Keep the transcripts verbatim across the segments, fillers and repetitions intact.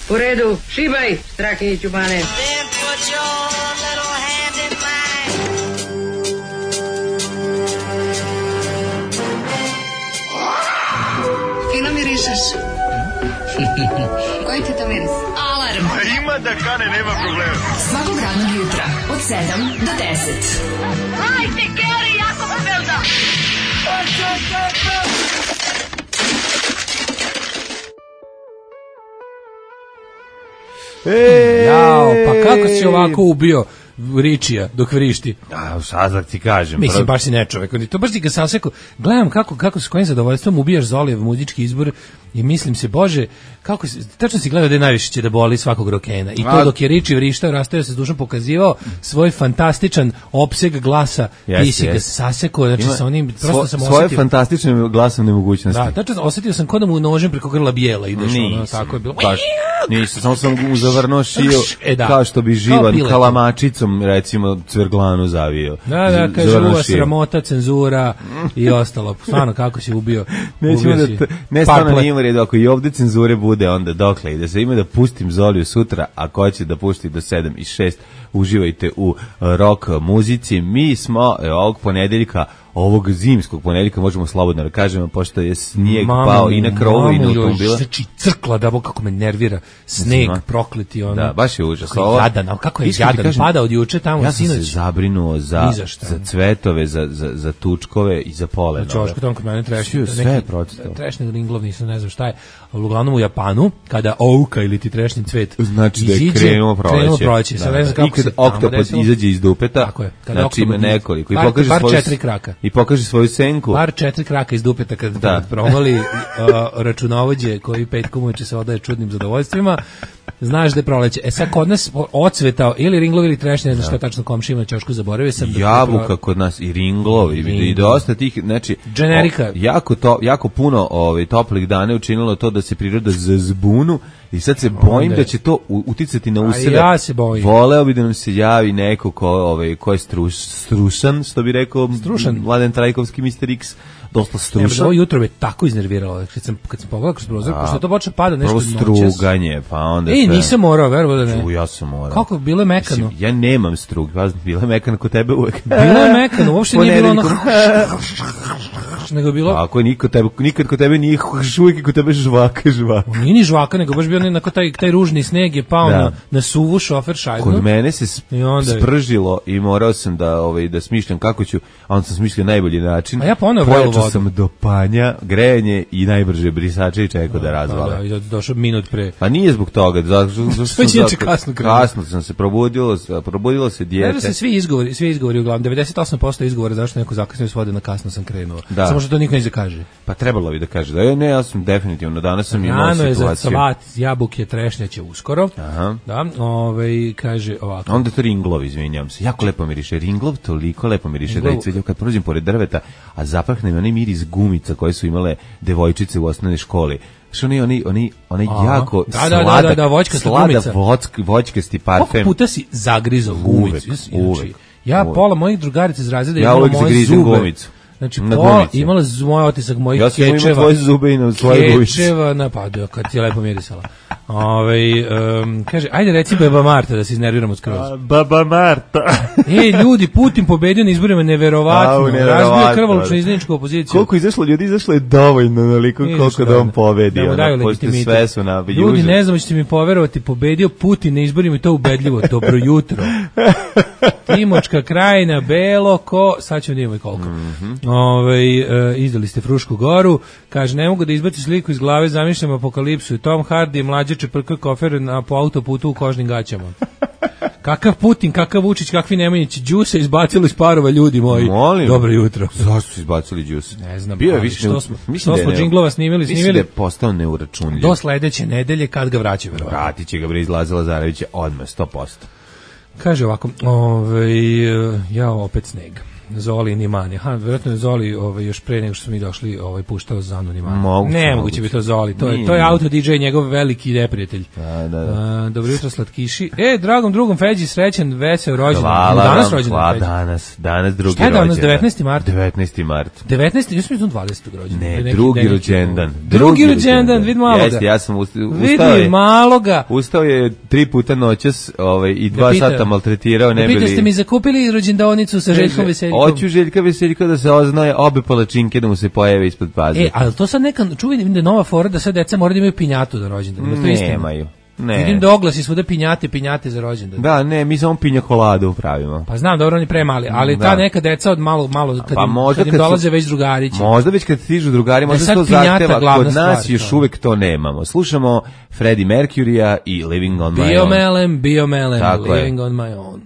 U redu, šibaj, Strahinjić u bane. Fino mirišeš. Koji ti to miris? Alarm. Ima da kane, nema problema. Svakog radnog jutra od sedam do deset. Hajde, Geri, jako se velda. E, Jao, pa kako si ovako ubio Ričija dok vrišti? A, sad ti kažem. Mislim, prv... baš si ne čovek. To baš ti ga saseku. Gledam kako, kako s kojim zadovoljstvom ubijaš Zolijev muzički izbor i mislim se, Bože, kako si, tačno si gledao da je najviše će da boli svakog rokena. I to A... dok je Riči vrištao, rastao se s dušom, pokazivao svoj fantastičan opseg glasa, yes, ti si yes. ga sasekao, znači Ima, sa onim, prosto svo, sam svoje osetio... Svoje fantastične glasovne mogućnosti. Da, tačno osetio sam kod da mu nožem preko grla bijela ideš, ono, tako je bilo. Baš, nisam, samo sam mu zavrnuo šiju, e, da. kao što bi živan kalamačicom, recimo, cvrglanu zavio. Da, da, kaže, uva, sramota, cenzura i ostalo. Stvarno, kako si ubio, ubio da si. T- ne, stvarno nije u redu, ako i ovde cenzure bude, onda dokle ide se. Ima da pustim Zoliju sutra, ako hoće da pušti do sedam i šest, uživajte u rock muzici. Mi smo e, ovog ponedeljka, ovog zimskog ponedeljka, možemo slobodno da kažemo, pošto je snijeg Mama, pao i na krovu i na automobila. Znači, crkla, da bo kako me nervira. Sneg, prokleti, ono. Da, baš je užas. Kako je jadan, kako je jadan, kažem, pada od juče tamo, ja sinoć. Ja sam se zabrinuo za, za cvetove, za, za, za tučkove i za polenove. Znači, oško tamo kod mene trešnje. Sve je procitao. Trešnje ringlov, nisam ne znam šta je. Uglavnom u Japanu, kada ouka ili ti trešnji cvet znači da je krenuo proleće. Krenuo proleće. Sad ne znam kako se oktopod izađe iz dupeta, tako je, znači ima nekoliko. I par, pokaže par svoju, četiri kraka. I pokaže svoju senku. Par četiri kraka iz dupeta kad, da. kad provali uh, računovođe koji petkom uveče se odaje čudnim zadovoljstvima. Znaš da je proleće. E sad kod nas ocvetao ili ringlov ili trešnje, ne znam šta tačno komšija ima ćošku, zaboravio sam. Jabuka pro... kod nas i ringlov i, i dosta tih, znači generika. O, jako, to, jako puno ovaj, toplih dana je učinilo to da se priroda zazbunu i sad se bojim Onda. da će to uticati na useve. Ja se bojim. Voleo bi da nam se javi neko ko, ovaj, ko je struš, strušan, što bi rekao strušan. Mladen Trajkovski mister X. Dosta strušan. Ovo jutro me tako iznerviralo kad sam kad sam pogledao kroz prozor, pošto to počne pada nešto noćas. Prvo struganje, pa onda Ej, nisam morao, verovo da ne. U, ja sam morao. Kako bilo je mekano? Mislim, ja nemam strug, vas bilo je mekano kod tebe uvek. Bilo je mekano, uopšte nije bilo ono nego bilo. Ako niko tebe nikad kod tebe nije uvek kod tebe žvaka, žvaka. Nije ni žvaka, nego baš bio onako taj taj ružni sneg je pao da. na na suvu šofer šajbu. Kod mene se sp I onda spržilo i morao sam da ovaj da smišljam kako ću, a on sam smislio najbolji način. A ja ponovo pojačao sam do panja, grejanje i najbrže brisače i čekao da razvala. Da, da, došao minut pre. Pa nije zbog toga, zato što sam kasno, kasno sam se probudilo, probudilo se dijete. Znači se svi izgovori, svi izgovori uglavnom devedeset osam posto izgovora zašto neko zakasnio svode na kasno sam krenuo. Da. Samo što to niko ne kaže. Pa trebalo bi da kaže da ne, ja sam definitivno danas sam imao situaciju. Rano je za salat, jabuke, trešnja će uskoro. Aha. Da, ovaj kaže ovako. Onda to ringlov, izvinjavam se. Jako lepo miriše. Ringlov toliko lepo miriše da i kad prođem pored drveta, a zapahne mi onaj miris gumica koje su imale devojčice u osnovnoj školi. Što oni oni oni oni jako da, da, sladak, da, da, da, voćkasta gumica. Vodski, voćkasti parfem. Koliko puta si zagrizao gumicu? Uvek, uvek. Ja uvek. Pola mojih drugarica iz razreda ja imala moje zube. Gumicu. Znači, pola imala moj otisak mojih ja kečeva. Ja sam imao tvoje zube i na svoje gumice. Kečeva, napadu, kad ti je lepo mirisala. Ove, um, kaže, ajde reci Baba Marta da se iznerviramo skroz. A, Baba Marta. Ej, ljudi, Putin pobedio na izborima, neverovatno. Razbio krvoločno izdaničku opoziciju. Koliko izašlo ljudi, izašlo je dovoljno, naliko koliko da on pobedi. Da mu daju legitimitet. Sve su na ljudi, ne znam, ćete mi poverovati, pobedio Putin na izborima i to ubedljivo. Dobro jutro. Timočka krajina, Belo, ko, sad ćemo nijemo i koliko. Mm -hmm. Ove, e, izdali ste Frušku goru, kaže, ne mogu da izbaci sliku iz glave, zamišljam apokalipsu i Tom Hardy, mlađe čeprka kofer na, po autoputu u kožnim gaćama. Kakav Putin, kakav Vučić, kakvi Nemanjići, Đusa izbacilo iz parova, ljudi moji. Molim. Dobro jutro. Zašto su izbacili Đusa? Ne znam. Bio je više, što smo, mislim što smo džinglova snimili, snimili. Mislim da je postao neuračunljiv. Do sledeće nedelje kad ga vraća, verovatno. Vratit će ga bre izlazi Lazarevića odmah sto posto. Kaže ovako, ovaj ja opet sneg. Zoli Nimani. Aha, vjerojatno je Zoli ovaj, još pre nego što smo mi došli ovaj, puštao Zanu Nimani. Moguće, ne, moguće. moguće bi to Zoli. To je, Nije, to je nije. auto D J, njegov veliki neprijatelj. Da, da, da. A, dobro jutro, slatkiši. E, dragom drugom Feđi, srećan, vesel rođendan. Hvala Danas vam, rođendan hvala, Feđi. danas, danas drugi Šta je danas, rođendan. devetnaesti mart? devetnaesti mart. devetnaesti, ja sam mislim dvadesetog rođendan. Ne, Neki drugi neki- rođendan. Drugi rođendan, vidi maloga. Jeste, ja sam usta- ustao Vidi je, maloga. ustao je tri puta noćas ovaj, i dva pita- sata maltretirao, ne Da pita, bili... ste mi zakupili rođendanicu sa Željkom Veseljkom? Hoću Željka Veseljka da se oznaje obe palačinke da mu se pojave ispod paze. E, ali to sad neka, čuvaj da je nova fora da sad deca moraju da imaju pinjatu za rođendan. Ima to istina? Nemaju. Ne. Vidim da oglasi svuda pinjate, pinjate za rođendan. Da, ne, mi samo pinja koladu pravimo. Pa znam, dobro, oni premali, ali Da. ta neka deca od malo, malo kad, Pa im, možda kad im kad su- dolaze već drugarići. Možda već kad stižu drugari, Da možda sad to pinjata zahteva, glavna kod nas stvar, još to. uvek to nemamo. Slušamo Freddie Mercury-a i Living on My Own. Biomelem, biomelem, Tako je. living on my own.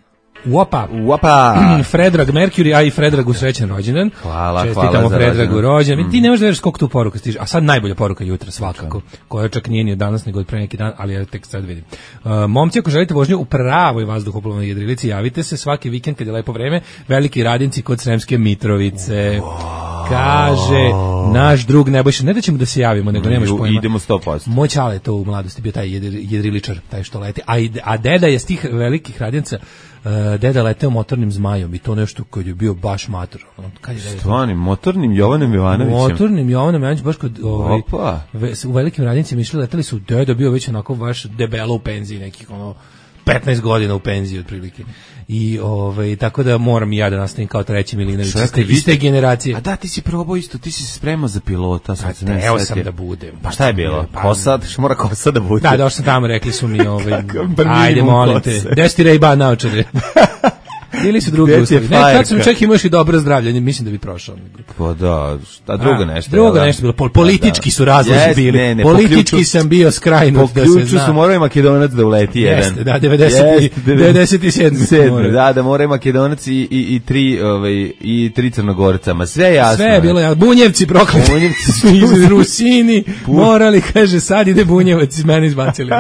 Uopa. Uapa! Fredrag Mercury, a i Fredragu srećan rođendan. Hvala, Čestitamo hvala za Fredragu rođendan. rođendan. Mm. Ti ne možeš da veriš koliko tu poruka stiže. A sad najbolja poruka jutra svakako, koja čak nije ni od danas nego od pre neki dan, ali ja tek sad vidim. Uh, momci, ako želite vožnju u pravoj vazduhoplovnoj jedrilici, javite se svaki vikend kad je lepo vreme, Veliki Radinci kod Sremske Mitrovice. Kaže naš drug Nebojša, ne da ćemo da se javimo, nego nemaš Ju- pojma. Idemo sto posto. Moj čale je to u mladosti bio taj jedri- jedriličar, taj što leti. A, i- a deda je s tih velikih radinca, uh, deda leteo motornim zmajom i to nešto koji je bio baš mator. Ono, kad je deda- Stvarnim, motornim Jovanom Jovanovićem. motornim Jovanom Jovanovićem, baš kod ovaj, Opa. ve, u velikim radnicima išli, leteli su, deda bio već onako baš debelo u penziji, nekih ono petnaest godina u penziji otprilike. I ovaj tako da moram i ja da nastavim kao treći Milinović iz te- iz te generacije. A da, ti si probao isto, ti si se spremao za pilota. Sad se ne Evo setio. sam da budem. Pa šta je bilo? Pa- Kosa, što mora kosa da bude. Da, došao sam tamo, rekli su mi, ovaj, bar ajde, minimum molim kose. te, gde si Ray-Ban naočare? Bili su drugi Gde ti uslovi. je Ne, tad sam fajerka? čak imao još i dobro zdravlje, mislim da bi prošao. Pa da, šta drugo A, nešto. Drugo jel da? nešto bilo, pol, politički Da. su razlozi Jest, bili. ne, ne, po Politički ključu- sam bio skrajnut, Po da se ključu zna. su morao i Makedonac da uleti jedan. Jeste, da, devedeset i- Jeste, devedeset sedmi sedmi, da, da mora i Makedonac i, i, i tri, ovaj, i tri Crnogorca, ma sve je jasno. Sve je bilo, ja, Bunjevci prokleti. Bunjevci su iz Rusini, morali, kaže, sad ide Bunjevac, iz mene izbacili.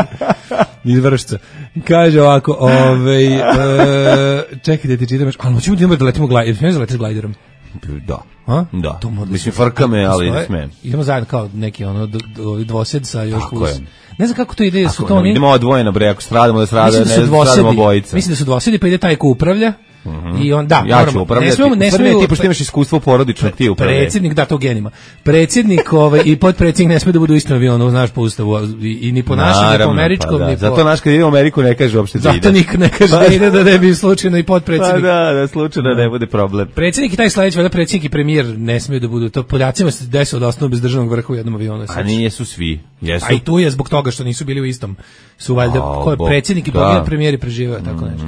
Iz Vršca. Kaže ovako, ovaj, e, čekaj da ti čitam još, ali moćemo da imamo da letimo glajderom, smijem da letiš glajderom? Da. A? Da. To mora da Mislim, se- frka me, ali Postoje- ne smem. Idemo zajedno kao neki ono d- d- dvosed sa još Tako plus. je. Ne znam kako to ide, su to Ako oni. idemo odvojeno, bre, ako stradamo da strada, Mislim ne da su stradamo dvosedi. bojica. Mislim da su dvosedi, pa ide taj ko upravlja. I on da, Ja moramo, ću upravljati. Ne smemo, ne U stvari, smemo. ti, pošto imaš iskustvo porodičnog, ti upravljaj. Predsjednik, da, to genima. Predsjednik ovaj, i potpredsjednik ne sme da budu u istom avionu, znaš, po ustavu, i, i ni po našem, ni po Naravno, američkom, pa da. ni po... Zato naš kad ide u Ameriku ne kaže uopšte da ide. Zato nik ne kaže da ide da ne bi slučajno i Pa potpredsjednik. da, da slučajno ne bude problem. Predsjednik i taj sledeći, valjda predsjednik i premijer ne smiju da budu, to Poljacima se desilo da ostanu bez državnog vrha u jednom avionu. A nijesu svi. Jesu. A i tu je zbog toga što nisu bili u istom. Su valjda, A, ko je Bog, predsjednik i da. pogled premijer i preživeo, tako nešto.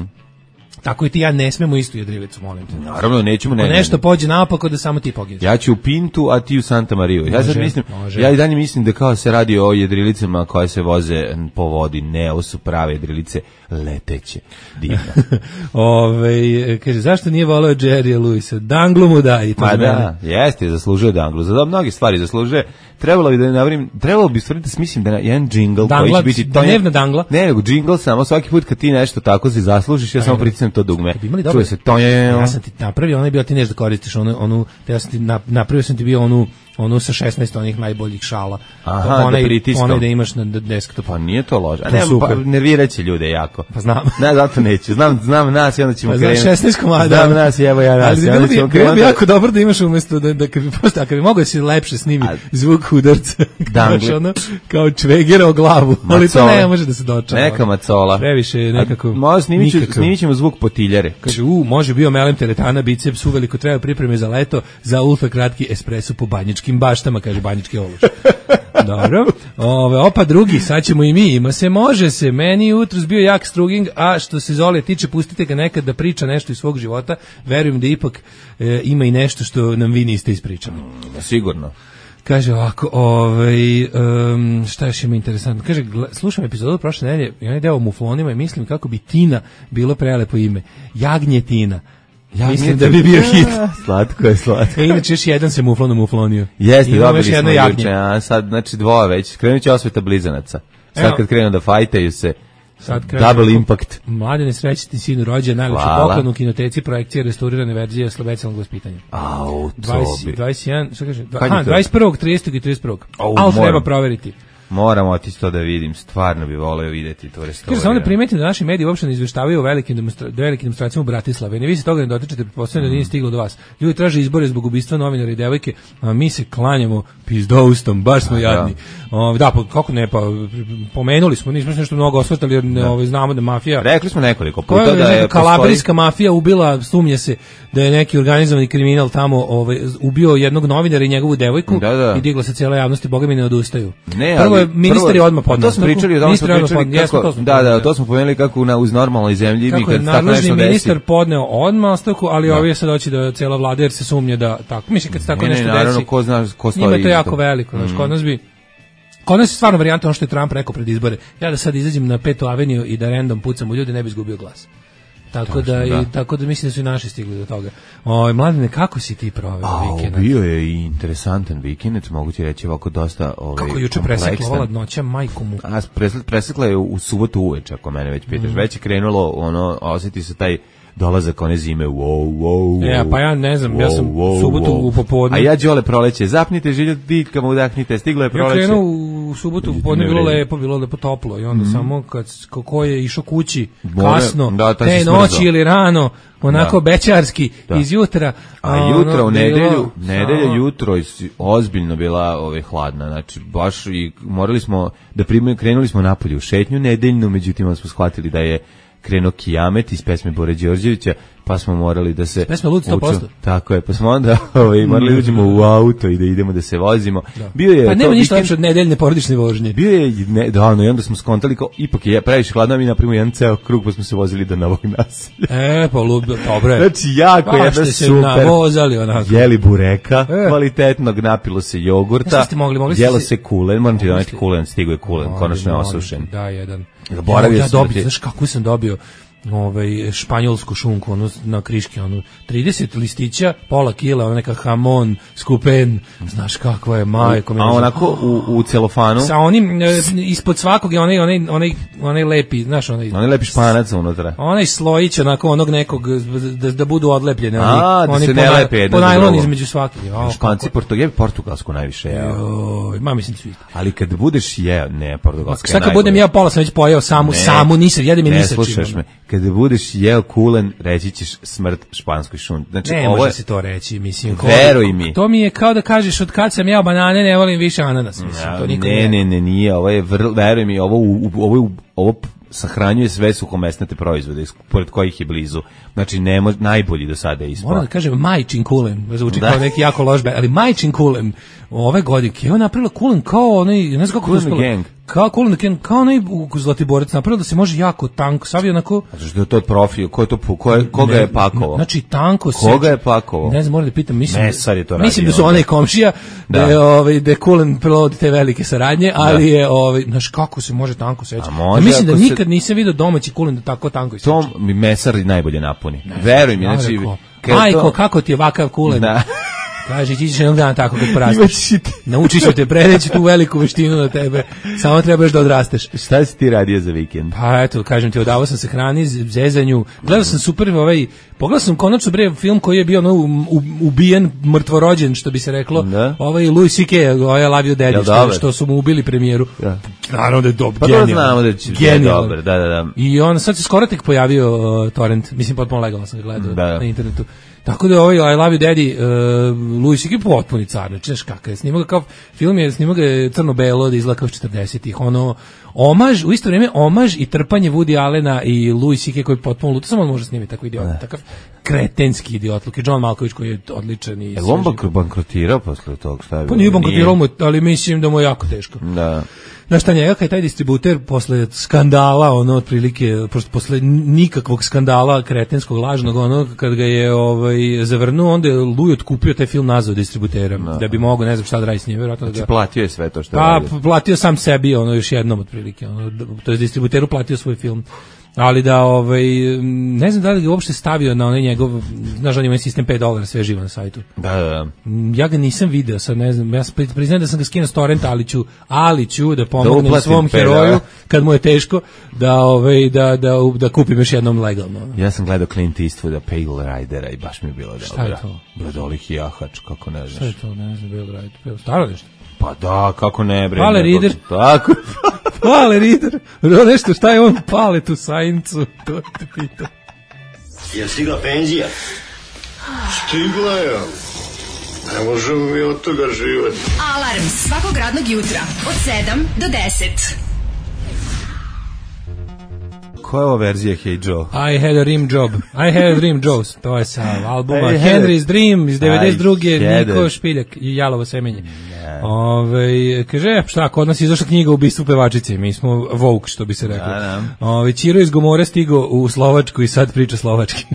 Tako i ti ja ne smemo istu jedrilicu, molim te. Naravno, nećemo ne. Ako ne, nešto ne. pođe naopako da samo ti pogineš. Ja ću u Pintu, a ti u Santa Mariju. Ja sad Može, mislim, može. ja i dalje mislim da kao se radi o jedrilicama koje se voze po vodi. Ne, ovo su prave jedrilice leteće. Divno. Ove, kaže, zašto nije volao Jerry'a Lewisa? Danglu mu da i to Ma za mene. da, jeste, zaslužuje Danglu. Za mnoge stvari zaslužuje. Trebalo bi da navrim, trebalo bi stvariti da smislim da na jedan džingl koji Dangla, će biti to je- dnevna dangla. Ne, nego džingl samo svaki put kad ti nešto tako si zaslužiš, ja samo pritisnem to dugme. Bi imali dobro. Čuje se to je. Ja sam ti napravio, onaj bio ti nešto da koristiš, onu, onu, ja sam ti na- napravio sam ti bio onu, onu sa šesnaest onih najboljih šala. Aha, To da onaj, pritiskam. onaj da imaš na desktopu. Pa nije to loše. A To ne, super. pa nerviraće ljude jako. Pa znam. Ne, zato neću. Znam, znam nas i onda ćemo Pa znaš, krenuti. šesnaest komada. Znam nas i evo ja nas. Ali i bilo onda bi, ćemo bilo bi krenuti. jako dobro da imaš umesto da, da kad bi posto, a kad bi mogao da si lepše snimi A- zvuk udarca, Dangle. znaš, ono, kao čvegera o glavu, ali to Macole. ne može da se dočara. Neka macola. Previše je nekako A, Možda snimit, ću, nikakav. snimit ćemo zvuk potiljare. Kaže, u, može bio melem teretana, biceps, uveliko treba pripreme za leto, za ultra kratki espresso po banjičkim baštama, kaže banjički ološ. Dobro. Ove, opa drugi, sad ćemo i mi, ima se, može se, meni je jutros bio jak struging, a što se Zole tiče, pustite ga nekad da priča nešto iz svog života, verujem da ipak e, ima i nešto što nam vi niste ispričali. Sigurno. Kaže ovako, ovaj, um, šta još ima interesantno? Kaže, gla- slušam epizodu prošle nedelje i onaj deo o muflonima i mislim kako bi Tina bilo prelepo ime. Jagnje Tina. Ja mislim da bi bio hit. Slatko je, slatko. E, inače još jedan se muflon umuflonio. Jeste, Imamo dobili još jedno smo jagnje. juče, a sad, znači dvoje već. Krenut će osveta blizanaca. Sad Evo. kad krenu da fajtaju se, Sad Double impact. Mladene, srećni sinu rođen, najlepši poklon u kinoteci, projekcije, restaurirane verzije Slovenskog vaspitanja. Au, to dvadeset, dvadeset jedan, šta kaže? Kad je Aha, to? dvadeset prvog, tridesetog i trideset prvog. Au, Ali moram. treba proveriti. Moramo otići to da vidim, stvarno bi voleo vidjeti to Kaže, restaurirano. samo da primetim da naši mediji uopšte ne izveštavaju o velikim, demonstra velikim demonstracijama u Bratislavi. Ne vi se toga ne dotičete, pretpostavljam da nije stiglo do vas. Ljudi traže izbore zbog ubistva novinara i devojke, a mi se klanjamo pizdoustom, baš smo jadni. O, da, pa kako ne, pa pomenuli smo, nismo se nešto mnogo osvrtali, jer ne, ovaj, znamo da mafija... Rekli smo nekoliko Koja puta da je kalabrijska postoji... mafija ubila, sumnje se da je neki organizovani kriminal tamo ovaj, ubio jednog novinara i njegovu devojku Da, da. i digla se cijela javnost i boga mi ne odustaju. Ne, Prvo je ali- ministar prvo- je odmah podneo. To smo pričali, o tome smo Ministar je odmah pričali podneo, jesmo, kako, to smo da, da, podneli. to smo pomenuli kako na, uz normalnoj zemlji mi Kako je kad tako nadležni nešto ministar desi. podneo odmah ostavku, ali ovi je sad doći da cela vlada jer se sumnja da tako. Mislim kad se tako Ne, ne, nešto naravno, desi. ko zna ko stoji Njima je to iza jako toga. veliko, znači kod nas bi Kod nas je stvarno varijanta ono što je Trump rekao pred izbore. Ja da sad izađem na Petu aveniju i da random pucam u ljude, ne bi izgubio glas. Tako da, da. i tako da mislim da su i naši stigli do toga. Oj, Mladene, kako si ti proveo A, vikend? bio je i interesantan vikend, mogu ti reći ovako dosta ovaj, Kako je juče kompleksan. presekla ova ladnoća, majku mu. A, presle- presekla je u subotu uveče, ako mene već pitaš. Mhm. Već je krenulo, ono, osjeti se taj dolazak one zime, wow, wow, wow. E, pa ja ne znam, ja sam wow, subotu wow. u popodne. A ja Đole proleće, zapnite žilju ditkama, udahnite, stiglo je Ja proleće. krenuo u subotu, u podne ne bilo vredi. lepo, bilo lepo toplo i onda samo kad kako je išao kući More- kasno, da, taj te se smrzao. noći ili rano, onako Da. bećarski Da. iz jutra. A jutra ono, u bilo- nedelju, nedelja samo- jutro je si- ozbiljno bila ovaj hladna, znači baš i morali smo da primimo, krenuli smo napolje u šetnju nedeljnu, međutim onda smo shvatili da je krenuo Kijamet iz pesme Bore Đorđevića, pa smo morali da se pesme Lud sto posto. uču- Tako je, pa smo onda ovaj morali da uđemo u auto i da idemo da se vozimo. Bio je Pa to nema ništa vikend- lepše od nedeljne porodične vožnje. Bio je ne, da, no, i onda smo skontali kao ipak je previše hladno, mi napravimo jedan ceo krug pa smo se vozili do Novog Naselja. E, pa lud, dobro je. Znači, jako Baš jedna ste se super. navozali onako. Jeli bureka, E. kvalitetnog, napilo se jogurta, Šta ste mogli? Mogli ste jelo se- se kulen, moram ti Mogli doneti ste- kulen, stigo je kulen, konačno je Molim, osušen. Da, jedan. Zaboravio ja, ja sam da dobio, ti- znaš kako sam dobio ovaj španjolsku šunku ono na kriški ono trideset listića, pola kila, ona neka hamon, skupen, znaš kakva je majko. A onako u, u celofanu, sa onim e, ispod svakog je onaj onaj onaj onaj lepi, znaš, onaj onaj lepi španac unutra. onaj slojić onako onog nekog da, da budu odlepljene oni, A, da oni se po ne naj- lepe jedno po za najlon drugo. između svakih. O, Španci, Portugal, portugalsku najviše jeo. Joj, ma mislim da su isti. Ali kad budeš jeo, ne, portugalska je Sad kad najbolja. budem ja pola sam već pojeo samu, Ne. samu nisam, jedem je Ne ni sa čim. slušaš me. Kada budeš jeo kulen, reći ćeš smrt španskoj šunti. Znači, Ne ovo može je... se to reći, mislim. ko- Veruj mi. To mi je kao da kažeš od kad sam jeo banane, ne volim više ananas, mislim. To niko ne, ne, ne, nije, ovo je, vrlo, veruj mi, ovo, u- u- ovo, je u- ovo sahranjuje sve suhomesnate proizvode, iz- pored kojih je blizu. Znači, ne mož, najbolji do sada je ispao. Moram da kažem majčin kulen, zvuči Da. kao neki jako loš band, ali majčin kulen ove godine, je on napravila kulen kao onaj, ne znam kako Kool to and the uspela. Gang. Kao kulen the Gang, kao onaj u Zlatiborac, napravila da se može jako tanko, sav je onako... Zato što je to profil, ko je to, pu- ko je, koga Ne, je pakovao? Znači tanko se. Koga je pakovao? Ne znam, moram da pitam, mislim. Mesar je to radio Mislim da su onda. onaj komšija, da, Da. je ovaj da je Kulen prelodi te velike saradnje, ali je ovaj znaš kako se može tanko seći. A može Ja mislim da ako se- nikad nisam video domaći Kulen da tako tanko iseče. To mi mesar najbolje napuni. Veruj mi, Ja znači... rekao, kad Majko, to- kako ti je ovakav Kulen? Da. Kaže, ti ćeš jednog dana tako kad porasteš. Imaćeš i ti. Naučit ću te, preneći tu veliku veštinu na tebe. Samo trebaš da odrasteš. Šta si ti radio za vikend? Pa eto, kažem ti, odavao sam se hrani, z- zezanju. Gledao sam super ovaj, pogledao sam konačno bre film koji je bio ono u- u- ubijen, mrtvorođen, što bi se reklo. Da. Ovaj Louis C K, ovaj I Love You Daddy, Jel što, dobar? što su mu ubili premijeru. Da. Naravno da je dobar, Pa to genijalan. znamo da će da je Genijalan. dobar, da, da, da. I on sad se skoro tek pojavio uh, torrent, mislim potpuno legalno sam ga gledao Da. na internetu. Tako da ovaj I Love You Daddy, uh, Louis C K potpuni car, znači znaš kakav je, snimao ga kao film je, snimao ga je crno-belo, da izgleda kao iz četrdesetih, ono, omaž, u isto vrijeme omaž i trpanje Woody Allena i Louis C K koji je potpuno luto, samo on može snimiti tako idiot, takav kretenski idiot, i John Malkovich koji je odličan i Je li on bank- bankrotirao posle tog? Šta je pa bilo? nije bankrotirao mu, ali mislim da mu je jako teško. Da. Znaš šta njega, kad je taj distributer posle skandala, ono, otprilike, pošto posle nikakvog skandala kretenskog, lažnog, ono, kad ga je ovaj, zavrnuo, onda je Louis otkupio taj film nazad distributera, da bi mogao, ne znam šta da radi s njim, vjerojatno da Znači, ga... platio je sve to što je Pa, radio. platio sam sebi, ono, još jednom, otprilike, ono, d- to je distributeru platio svoj film. Ali da, ovaj, ne znam da li ga uopšte stavio na onaj njegov, znaš, on ima sistem pet dolara, sve živo na sajtu. Da, da, da. Ja ga nisam video, sad ne znam, ja pri- priznajem da sam ga skinuo s torrenta, ali ću, ali ću da Da pomognem uplatim svom pet heroju, dolara. kad mu je teško da ovaj da da da kupim još jednom legalno. Ja sam gledao Clint Eastwooda, Pale Ridera i baš mi je bilo dobro. Šta je to? Bradolih jahač, kako ne znaš. Šta je to? Ne znam, Pale Rider. Staro nešto? Pa da, kako ne bre. Pale Rider. Tako. Pale Rider. Nešto, šta je on pale tu sajncu? To te pitam. Je stigla penzija? Stigla je. Ne možemo mi od toga živati. Alarm svakog radnog jutra od sedam do deset. Koja je ova verzija Hey Joe? I had a dream job. I had a dream Joe. To je sa albuma Henry's Dream iz devedeset druge. Niko Špiljak i Jalovo semenje. Ove, kaže, šta, kod nas je izašla knjiga o ubistvu pevačice. Mi smo woke, što bi se reklo. Da, da. Ove, Ćiro iz Gomore stigao u Slovačku i sad priča slovački.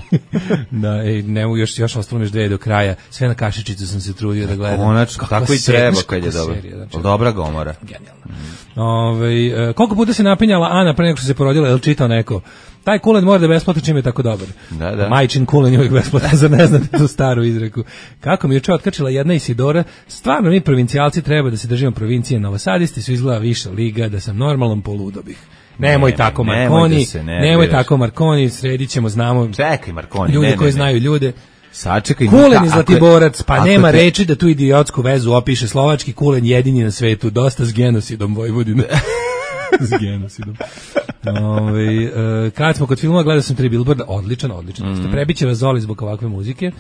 Da, ej, nemo još, još ostalo još dve do kraja. Sve na kašičicu sam se trudio da gledam. Konačno, tako i treba kad je dobro. Znači, dobra Gomora. Genijalno. Mm. Ove, koliko puta se napinjala Ana pre nego što se porodila, je li čitao neko? Taj kulen mora da je besplatan čim je tako dobar. Da, da. Majčin kulen je uvijek besplatan, zar ne znate tu staru izreku. Kako mi juče otkačila jedna Isidora, stvarno mi provincijalci treba da se držimo provincije, novosadisti su izgleda više liga, da sam normalnom poludo bih. Nemoj ne, tako Marconi, nemoj, se, ne, nemoj tako Marconi, sredit ćemo, znamo. Čekaj Marconi, ljude ne, koji ne, znaju ljude. Sačekaj. Kulen i Zlatiborac, pa nema te... reči da tu idiotsku vezu opiše slovački kulen jedini na svetu, dosta s genocidom Vojvodine. S genocidom. Ove, uh, kad smo kod filma, gledao sam tri Billboarda, odličan, odličan. Mm-hmm. Prebiće vas Zoli zbog ovakve muzike.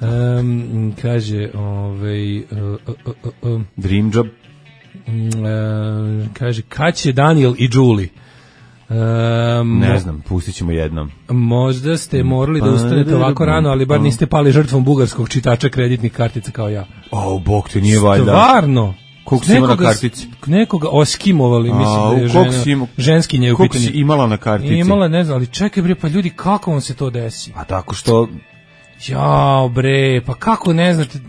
Um, kaže, ove, uh, uh, uh, uh, Dream Job. Uh, kaže, kad će Daniel i Julie? Um, ne znam, pustit ćemo jednom. Možda ste morali da ustanete ovako rano, ali bar niste pali žrtvom bugarskog čitača kreditnih kartica kao ja. O, bog te nije valjda. Stvarno? Koliko si imala na kartici? Nekoga oskimovali, mislim a, da je žena, ima, ženskinje u pitanju. Koliko si imala na kartici? Imala, ne znam, ali čekaj bre, pa ljudi, kako vam se to desi? A tako što... Jao bre, pa kako ne znate...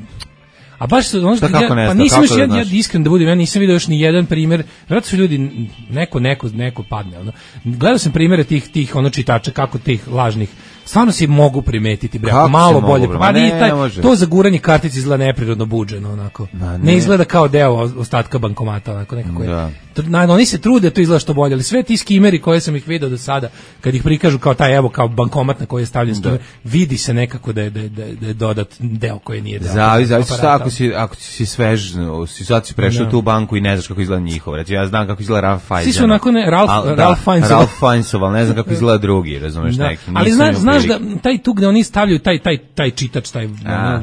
A baš se ono, šta, kako ne ja, pa nisam još ja, ja iskren da budem, ja nisam vidio još ni jedan primjer. Vjerojatno su ljudi neko neko neko padne, ono. Gledao sam primjere tih tih ono čitača kako tih lažnih. Stvarno se mogu primetiti, bre, malo bolje. Pa ne, taj, to zaguranje kartice izgleda neprirodno buđeno, onako. Ne. ne izgleda kao deo ostatka bankomata, onako nekako je. Da. Na, oni se trude, to izgleda što bolje, ali sve ti skimeri koje sam ih video do sada, kad ih prikažu kao taj, evo, kao bankomat na koji je stavljen skimer, vidi se nekako da je, da je, da je dodat deo koji nije deo. Zavis, zavisi šta ako si, ako si svež, si sad si prešao no. tu banku i ne znaš kako izgleda njihov. Reći, ja znam kako izgleda Ralph Fiennes. Svi su onako ne, Ralph, Al, Ralph Fiennes. Ralph Fiennes, ali ne znam kako izgleda drugi, razumeš da. neki. Ali zna, znaš da taj tu gde oni stavljaju taj, taj, taj čitač, taj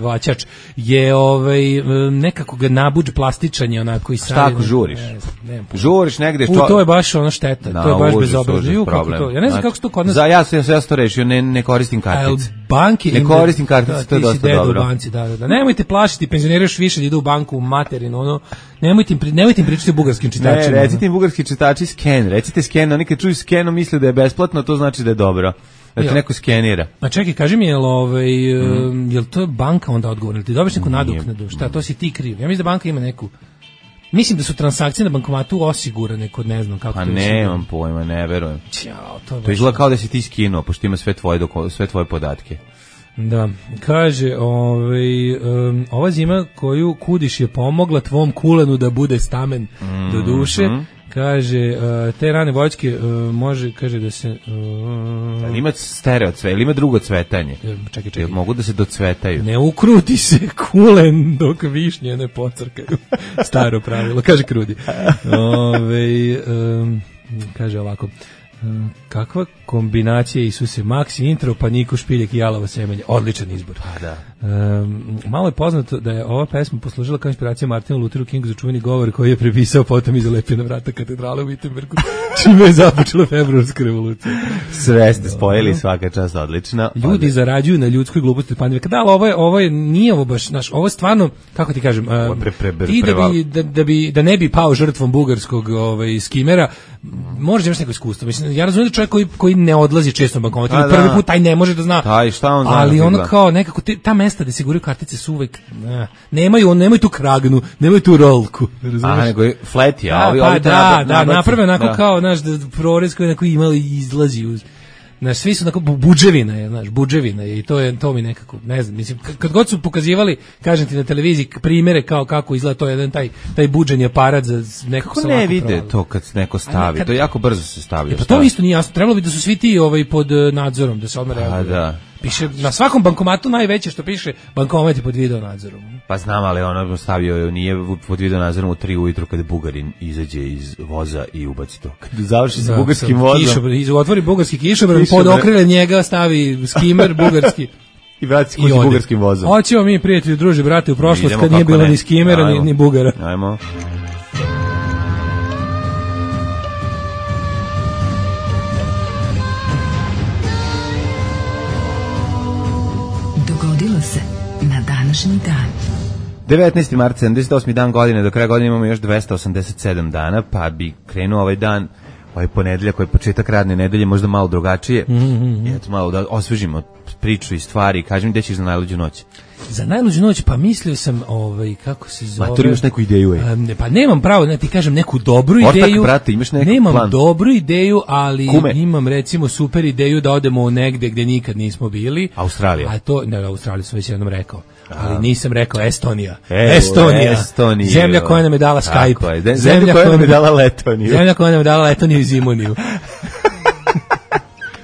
vaćač, je ovaj, nekako ga nabuđ plastičan je onako i sad. Šta ako žuriš? Ne, ne, žuriš negde. U, to je baš ono šteta, no, to je baš bezobrazno. To. Ja ne znam kako se to kod nas... Za, ja sam ja to rešio, ne, ne koristim kartice. Banke ne koristim kartice, da, to je dosta dobro. U banci, da, da, da. Nemojte plašiti, penzioneri još više da idu u banku u materinu, ono, nemojte im, nemojte im pričati o bugarskim čitačima. Ne, recite im bugarski čitači sken, recite sken, oni kad čuju skeno misle da je besplatno, to znači da je dobro. Da te neko skenira. A čekaj, kaži mi, jel, ovaj, mm. jel to banka onda odgovorna? Ili ti dobiš neku nadoknadu? Šta, to si ti kriv? Ja mislim da banka ima neku... Mislim da su transakcije na bankomatu osigurane kod ne znam kako pa to je. Pa nemam pojma, ne verujem. Ćao, to to izgleda kao da si ti skinuo, pošto ima sve tvoje, doko, sve tvoje podatke. Da, kaže, ovaj, um, ova zima koju kudiš je pomogla tvom kulenu da bude stamen mm-hmm. do duše. Kaže, uh, te rane voćke uh, može, kaže da se... Uh, ali ima stereo cvet, ili ima drugo cvetanje? Čekaj, čekaj. Mogu da se docvetaju? Ne ukruti se kulen dok višnje ne pocrkaju. Staro pravilo, kaže Krudi. Ove, um, kaže ovako... Kakva kombinacija Isuse Maxi intro pa Niko Špiljak i Jalovo semenje, odličan izbor. Pa da. Um, malo je poznato da je ova pesma poslužila kao inspiracija Martinu Lutheru Kingu za čuveni govor koji je prepisao potom iza lepljena vrata katedrale u Wittenbergu, čime je započela februarska revolucija. Sve ste spojili, svaka čast odlična. Ljudi zarađuju na ljudskoj gluposti pandemije. Da, ali ovo je, ovo je, nije ovo baš, naš, ovo je stvarno, kako ti kažem, um, pre, pre, pre, ti da bi, da, da bi, da ne bi pao žrtvom bugarskog ovaj, skimera, možeš imaš neko iskustvo. Mislim, ja razumijem da čovjek koji, koji ne odlazi često na bankomat, prvi put taj ne može da zna, taj, šta on zna, ali ono kao nekako, te, ta mesta gde se guraju kartice su uvek, ne, nemaju, on, nemaju tu kragnu, nemaju tu rolku, razumiješ? Aha, nego je flat, ja, da, ovi, pa, ovi da, nabad, da, nabad, naprave onako da. kao, znaš, da prorez koji neko imali izlazi uz... Znaš, svi su onako budževina je, znaš, budževina je i to je to mi nekako, ne znam, mislim kad god su pokazivali, kažem ti na televiziji primere kao kako izgleda to jedan taj taj budženi aparat za nekako Kako ne vide provali. To kad neko stavi, kad, to jako brzo se stavlja. E, pa to isto nije jasno, trebalo bi da su svi ti ovaj pod nadzorom, da se odmah reaguje. Da. Piše na svakom bankomatu najveće što piše bankomat je pod video nadzorom. Pa znam, ali ono stavio nije pod video nadzorom u tri ujutru kada Bugarin izađe iz voza i ubaci to. Kad završi sa da, bugarskim vozom. Kišobran, otvori bugarski kišobran, pod okrilje njega stavi skimer bugarski. I vrati se kući bugarskim vozom. Hoćemo mi, prijatelji, druži, brate, u prošlost kad nije bilo ne. ni skimera, ni, ni bugara. Ajmo. Dogodilo se na današnji dan. devetnaesti marta, sedamdeset osmi dan godine, do kraja godine imamo još dvesta osamdeset sedam dana, pa bi krenuo ovaj dan, ovaj ponedeljak, koji je početak radne nedelje, možda malo drugačije. Mm-hmm. I eto malo da osvežimo priču i stvari. Kaži mi gde ćeš za najluđu noć. Za najluđu noć, pa mislio sam, ovaj, kako se zove... Ma, to imaš neku ideju, ej. Um, pa nemam pravo, ne ti kažem neku dobru Ortak, ideju. brate, imaš neku nemam plan. dobru ideju, ali Kume. imam recimo super ideju da odemo negde gde nikad nismo bili. Australija. A to, ne, Australiju sam već jednom rekao. Ali nisam rekao Estonija. Evo, Estonija. Estonija. Zemlja koja nam je dala Skype. Je. Zemlja, zemlja koja nam je dala Letoniju. Zemlja koja nam je dala Letoniju i Zimoniju.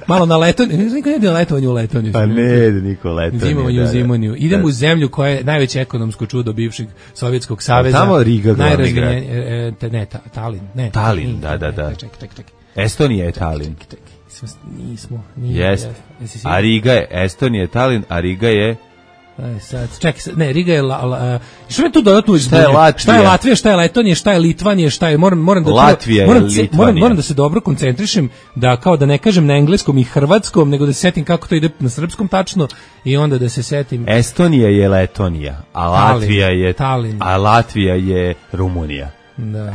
Malo na Letoniju, niko ne bi na letovanju u Letoniju. Pa ne, niko Letoniju. Zimoniju, Zimoniju. Idemo u zemlju koja je najveće ekonomsko čudo bivšeg Sovjetskog saveza. Tamo Riga glavni grad. E, e, ne, ta, Talin. Ne, Talin, da, da, da. Ček, ček, ček. Estonija je Talin. Nismo. Nije, Jest. A Riga je, Estonija je Talin, a Riga je... Aj sad, čekaj, ne, Riga je la, la, što me tu dodatno izbunio? Šta je Latvija? Šta je Latvija, šta je Letonija, šta je Litvanija, šta je, moram, moram da Latvija moram, je Litvanija. Moram, moram da se dobro koncentrišem, da kao da ne kažem na engleskom i hrvatskom, nego da se setim kako to ide na srpskom tačno i onda da se setim. Estonija je Letonija, a Latvija je Talin. A Latvija je Rumunija. Da.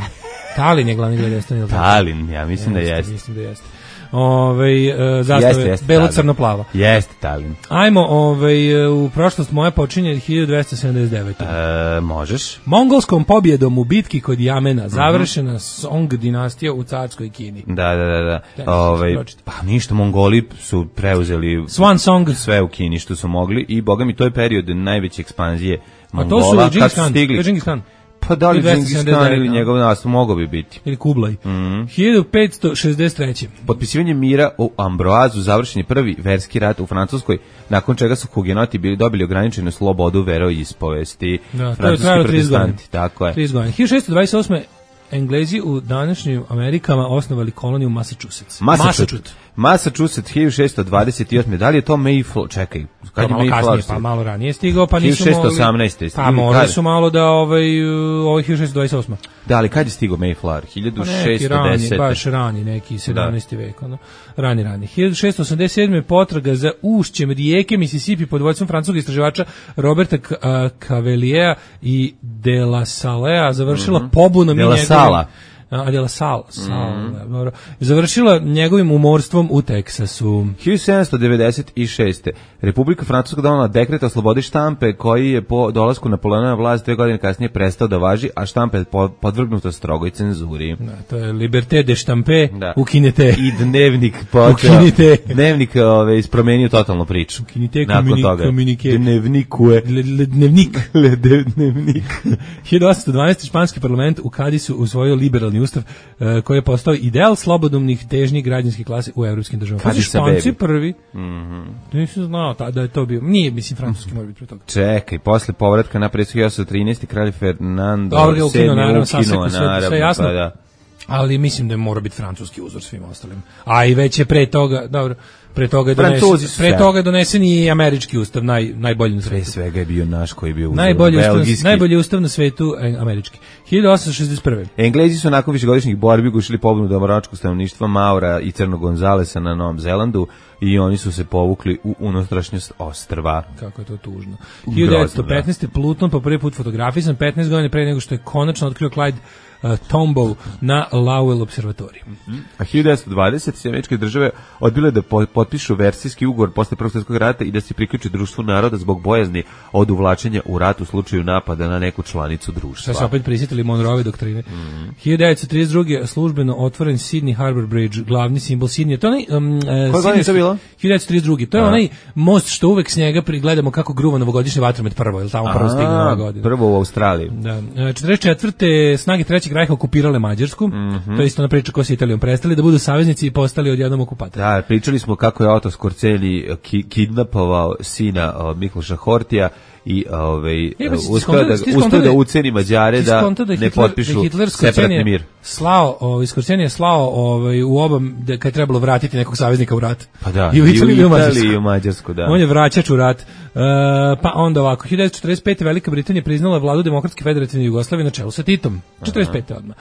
Talin je glavni grad Estonije. Talin, ja mislim da jeste. Mislim da jeste. Ovaj uh, zastave belo crno plava. Jeste Talin. Ajmo, ovaj u prošlost moja počinje hiljadu dvesta sedamdeset devete. E, možeš. Mongolskom pobjedom u bitki kod Jamena završena uh-huh. Song dinastija u carskoj Kini. Da, da, da, da. da ovaj pa ništa, Mongoli su preuzeli Swan Song sve u Kini što su mogli i boga mi to je period najveće ekspanzije Mongola. A to su Džingis Khan, Džingis Khan. Pa da li Džingis Khan ili njegov nastup mogao bi biti. Ili Kublaj. Mm. hiljadu petsto šezdeset treće. Potpisivanje mira u Ambroazu završen je prvi verski rat u Francuskoj, nakon čega su hugenoti bili dobili ograničenu slobodu veroispovesti. Da, to je trajalo trideset godina. Tako je. trideset godina. hiljadu šessto dvadeset osme. Englezi u današnjim Amerikama osnovali koloniju Massachusetts. Massachusetts. Massachusetts hiljadu šessto dvadeset osme. Da li je to Mayflower? Čekaj, kad je Mayflower? Kasnije, pa malo ranije stigao, pa nisu hiljadu šessto osamnaeste. Pa možda su malo da ovaj ovaj hiljadu šessto dvadeset osme. Da, ali kad je stigao Mayflower? hiljadu šessto deset. Baš rani, neki sedamnaesti vek, ono. Rani, rani. hiljadu šessto osamdeset sedme. potraga za ušćem rijeke Mississippi pod vodstvom francuskog istraživača Roberta Caveliera i De La Salea završila mm-hmm. pobunom De La Sala. A de la Sal, Sal, mm. dobro. Završila njegovim umorstvom u Teksasu. hiljadu sedamsto devedeset šeste. Republika Francuska donela dekret o slobodi štampe koji je po dolasku Napoleona na vlast dve godine kasnije prestao da važi, a štampa je podvrgnuta strogoj cenzuri. Da, to je Liberté de Štampe, da. Ukinete. I dnevnik počeo. Ukinite. Dnevnik ove, ispromenio totalno priču. Ukinite komunike. Dnevnikuje. Dnevnik. Dnevnik. hiljadu osamsto dvanaeste. španski parlament u Kadisu usvojio liberalni ustav uh, koji je postao ideal slobodumnih težnji građanske klase u evropskim državama. Pa Španci prvi. Mm-hmm. Nisam znao ta, da je to bio. Nije, mislim, francuski mora biti pre toga. Čekaj, posle povratka na predsjednik hiljadu osamsto trinaeste. kralj Fernando Dobro, sedmi ukinuo, ukinuo sve, sve jasno. Pa da. Ali mislim da mora biti francuski uzor svim ostalim. A i već je pre toga, dobro, pre toga je donesen, pre toga je donesen i američki ustav, naj, najbolji na svetu. Pre svega je bio naš koji je bio najbolji ustav, najbolji ustav na svetu, američki. hiljadu osamsto šezdeset prve. Englezi su nakon višegodišnjih borbi gušili pobunu domoračkog stanovništva Maura i Crnog Gonzalesa na Novom Zelandu i oni su se povukli u unutrašnjost ostrva. Kako je to tužno. hiljadu devetsto petnaeste. Pluton po prvi put fotografisan petnaest godina pre nego što je konačno otkrio Clyde uh, Tombow na Lowell observatoriji. Mm-hmm. A hiljadu devetsto dvadesete američke države odbile da po, potpišu versijski ugovor posle Prvog svjetskog rata i da se priključi društvu naroda zbog bojazni od uvlačenja u rat u slučaju napada na neku članicu društva. Sad se opet prisjetili Monroeve doktrine. Mm-hmm. hiljadu devetsto trideset druge službeno otvoren Sydney Harbour Bridge, glavni simbol Sydney. To je onaj, um, Koje godine je to bilo? hiljadu devetsto trideset druge. To je A. onaj most što uvek s njega prigledamo kako gruva novogodišnje vatromet prvo, ili tamo prvo stigne ova godina. Prvo u Australiji. Da. četrdeset četvrte snage Trećeg rajha okupirale Mađarsku. Mm-hmm. To je isto ona priča ko se Italijom prestali da budu saveznici i postali odjednom okupatori. Da, pričali smo kako je Otto Skorceni ki, kidnapovao sina uh, Mikloša Hortija i ovaj uspeo da uspeo da uceni Mađare da, da ne potpišu separatni mir. Slao, ovaj Skorceni je slao ovaj u oba da kad je trebalo vratiti nekog saveznika u rat. Pa da, i u Italiju i u Mađarsku. I u Mađarsku, da. On je vraćač u rat. Uh, pa onda ovako, hiljadu devetsto četrdeset pete Velika Britanija priznala vladu Demokratske federativne Jugoslavije na čelu sa Titom. četrdeset pete odmah.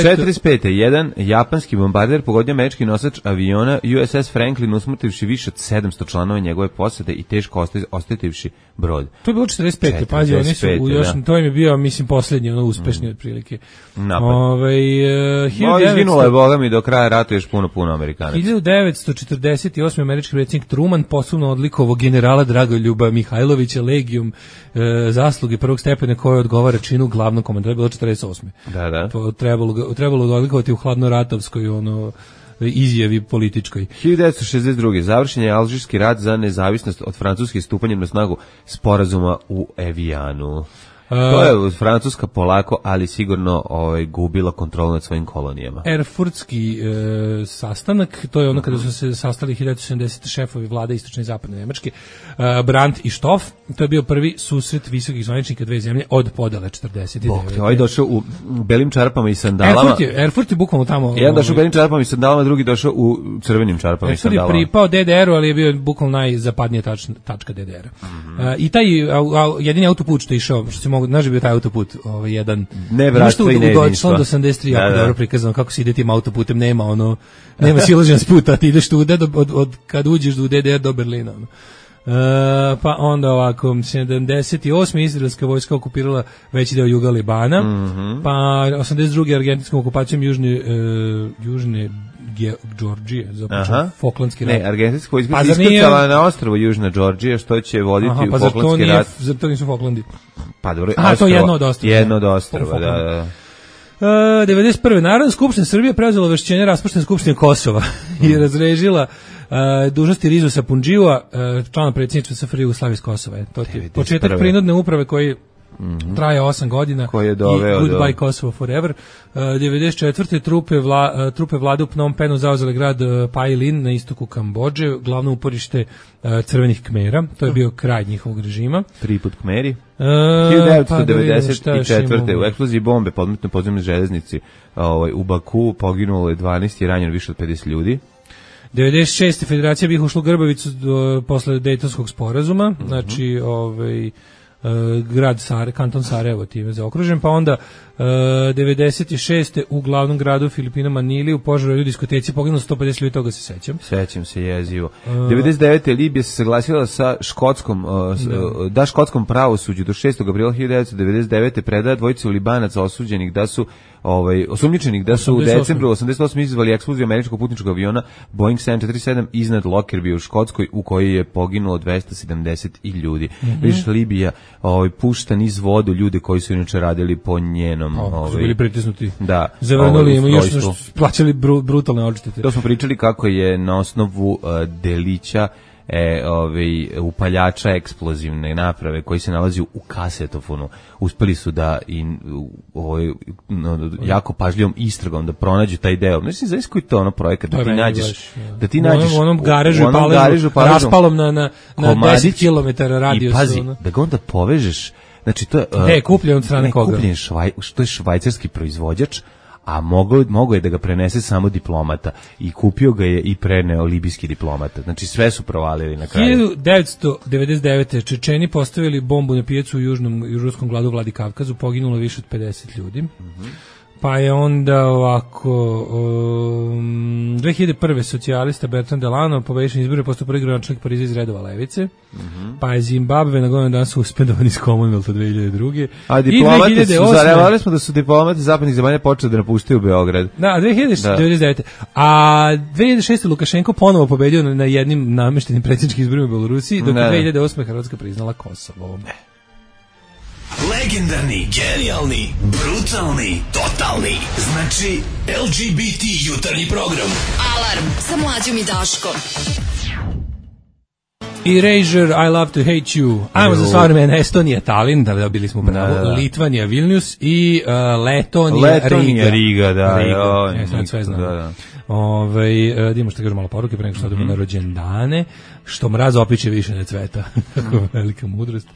četrdeset pete jedan japanski bombarder pogodio američki nosač aviona U S S Franklin, usmrtivši više od sedamsto članova njegove posade i teško oštetivši brod. To je bilo četrdeset pete, pazi, oni su u još, to im je bio, mislim, posljednji, ono, uspešni mm. otprilike. Napad. Ove, uh, hiljadu devetsto... Izginulo je, boga mi, do kraja rata još puno, puno Amerikanaca. hiljadu devetsto četrdeset osme američki predsjednik Truman posebno odlikovao generala Dragoljuba Mihajlovića legijom uh, zasluge prvog stepena koje odgovara činu glavnog komandora. To je bilo četrdeset osme Da, da. To trebalo, trebalo da odlikovati u hladnoratovskoj, ono, izjavi političkoj. hiljadu devetsto šezdeset druge završen je Alžirski rat za nezavisnost od Francuske stupanjem na snagu sporazuma u Evijanu. To je Francuska polako, ali sigurno ovaj, gubila kontrolu nad svojim kolonijama. Erfurtski e, sastanak, to je ono kada su se sastali hiljadu devetsto sedamdesete šefovi vlade istočne i zapadne Nemačke, e, Brandt i Stoff, to je bio prvi susret visokih zvaničnika dve zemlje od podele četrdeset devete. Bog te, ovaj došao u belim čarapama i sandalama. Erfurt je, Erfurt je bukvalno tamo. Jedan došao u belim čarapama i sandalama, drugi došao u crvenim čarapama i sandalama. Erfurt je pripao D D R-u, ali je bio bukvalno najzapadnija tač, tačka D D R-a. Mm-hmm. E, I taj a, a, jedini autoput što je išao, što se mogu, znaš, bio taj autoput, ovaj jedan nevratstvo i nejedinstvo. Do osamdeset tri jako dobro prikazano kako se ide tim autoputem, nema ono, nema silaženja s puta, ti ideš tu od, od, od kad uđeš u D D R do Berlina. Ono. E, pa onda ovako, sedamdeset osme izraelska vojska okupirala veći deo juga Libana, mm-hmm. pa osamdeset druge argentinskom okupacijom južne, uh, južne Georgije, započeo Falklandski rat. Ne, argentinska vojska pa se iskrcala nije... na ostrvo Južna Georgija, što će voditi Aha, pa u Falklandski rat. Zar to nisu Falklandi? Pa dobro, Aha, to je jedno od ostrva. Jedno od ostrva, da, da. Uh, devedeset prve Narodna skupština Srbije preuzela ovlašćenje raspuštene skupštine Kosova mm. i razrešila uh, dužnosti Rizusa Pundžiua, uh, člana predsjedništva S F R Jugoslavije iz Kosova. Je. To je početak prinudne uprave koji Mm-hmm. traje osam godina koji je doveo i Goodbye do... Kosovo Forever. Uh, devedeset četvrte trupe, vla, uh, trupe vlade u Phnom Penhu zauzele grad uh, Pailin na istoku Kambodže, glavno uporište uh, crvenih Kmera. To je bio kraj njihovog režima. Tri put Kmeri. Uh, hiljadu devetsto devedeset četvrte u eksploziji bombe podmetnoj podzemnoj železnici ovaj, u Baku poginulo je dvanaest i ranjeno više od pedeset ljudi. devedeset šeste Federacija bih ušla u Grbavicu do, posle Dejtonskog sporazuma, mm-hmm. znači ovaj Uh, grad Sare, kanton Sarajevo time zaokružen, pa onda uh, devedeset šeste u glavnom gradu Filipina Manili u požaru u diskoteci poginulo sto pedeset ljudi, toga se sećam. Sećam se jezivo. Uh, devedeset devete Libija se saglasila sa škotskom, uh, da. da škotskom pravosuđu do šestog aprila hiljadu devetsto devedeset devete predaje dvojicu Libanaca osuđenih da su ovaj osumnjičenih da su u decembru osamdeset osme izazvali eksploziju američkog putničkog aviona Boeing sedam četiri sedam iznad Lockerbie u Škotskoj u kojoj je poginulo dvesta sedamdeset ljudi. Mm-hmm. Viš Libija ovaj pušta niz vodu ljude koji su inače radili po njenom, o, ovaj su bili pritisnuti. Da. Zavrnuli im još plaćali bru, brutalne odštete. To smo pričali kako je na osnovu uh, delića E, ovaj, upaljača eksplozivne naprave koji se nalazi u kasetofonu uspeli su da i ovaj, no, jako pažljivom istragom da pronađu taj deo. Mislim, zavis koji to ono projekat da ti nađeš baš, ja. da ti nađeš u onom garežu, u onom garežu raspalom na, na, na deset kilometara radijus. I pazi, ono. Da ga onda povežeš, znači to je uh, e, kupljen od strane koga? Kupljen švaj, što je švajcarski proizvođač, a mogo, mogo je da ga prenese samo diplomata i kupio ga je i preneo libijski diplomata. Znači sve su provalili na kraju. hiljadu devetsto devedeset devete Čečeni postavili bombu na pijacu u južnom južnom gradu Vladikavkazu, poginulo više od pedeset ljudi. Mm-hmm. Pa je onda ovako um, dve hiljade prve socijalista Bertrand Delano pobediš na izbore, postao prvi gradonačelnik Pariza iz redova levice. Mm-hmm. Pa je Zimbabve na godinu dana suspendovan iz Commonwealtha dve hiljade druge. A diplomati su, zarevali smo da su diplomati zapadnih zemalja počeli da napuštaju Beograd. Da, dve hiljade devedeset devete. A dve hiljade šeste. Lukašenko ponovo pobedio na, na jednim nameštenim predsjedničkim izborima u Belorusiji, dok je dve hiljade osme. Hrvatska priznala Kosovo. Legendarni, genijalni, brutalni, totalni. Znači L G B T jutarnji program. Alarm sa Mlađom i Daškom. Erasure, I Love to Hate You. Ajmo za savremena Estonija, Tallinn, da bili smo pravo, da, da. Litvanija, Vilnius i uh, Letonija, Letonija, Riga. Riga, da. Riga. Jo, ja, sad sve znam. Da, da. Ove, uh, idemo što kažu malo poruke, pre nego što odemo mm-hmm. na rođendane, što mraz opiće više ne cveta. Kako velika mudrost.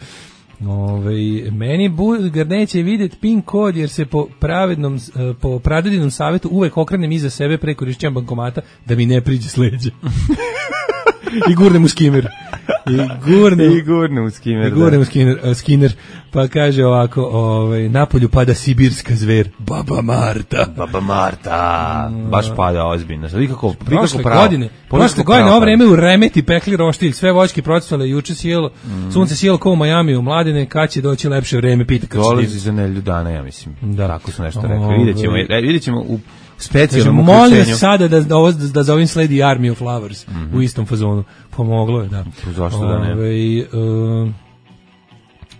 Ove, meni Bulgar neće vidjeti pin kod jer se po pravednom po pradedinom savjetu uvek okrenem iza sebe pre korišćenja bankomata da mi ne priđe s leđa. I gurnem u skimer. I gurnem, I gurnem u skimer. I gurnem u skimer, uh, skinner. Pa kaže ovako, ovaj, napolju pada sibirska zver, Baba Marta. Baba Marta. Mm. Baš pada ozbiljno. Vi kako, vi prošle kako godine, prošle godine ovo vreme u Remeti pekli roštilj, sve voćke procvale, juče sjelo, mm. sunce sjelo kao u Majami u Mladine, kad će doći lepše vreme, pita kad će. Dolazi za nelju dana, ja mislim. Da. Tako su nešto rekli. Vidjet ćemo, vidjet ćemo u specijalnom znači, uključenju. Molim sada da, da, da, da za ovim sledi Army of Flowers mm-hmm. u istom fazonu. Pomoglo je, da. Zašto da ne? Ove, uh,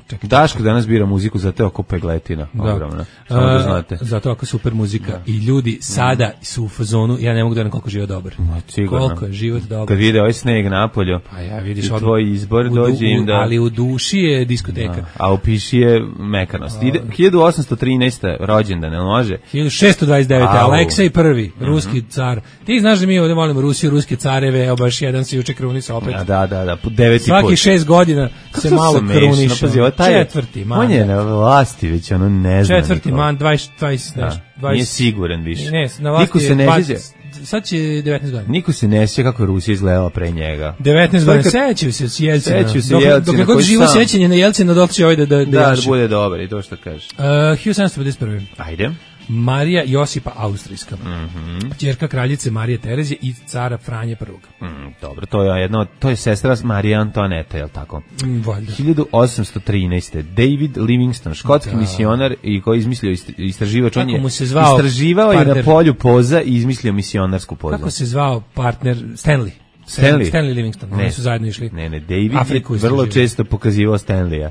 Čekaj, Daško danas bira muziku za te oko pegletina. Da. Ogromna. Samo da znate. Zato ako super muzika. Da. I ljudi sada su u fazonu, ja ne mogu da ne koliko je život dobar. Ma, koliko je život dobar. Kad vide ovaj sneg napolju, pa ja vidiš i tvoj izbor dođe im da... Ali u duši je diskoteka. Da. A u piši je mekanost. Ide, hiljadu osamsto trinaeste. rođendan, ne može? hiljadu šesto dvadeset devete. Aleksej prvi, mm-hmm. ruski car. Ti znaš da mi ovdje volimo Rusiju, ruske careve, evo baš jedan se juče krunisa opet. Da, da, da, da deveti svaki put. šest godina se malo kruniša. Četvrti, man. On je na vlasti već, ono ne zna. Četvrti, man, dvadeset, dvadeset, dvadeset. Nije siguran više. Ne, na vlasti niko se ne dvadeset, sjeća. sad će devetnaest godina. Niko se ne sjeća kako je Rusija izgledala pre njega. devetnaest godina, sećaju se s Jelcina. Sećaju se dok, Jelcina. Dok god živo sjećanje na Jelcina, dok će ovaj da, da, da, da, da bude dobar i to što kaže. Uh, hiljadu sedamsto pedeset prve. Ajde. Marija Josipa Austrijska, mm-hmm. ćerka kraljice Marije Terezije i cara Franje prvog. Mm, dobro, to je jedno, to je sestra Marije Antoaneta, je li tako? Mm, valjda. hiljadu osamsto trinaeste. David Livingstone, škotski da. misionar i koji je izmislio istraživač, on je istraživao je na polju poza i izmislio misionarsku pozu. Kako se zvao partner Stanley? Stanley, Stanley Livingstone, ne, oni su zajedno išli. Ne, ne, David Afriku je vrlo često pokazivao Stanleya.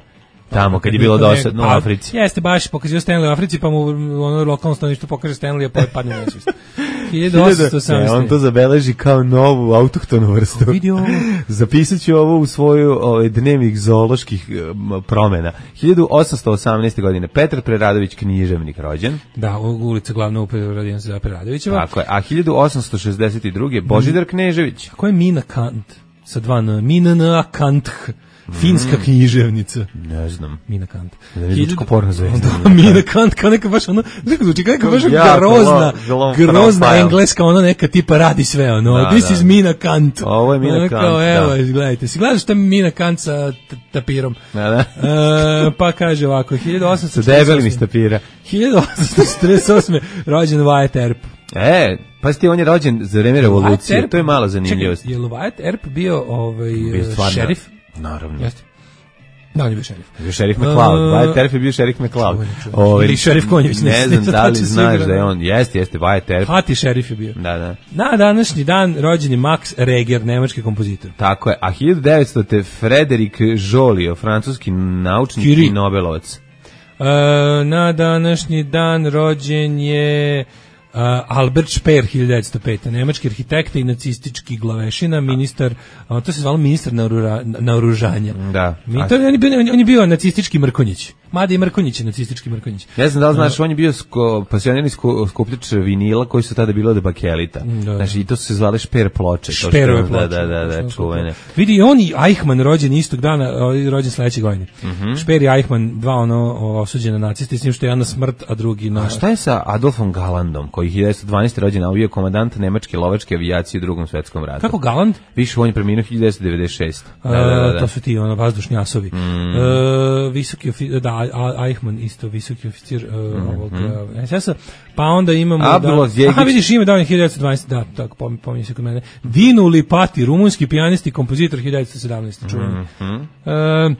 Tamo, kad je bilo dosadno u Africi. Jeste, baš pokazio Stanley u Africi, pa mu ono lokalno stanovništvo pokaže Stanley, pa padne u nesvijest. hiljadu osamsto osamnaeste. On to zabeleži kao novu autohtonu vrstu. Zapisat ću ovo u svoju ovaj, dnevnik zooloških um, promjena. hiljadu osamsto osamnaeste. godine Petar Preradović, književnik, rođen. Da, u ulica glavna uprava radijan se za Preradovićeva. Tako je. A hiljadu osamsto šezdeset druge. Božidar Knežević. A ko je Mina Kant? Sa dva N. Mina N. Kant. Finska književnica. Ne znam. Mina Kant. Hiljadu porno zvezda. Mina Kant, kao neka baš ono, neka zvuči kao neka baš grozna, grozna engleska, ono neka tipa radi sve, ono. Da, This da. is Mina Kant. Ovo je Mina ono, Kant, kao, evo, da. gledajte. Si gledaš šta je Mina Kant sa tapirom? Da, da. E, pa kaže ovako, hiljadu osamsto sa debelim iz tapira. hiljadu osamsto četrdeset osme. rođen Wyatt Earp. E, pa ti on je rođen za vreme revolucije. To je mala zanimljivost. Čekaj, je li Wyatt Earp bio ovaj, šerif? Naravno. Jeste. Da, on je bio šerif. Bio šerif McCloud. Uh, Wyatt Earp je bio šerif McCloud. Ovaj ili šerif Konjević. Ne, ne znam da li znaš da je on. Jeste, jeste, Wyatt Earp. Hati šerif je bio. Da, da. Na današnji dan rođen je Max Reger, nemački kompozitor. Tako je. A hiljadu devetstote. Frederic Joliot, francuski naučnik Kiri. i Nobelovac. Uh, na današnji dan rođen je Uh, Albert Speer, hiljadu devetsto pete. nemački arhitekta i nacistički glavešina, ministar, uh, to se zvalo ministar naoružanja. Da. Mi, to, on, je bio, on je bio nacistički Mrkonjić. Mada i Mrkonjić je nacistički Mrkonjić. Ne znam da li znaš, uh, on je bio sko, pasionirani sko, skupljač vinila koji su tada bilo od bakelita. Da. Znači, i to su se zvale Šper ploče. Šperove ploče. Da, da, da, da čuvene. Vidi, on i Eichmann rođen istog dana, rođen sledeće godine. Mm-hmm. Šper i Eichmann, dva ono osuđena nacisti, s njim što je jedan na smrt, a drugi na... A šta je sa Adolfom Galandom, koji hiljadu devetsto dvanaeste. rođen, a bio komandant nemačke lovačke avijacije u Drugom svetskom ratu? Kako Galand? Više on je preminuo hiljadu devetsto devedeset šeste. Da, da, da, da. To su ti ono vazdušni asovi. Mm. E, visoki ofi, da, A, A, Eichmann isto visoki oficir uh, mm-hmm. ovog uh, es es a, pa onda imamo Abdullah da, aha vidiš ime da hiljadu devetsto dvanaest da tako pom, pominje se kod mene Dinu Lipati, rumunski pijanist i kompozitor hiljadu devetsto sedamnaeste čuveni. Mm-hmm. Uh,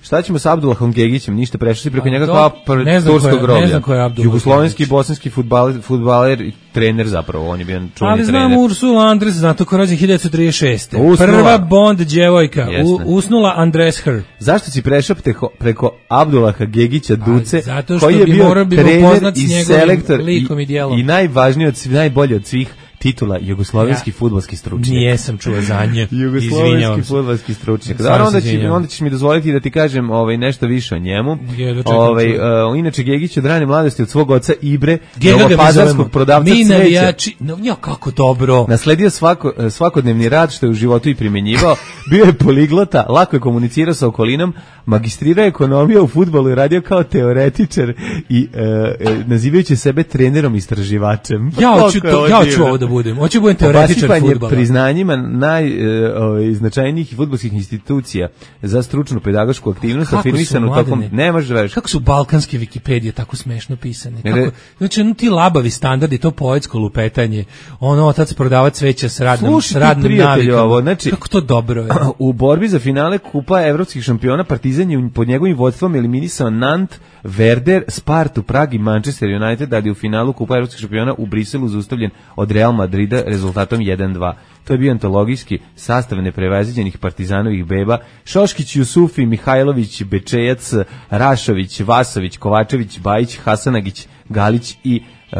Šta ćemo sa Abdullahom Gegićem? Ništa, prešli si preko A, njega to- kao pred ne znam ko turskog je- groblja. ne znam ko je Abdullah Jugoslovenski i Gegić. bosanski fudbaler, fudbaler i trener zapravo, on je bio čuveni ali trener. znam Ursula Andres, zato ko rođen hiljadu devetsto trideset šeste. Ursula. Prva Bond djevojka, u, Jeste. usnula Andres Her. Zašto si prešao preko, preko Abdullaha Gegića Duce, zato što koji je bi bio morao bi ga trener upoznat s i njegovim selektor likom i djelom. i najvažniji od svih, najbolji od svih titula jugoslovenski Ja. fudbalski stručnjak. Nijesam čuo za nje. Jugoslovenski Izvinjavam se. fudbalski stručnjak. Stvarno Da, se onda, će, izvinjavam. onda ćeš mi dozvoliti da ti kažem ovaj, nešto više o njemu. Jedva čekam Ovaj, čujem. uh, inače, Gegić od rane mladosti od svog oca Ibre, Gega ga mi novopazarskog zovemo. prodavca Mi cveća. navijači, no, jo, kako dobro. Nasledio svako, svakodnevni rad što je u životu i primjenjivao, bio je poliglota, lako je komunicirao sa okolinom, magistrirao ekonomiju u fudbalu i radio kao teoretičar i e, e, nazivajući sebe trenerom istraživačem. Ja hoću Koliko je to, ovo ja hoću divno. ovo da budem. Hoću da budem teoretičar Obasipanje fudbala. priznanjima najznačajnijih fudbalskih institucija za stručnu pedagošku aktivnost Kako su, afirmisanu tokom... Mladene? Ne možeš veriš. Kako su balkanske Wikipedije tako smešno pisane. Ne, Kako, ne. znači, ono ti labavi standardi, to poetsko lupetanje, ono otac prodava cveća s radnom, Slušaj s ti, radnim prijatelju, navikama. ovo, znači- Kako to dobro je. U borbi za finale Kupa evropskih šampiona Partizan je pod njegovim vodstvom eliminisao Nant, Werder, Spartu, Prag i Manchester United, da je u finalu Kupa evropskih šampiona u Briselu zaustavljen od Real Madrida rezultatom jedan dva. To je bio antologijski sastav neprevaziđenih partizanovih beba: Šoškić, Jusufi, Mihajlović, Bečejac, Rašović, Vasović, Kovačević, Bajić, Hasanagić, Galić i uh,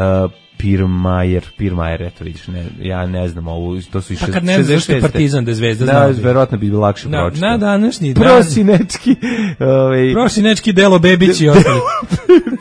Pirmajer, Pirmajer, eto vidiš, ne, ja ne znam ovu, to su i Pa kad ne znaš što je Partizan da je zvezda, znao da, bi. verovatno bi bilo lakše Na, pročitati. na današnji dan. Prosinečki, ovaj, Prosinečki Delo Bebić i ostali.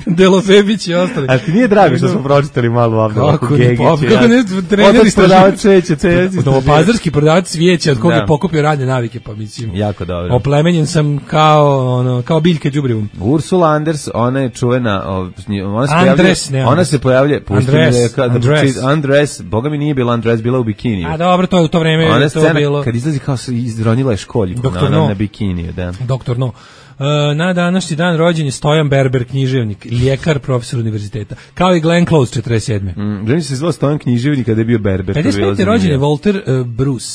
Delo Bebić i ostali. a ti nije drago što smo pročitali malo Abdullaha Kako ne, Gegića? pa, kako ne, trener Otac istraživač. prodavac cveća, cveća istraživač. Novopazarski prodavac cvijeća od koga Da. je pokupio radne navike, pa mislim. Jako dobro. Oplemenjen sam kao ono kao biljka đubrivom. Ursula Anders, ona je čuvena, o, ona se Andres, pojavlja, ne, ona se pojavlja, pusti mi Andres, da, da Andres. pročit- Andres, boga mi nije bila Andres, bila u bikiniju. A dobro, to je u to vreme Ona to scena bilo. kad izlazi kao se izronila je školjku Doktor na, na, No. na bikiniju, da. Doktor No. E, na današnji dan rođen je Stojan Berber, književnik, ljekar, profesor univerziteta. Kao i Glenn Close, četrdeset sedme Mm, ženi se zvao Stojan književnik kada je bio berber. to je bilo pedeset pete rođen je zanimljivo. Walter uh, Bruce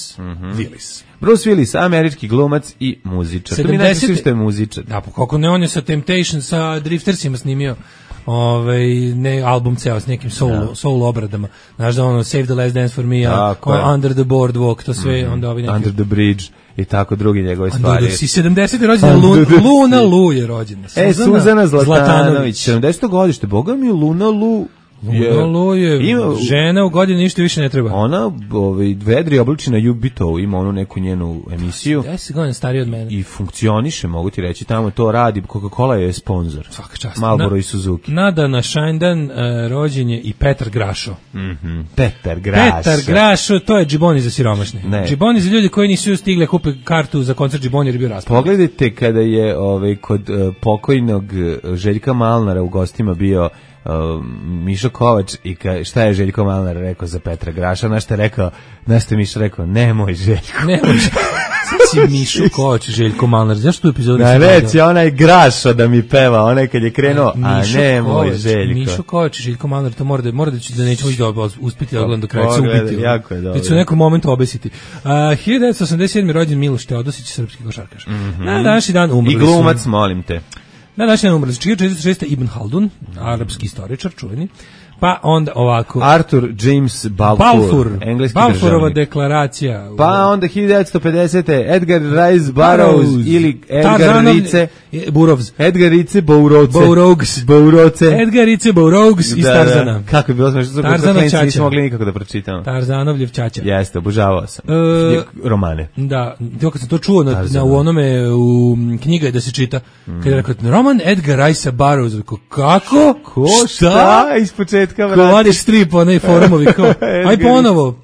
Willis. Bruce Willis, američki glumac i muzičar. To mi najčešće sedamdesete što je muzičar. Da, pa kako ne, on je sa Temptation, sa Driftersima snimio ovaj ne album ceo s nekim solo solo obradama. Znaš da ono Save the Last Dance for Me, Tako a, je. Under the Boardwalk, to sve onda ovi neki Under the Bridge i tako drugi njegove Under stvari. the- i sedamdesete rođena Lu, Under the Luna Lu je rođena. E, Suzana Zlatanović, sedamdeseto godište, boga mi Luna Lu je, Luna Lu je ima- žena u godini ništa više ne treba. ona ovaj, vedri obliči na Jubitovu, ima onu neku njenu emisiju deset godina stariji od mene. i funkcioniše, mogu ti reći, tamo to radi, Coca-Cola je sponsor. Svaka čast. Marlboro Na- i Suzuki. Nada na Šajndan uh, rođen je i Petar Grašo. Mhm. Petar Graša. Petar Grašo, to je džiboni za siromašne. Ne. Džiboni za ljudi koji nisu stigli da kupe kartu za koncert džiboni jer je bio raspad. Pogledajte kada je ovaj, kod uh, pokojnog uh, Željka Malnara u gostima bio uh, Mišo Kovač i ka, šta je Željko Malnar rekao za Petra Graša, na što je rekao, na što je Mišo rekao, nemoj Željko. Ne može. Sad si Mišo Kovač, Željko Malnar. Zašto tu epizodu Na nisi reći, gledao? onaj Grašo da mi peva, onaj kad je krenuo, a Mišo ne moj Kovač, Željko. Mišo Kovač i Željko Malnar, to mora da, mora da, ću, da nećemo ići da uspiti da odgledam do kraja, se Pogledaj, ubiti. jako je dobro. Već su u nekom momentu obesiti. Uh, hiljadu devetsto osamdeset sedme rođen Miloš Teodosić, srpski košarkaš. Na današnji dan umrli I su- glumac, molim te. Na današnji dan umrli su hiljadu četiristo šeste Ibn Haldun, arapski istoričar, čuveni. Pa onda ovako. Arthur James Balfour, Balfour, engleski Balfourova državnik. deklaracija. Pa onda hiljadu devetsto pedesete Edgar Rice Burroughs ili Edgar Tarzanov- Rice Burovs. Edgar Rice Bouroce. Bourougs. Bouroce. Edgar Rice Bourougs iz Da, Tarzana. da. Kako je bilo smešno, što Tarzanov klinci ćaća. nismo mogli nikako da pročitamo. Tarzanovljev ćaća. Jeste, obožavao sam. E, Romane. Da, to kad sam to čuo na, Tarzana. na u onome u m, knjiga je da se čita. Kad je rekao roman Edgar Rice Burroughs, rekao kako? Ko šta? Iz početka, Ko vrati. vadiš strip, onaj forumovi, kao, aj Edgar ponovo.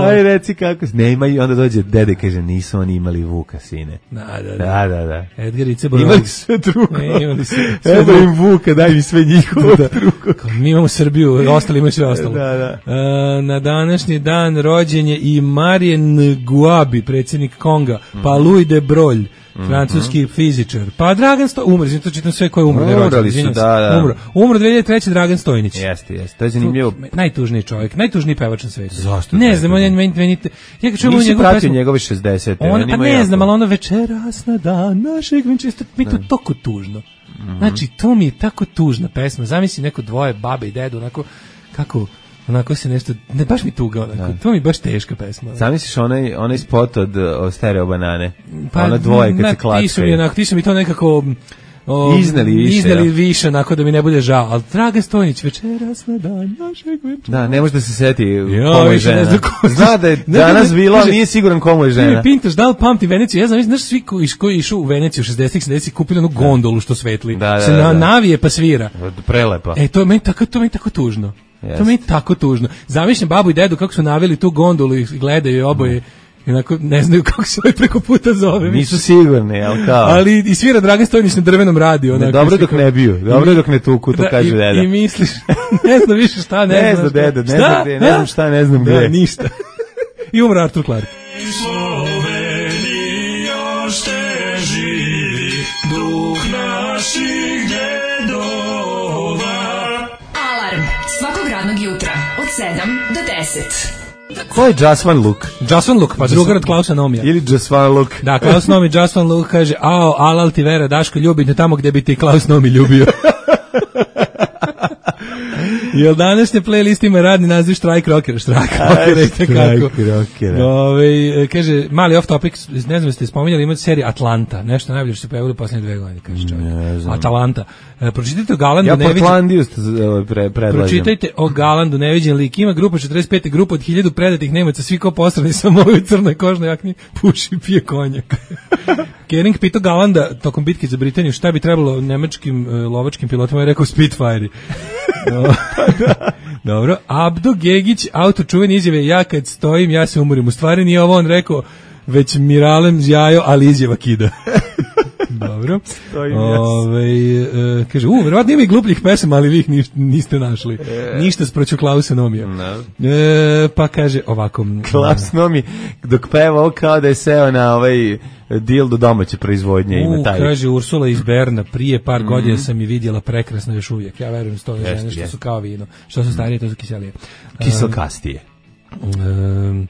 Aj, reci kako... Ne imaju, onda dođe dede, kaže, nisu oni imali Vuka, sine. Da, da, da. Da, da, da. Edgar i Cebora. Imali sve drugo. Ne, imali sve. Evo im Vuka, daj mi sve njihovo da. drugo. Mi imamo Srbiju, ostali imaju sve ostalo. Da, da. E, na današnji dan rođen je i Marien Guabi, predsjednik Konga, mm. pa Louis de Broglie, francuski mm-hmm. fizičar. Pa Dragan Stojnić, umro, to čitam sve ko je umro. Umrali su, da, da. Umro. Umro dve hiljade treće. Dragan Stojnić. Jeste, jeste. To je zanimljivo. Najtužniji čovjek, najtužniji pevač na svetu. Zašto? Ne znam, meni, meni, meni, ja kad čujem nisi pratio njegove šezdesete. On, pa ne jako. znam, ali ono večeras na dan našeg venčesta, mi to toliko tužno. Mm-hmm. Znači, to mi je tako tužna pesma. Zamisli neko dvoje, babe i dedu, onako, kako... Onako se nešto, ne baš mi tuga, onako, da. To mi baš teška pesma. Zamisliš onaj, onaj spot od, od Stereo Banane, pa, ona dvoje kad na, se klackaju. Ti su mi, onako, ti su mi to nekako o, izneli više, izneli ja. više, onako da mi ne bude žao. Ali Dragan Stojnić, večeras na dan našeg venčera. Da, ne može da se seti komu je žena. Ne ko... Zna da je ne, danas ne, bilo, ali nije siguran komu je žena. Ne, Pintaš, da li pamti Veneciju? Ja znam, znaš, svi koji, koji išu u Veneciju u šezdesetih sedamdesetih kupili onu gondolu što svetli. Da, da, se na, da. navije pa svira. Prelepa. E, to je meni tako, to je meni tako tužno. Yes. To mi je tako tužno. Zamišljam babu i dedu kako su naveli tu gondolu i gledaju je oboje. I onako ne znaju kako se ovaj preko puta zove. Nisu sigurni, ali kao. Ali i svira Dragan Stojnić na drvenom radiju. Ne, dobro dok ne biju, dobro dok ne tuku, to da, kaže i, deda. I misliš, ne znam više šta, ne, ne znam šta. Deda, ne znam gde, ne znam šta, ne znam gde. Da, ništa. I umro Artur Clarke. Slovenija ste živi, duh naših djedova. Alarm svakog radnog jutra od sedam do deset. Ko je Just One Look? Just One Look, pa drugar od Klausa Nomija. Ili Just One Look. Da, Klaus Nomi, Just One Look kaže, ao, alal ti vera, Daško ljubi te tamo gde bi ti Klaus Nomi ljubio. Jel današnje playlist ima radni naziv Štrajk rockera, Štrajk rockera i tekako. Ove, kaže, mali off topic, ne znam ste spominjali, imate seriju Atlanta, nešto najbolje što se pojavilo u posljednje dve godine, kaže čovjek. Atalanta. E, pročitajte o Galandu, ja neviđen... Portlandiju pre, predlažem. Pročitajte o Galandu, neviđen lik. Ima grupa četrdeset pete grupa od hiljadu predatih Nemaca, svi ko posrani samo u crnoj kožnoj jakni, puši i pije konjak. Kering pitao Galanda tokom bitke za Britaniju šta bi trebalo nemačkim uh, lovačkim pilotima, je rekao Spitfire. No. Dobro, Abdo Gegić, autor čuvene izjave, ja kad stojim, ja se umorim. U stvari nije ovo on rekao, već Miralem zjajo, ali izjava kida. Dobro. Ove, e, kaže, u, verovatno ima i glupljih pesama, ali vi ih niš, niste našli. E. Ništa sproću Klausa Nomija. No. E, pa kaže ovako. Klaus Nomi, dok peva ovo kao da je seo na ovaj deal do domaće proizvodnje. Ima taj. Kaže Ursula iz Berna, prije par mm-hmm. godina sam je vidjela prekrasno još uvijek. Ja verujem sto žene što jest. Su kao vino. Što su starije, to su kiselije. Kiselkastije. Um,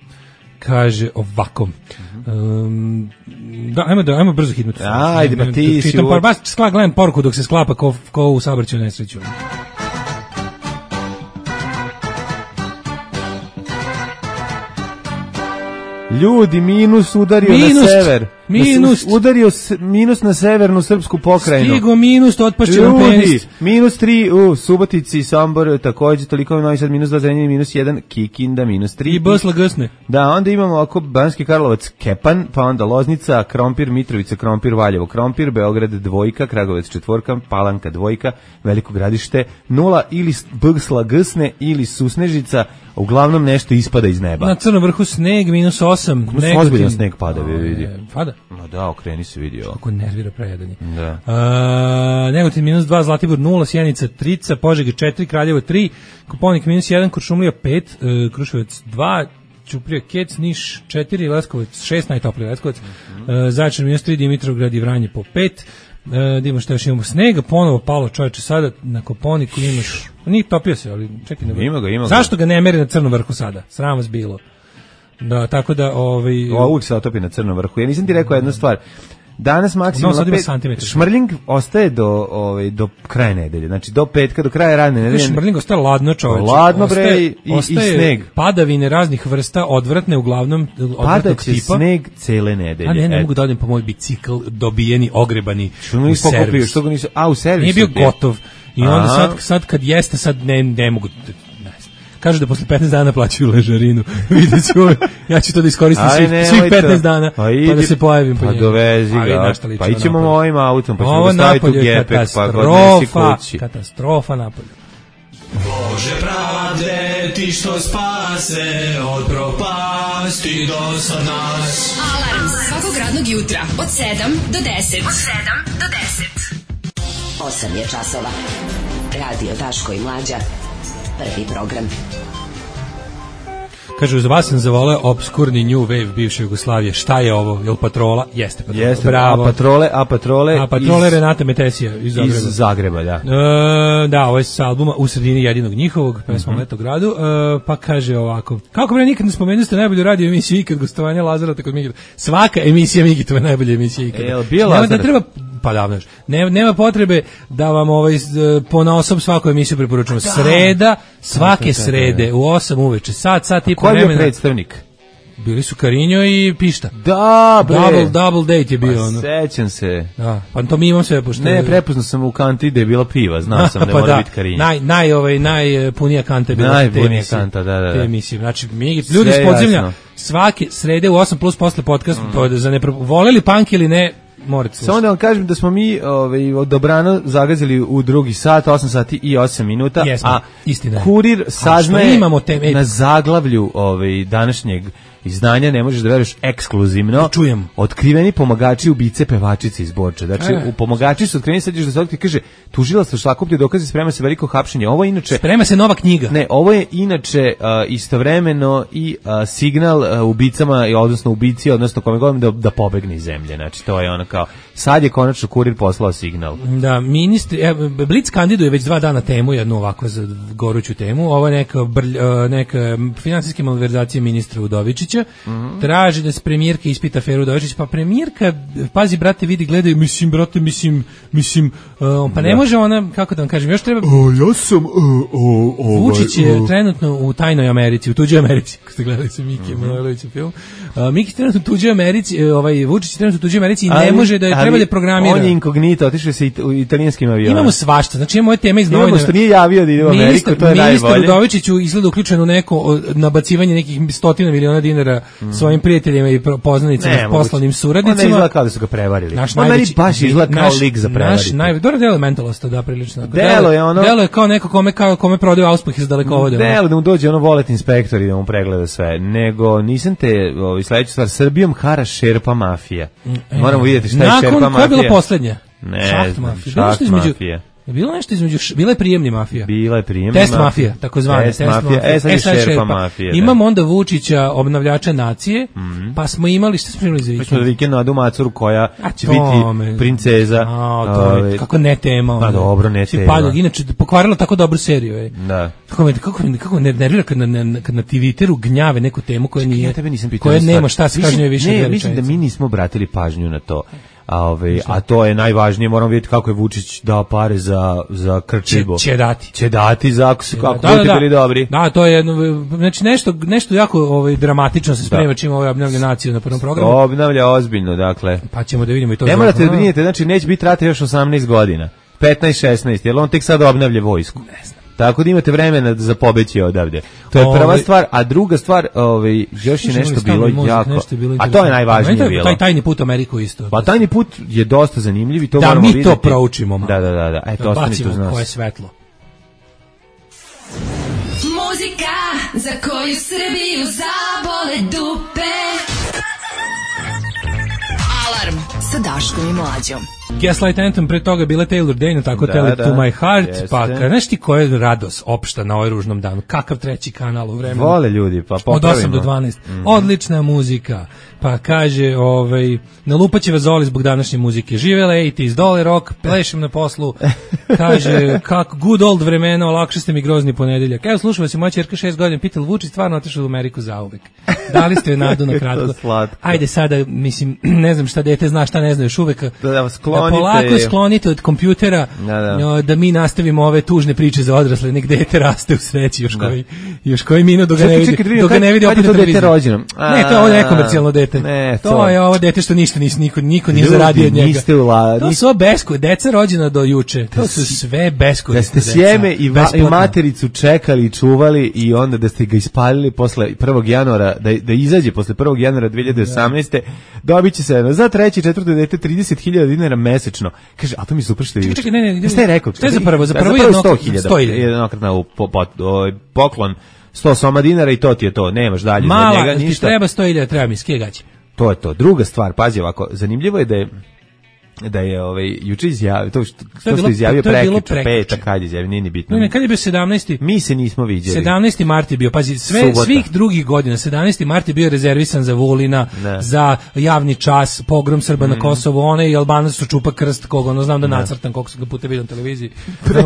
kaže ovako. Um, da, ajmo, da, ajmo brzo hitnuti. Ajde, ba ti si... Čitam, par, baš skla, gledam poruku dok se sklapa ko, ko u saobraćaju nesreću. Ljudi, minus udario minus, na sever. Minus. Udario s, minus na severnu srpsku pokrajinu. Stigo minus, otpašće nam penis. Minus tri u Subotici, Sombor, također, toliko Novi Sad, minus dva, Zrenjanin, minus jedan, Kikinda, minus tri. I Bosla Gsne. Da, onda imamo oko Banski Karlovac, Kepan, pa onda Loznica, Krompir, Mitrovica, Krompir, Valjevo, Krompir, Beograd, dvojka, Kragovec, četvorka, Palanka, dvojka, Veliko Gradište, nula, ili Bsla Gsne, ili Susnežica, uglavnom nešto ispada iz neba. Na Crnom vrhu sneg, minus osam. Ozbiljan sneg pada, vidi. Pada? No da, okreni se vidio. Kako nervira prejedanje. Da. Uh, Negotin minus dva, Zlatibor nula, Sjenica trica, Požega četiri, Kraljevo tri, Koponik minus jedan, Kuršumlija pet, uh, Kruševac dva, Ćuprija Kec, Niš četiri, Leskovac šest, najtopliji Leskovac, mm-hmm. uh, Zaječar minus tri, Dimitrovgrad i Vranje po pet, uh, da imamo što još imamo snega, ponovo palo čovječe sada na Koponiku imaš, nije topio se, ali čekaj. Ne ima ga, ima ga. Zašto ga ne meri na Crnom vrhu sada? Sram vas bilo. Da, tako da ovaj o, uvijek se otopi na Crnom vrhu. Ja nisam ti rekao jednu stvar. Danas maksimalno pet, šmrling ostaje do ovaj do kraja nedelje. Znači do petka, do kraja radne nedelje. Šmrling ostaje ladno, čoveče. Ladno bre ostaje, i, ostaje i sneg. Padavine raznih vrsta, odvratne uglavnom odvratnog tipa. Pada sneg cele nedelje. A ne, ne mogu da odem po moj bicikl, dobijeni, ogrebani. Što mi pokupio, što ga nisu, a u servisu. Nije bio gotov. I onda sad, sad kad jeste, sad ne, ne mogu. Kažu da posle petnaest dana plaćaju ležarinu. Vidjet ću, ja ću to da iskoristim svih, svih petnaest dana, pa, idi, pa da se pojavim po njegu. Pa dovezi ga, pa ićemo mojim autom, pa ćemo ga staviti u gepek, pa ga odnesi kući. Katastrofa napolju. Bože pravde, leti što spase od propasti do sad nas. Alarm svakog radnog jutra od sedam do deset. Od sedam do deset. osam je časova. Radio Daško i Mlađa. Prvi program. Kažu, za vas sam zavoleo obskurni new wave bivše Jugoslavije. Šta je ovo? Jel Patrola? Jeste Patrola. Jeste, bravo. A Patrole, a Patrole, a Patrole iz, Renata Metesija iz Zagreba. Iz Zagreba, da. E, da, ovo je s albuma U sredini jedinog njihovog, pesma mm-hmm. Leto gradu, e, pa kaže ovako. Kako bre, nikad ne spomenuli ste najbolju radio emisiju ikad, gostovanja Lazarata kod Migita. Svaka emisija Migitova je najbolja emisija ikad. Jel bio Lazarat? Ne treba, pa davno još. Ne, nema potrebe da vam ovaj, ponaosob svaku emisiju preporučujemo. Sreda, svake srede u osam uveče, sat, sat i po vremena. Ko je bio predstavnik? Bili su Karinjo i Pišta. Da, bre. Double, double date je bio. Pa ono. sećam se. Da, pa to mi imam sve pošto. Ne, prepoznao sam u kanti da je bila piva, znao sam da pa mora da, biti Karinjo. Naj, naj, ovaj, najpunija kanta je bila najpunija kanta, da, da, da. Te emisije. Znači, mi, ljudi iz podzemlja, svake srede u osam plus posle podcast, mm. za ne voleli punk ili ne, morate slušati. Samo da vam kažem da smo mi ovaj, od dobrano zagazili u drugi sat, osam sati i osam minuta, Jesmo, a istina. Kurir saznaje imamo teme, na zaglavlju ovaj, današnjeg izdanja, ne možeš da veruješ, ekskluzivno. Čujem. Otkriveni pomagači ubice pevačice iz Borče. Znači, e. u pomagači su otkriveni, sad ćeš da se otkrije, kaže, tužilaštvo sakuplja dokaze, sprema se veliko hapšenje. Ovo je inače... Sprema se nova knjiga. Ne, ovo je inače uh, istovremeno i uh, signal uh, ubicama, odnosno ubici, odnosno kome govorim da, da pobegne iz zemlje. Znači, to je ono kao, sad je konačno Kurir poslao signal. Da, ministri, e, Blic kandiduje već dva dana temu, jednu ovako za goruću temu, ovo je neka, brlj, neka finansijske malverzacije ministra Udovičića. Mm-hmm. Traži da se premijerka ispita aferu Udovičić, pa premijerka, pazi brate, vidi, gledaju, mislim, brate, mislim, mislim, uh, pa ne da. Može ona, kako da vam kažem, još treba... O, ja sam... Uh, uh, uh, Vučić je uh. trenutno u tajnoj Americi, u tuđoj Americi, kako ste gledali sa Miki mm-hmm. Manojlovićem film. Uh, Miki je trenutno u tuđoj Americi, uh, ovaj, Vučić je trenutno u tuđoj Americi i ali, ne može da je treba da programira. On je inkognito, otišao se u italijanskim avionom. Imamo svašta, znači imamo ove teme iz novina. Imamo što nije javio da ide u Ameriku, ministar, to je najbolje. Ministar Udovičić izgleda uključen u neko nabacivanje nekih stotina miliona dinara mm. svojim prijateljima i poznanicima, poslanim suradnicima. On ne izgleda kao da su ga prevarili. Naš on meni baš izgleda kao naš, lik za prevariti. Naš najbolji, dobro delo je mentalista, da, prilično. Delo je ono... Delo je kao neko kome, kao, kome prodaju auspah iz dalekovoda. Delo da mu dođe ono volet inspektor i da mu pregleda sve. Nego, nisam te, ovi, sledeću stvar, Srbijom hara šerpa mafija. E, Moramo vidjeti šta je šerpa mafija. Nakon, koja je bila poslednja? Ne znam, šaht mafija. Je bilo nešto između, bila je prijemni mafija. Bila je prijemni test mafija, takozvana test, test mafija. mafija. E sad je šerpa, šerpa mafija. Da. Imamo onda Vučića, obnavljača nacije, mm-hmm. pa smo imali, šta smo imali za vikend? Pa smo za vikend Nadu Macuru koja A će biti me, princeza. A, to je, kako ne tema. Pa dobro, ne tema. Padu, inače, pokvarila tako dobru seriju. Je. Da. Kako me, kako me, kako me nervira kad na, na, kad na Twitteru gnjave neku temu koja nije, ja tebe nisam pitao. koja nema šta se kaže više. Ne, mislim da mi nismo obratili pažnju na to. A, ove, a to je najvažnije, moramo vidjeti kako je Vučić dao pare za, za Krčibo. Će, će dati. Će dati za ako su kako da, da, bili da. dobri. Da, to je jedno, znači nešto, nešto jako ovaj, dramatično se sprema čim ovaj obnavlja naciju na prvom programu. Obnavlja ozbiljno, dakle. Pa ćemo da vidimo i to. Ne morate da brinete, znači neće biti rata još osamnaest godina. petnaest šesnaest, jer on tek sada obnavlja vojsku. Ne znam. Tako da imate vremena za pobeći odavde. To je prva stvar, a druga stvar, ovaj još je nešto bilo jako. Nešto bilo a to je najvažnije bilo. Taj tajni put u Ameriku isto. Pa tajni put je dosta zanimljiv i to da, moramo vidjeti. Da mi to proučimo. Da, da, da, da. Eto, ostanite uz nas. Koje svetlo. Muzika za koju Srbiju zabole dupe. Alarm sa Daškom i Mlađom. Gaslight Anthem, pre toga bila Taylor Dayne, tako da, Tell It da, To My Heart, jeste. Pa znaš ti koja je radost opšta na ovaj ružnom danu, kakav treći kanal u vremenu. Vole ljudi, pa popravimo. Od osam do dvanaest. Mm-hmm. Odlična muzika, pa kaže, ovaj, nalupaće vas Zoli zbog današnje muzike, živele osamdesetih, dole rock, plešem na poslu, kaže, kako good old vremena, olakše ste mi grozni ponedeljak. Evo, slušao vas je moja ćerka šest godina, pitala Vučić stvarno otišao u Ameriku zauvek. Dali ste joj nadu na kratko. Ajde sada, mislim, ne znam šta dete zna, šta ne zna još uvek. Da, da, da polako sklonite od kompjutera, da, da. da mi nastavimo ove tužne priče za odrasle, nek dete raste u sreći još koji, još koji minut dok ga ne vidi, dok ga ne vidi opet na televiziji. Ne, to je ovo nekomercijalno dete. Ne, to, to je ovo dete što ništa nis, niko, niko nije zaradio od njega. To su besko, deca rođena do juče, to su sve beskorisne deca. Da ste sjeme i, va, i matericu čekali i čuvali i onda da ste ga ispalili posle prvog januara, da, da izađe posle prvog januara dve hiljade osamnaeste. dobit će se za treće i četvrto dete trideset hiljada dinara mesečno. Kaže, a to mi se super što je. Čekaj, ne, ne, šta je rekao? Šta je za prvo? Za prvo je sto hiljada. Jednokratna poklon sto soma dinara i to ti je to, nemaš dalje Mala, za njega ti ništa. treba sto hiljada, treba mi skije gaće. To je to. Druga stvar, pazi ovako, zanimljivo je da je da je ovaj juče izjavio to što, to što bilo, izjavio to je bilo prekjuče, petak kad je izjavio, nije ni bitno. Ne, ne, kad je bio sedamnaesti Mi se nismo viđeli. sedamnaesti mart je bio, pazi, sve Subota. svih drugih godina, sedamnaesti mart je bio rezervisan za Vulina, Ne. za javni čas, pogrom Srba Mm. na Kosovo, one i Albanac su čupa krst, koga ono znam da nacrtam, koliko sam ga puta vidio na televiziji.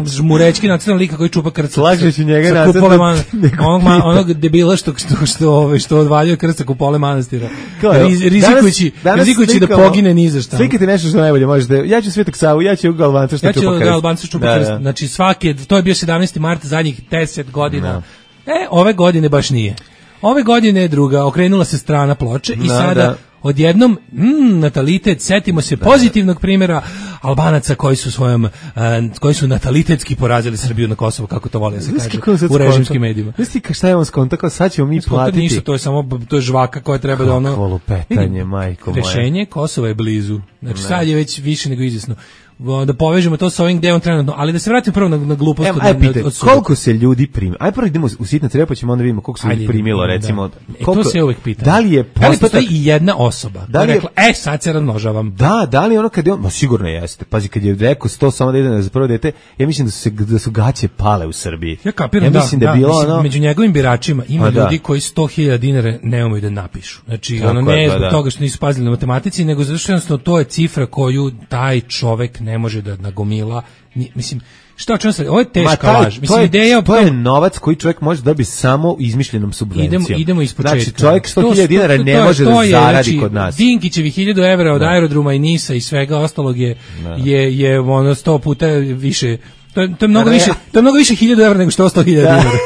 Žmurečki nacrtan lika koji čupa krst. Slažeš i njega sa nacrtan kupole man- nego onog, ma- Tita. onog debila što, što, što, ovaj, što odvaljuje krst sa kupole manastira. Kao je, Riz- Rizikujući, danas- danas rizikujući da slikamo- pogine ni za šta. Slikati nešto što najbolje možete. Ja ću Svetog Savu, ja ću Galbanca što Ja ću čupa krst. Albanci čupa Da, krst. da. Znači svake, to je bio sedamnaesti mart zadnjih deset godina. Da. E, ove godine baš nije. Ove godine je druga, okrenula se strana ploče i Da, sada da. odjednom, mm, natalitet, setimo se pozitivnog primjera Albanaca koji su svojom, uh, koji su natalitetski porazili Srbiju na Kosovo, kako to vole da se Znaš kaže kako on sad u režimskim skonto? medijima. Znaš ti ka- šta je on skonto, kao sad ćemo mi To platiti. ništa, to je samo to je žvaka koja treba da ono Kakvo lupetanje, Vidi, majko moja. rešenje Kosova je blizu. Znači sad je već više nego izvjesno. Da povežemo to sa ovim gde je on trenutno, ali da se vratim prvo na, na glupost Evo, od- aj od- pitaj, od suda. koliko se ljudi primi? Aj prvo idemo u sitna treba, pa ćemo onda vidimo koliko se ljudi Ajde, primilo, da. recimo. E, koliko, to se uvek pita. Da li je Da li postoji postotak- i jedna osoba Da koja li je je- rekla, e, sad se razmnožavam. Da, da li ono kad je on, ma sigurno jeste. Pazi, kad je rekao sto samo da ide za prvo dete, ja mislim da su se da su gaće pale u Srbiji. Ja kapiram, ja da, mislim da, je bilo mislim, ono među njegovim biračima ima Pa da. ljudi koji sto hiljada dinara ne umeju da napišu. Znači, Tako ono je, ne pa zbog da. toga što nisu pazili na matematici, nego zato što jednostavno to je cifra koju taj čovek ne može da nagomila. Ni- mislim, šta o čemu se, ovo je Ma, teška taj- laž. to Mislim, je, ideja o to je tom- novac koji čovjek može da bi samo izmišljenom subvencijom. Idemo, idemo iz početka. Znači, čovjek sto hiljada To- dinara to- ne to je- može to da je, zaradi znači, kod nas. Dinkićevi hiljadu evra od aerodroma i Nisa i svega ostalog je, je, je ono sto puta više. To je, to je mnogo Ne. više, to je mnogo više hiljadu evra nego što sto hiljada Da. dinara.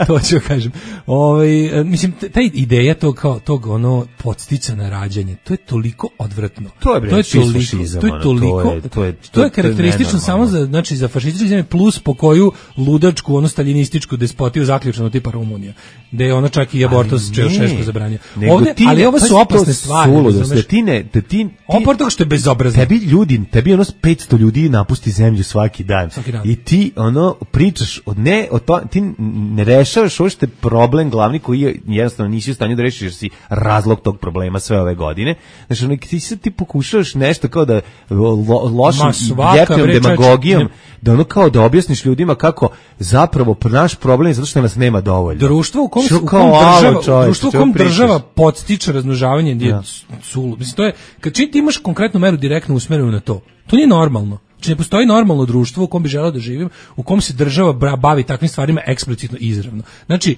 To ću kažem. Ovaj e, mislim t- ta ideja tog kao tog ono podstica na rađanje, to je toliko odvratno. To je, bre, čist toliko, fašizam, to je ono, toliko, to je- to je- to to je je karakteristično samo nenormalno. za znači za fašističke zemlje plus po koju ludačku, ono staljinističku despotiju zaključeno tipa Rumunija, da je ona čak i abortus Čaušesku zabranio. Nego Ovde, ti ne- ali ovo pazi, su to opasne stvari. suludost, razumeš? da ti ne, da ti, ti Opor toga što je bezobrazno. tebi ljudi, tebi ono petsto ljudi napusti zemlju svaki dan. Svaki dan. I ti ono pričaš od ne o to, ti ne rešavaš uopšte problem glavni koji je jednostavno nisi u stanju da rešiš jer si razlog tog problema sve ove godine. Znači ono, ti sad ti pokušavaš nešto kao da lo, lošim Ma, svaka, jeftinom bre, čoveče, demagogijom ne- da ono kao da objasniš ljudima kako zapravo naš problem je zato što nas nema dovoljno. Društvo u kom, Što u kao, kom alo, država, čoveče, društvo u čemu kom pričaš? država podstiče razmnožavanje je Da. sulu. Mislim, to je, kad čim ti imaš konkretnu meru direktno usmerenu na to, to nije normalno. Znači, ne postoji normalno društvo u kom bi želeo da živim, u kom se država bra- bavi takvim stvarima eksplicitno i izravno. Znači,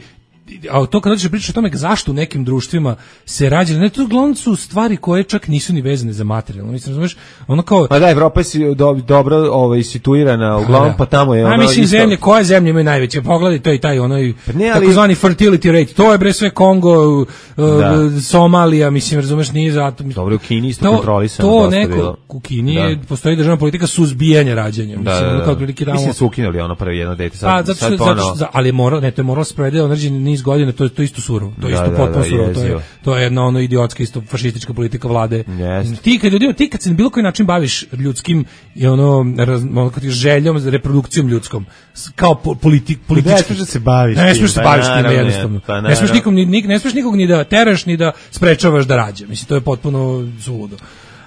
a to kad dođeš pričaš o tome zašto u nekim društvima se rađa, ne, to uglavnom su stvari koje čak nisu ni vezane za materijalno. Mislim, razumeš, ono kao... Ma da, Evropa je si- do, dobro ovaj, situirana, uglavnom, pa tamo je ono... A mislim, isto- zemlje, koje zemlje imaju najveće? Pogledaj, to je taj onaj Pa ne, ali- takozvani fertility rate. To je bre sve Kongo, uh, Da. Somalija, mislim, razumeš, nije zato. Dobro, u Kini isto to, kontrolisano to dosta neko, bilo. u Kini Da. je, postoji državna politika suzbijanja rađanja. Da, Mislim, da, ono da. kao otprilike tamo- Mislim da su ukinuli ono prvi jedno dete. Sad, Pa, zato što, sad zato ponovo. što, za- ali je moralo, ne, to je moralo sprovede određeni niz godina, to je to je isto surovo, to je Da, isto da, potpuno da, surovo, to je jezivo. to je jedna ono idiotska isto fašistička politika vlade. Jeste. Ti kad ljudima, ti kad se na bilo koji način baviš ljudskim i ono, raz, ono kad ti željom, reprodukcijom ljudskom, s- kao po, politik, politički. Ne smiješ da se baviš Ne tim, smiješ da se pa baviš time naravno, jednostavno. pa ne smiješ naravno. nikom ni, ni- ne smiješ nikog ni da teraš ni da sprečavaš da rađa. Mislim to je potpuno suludo.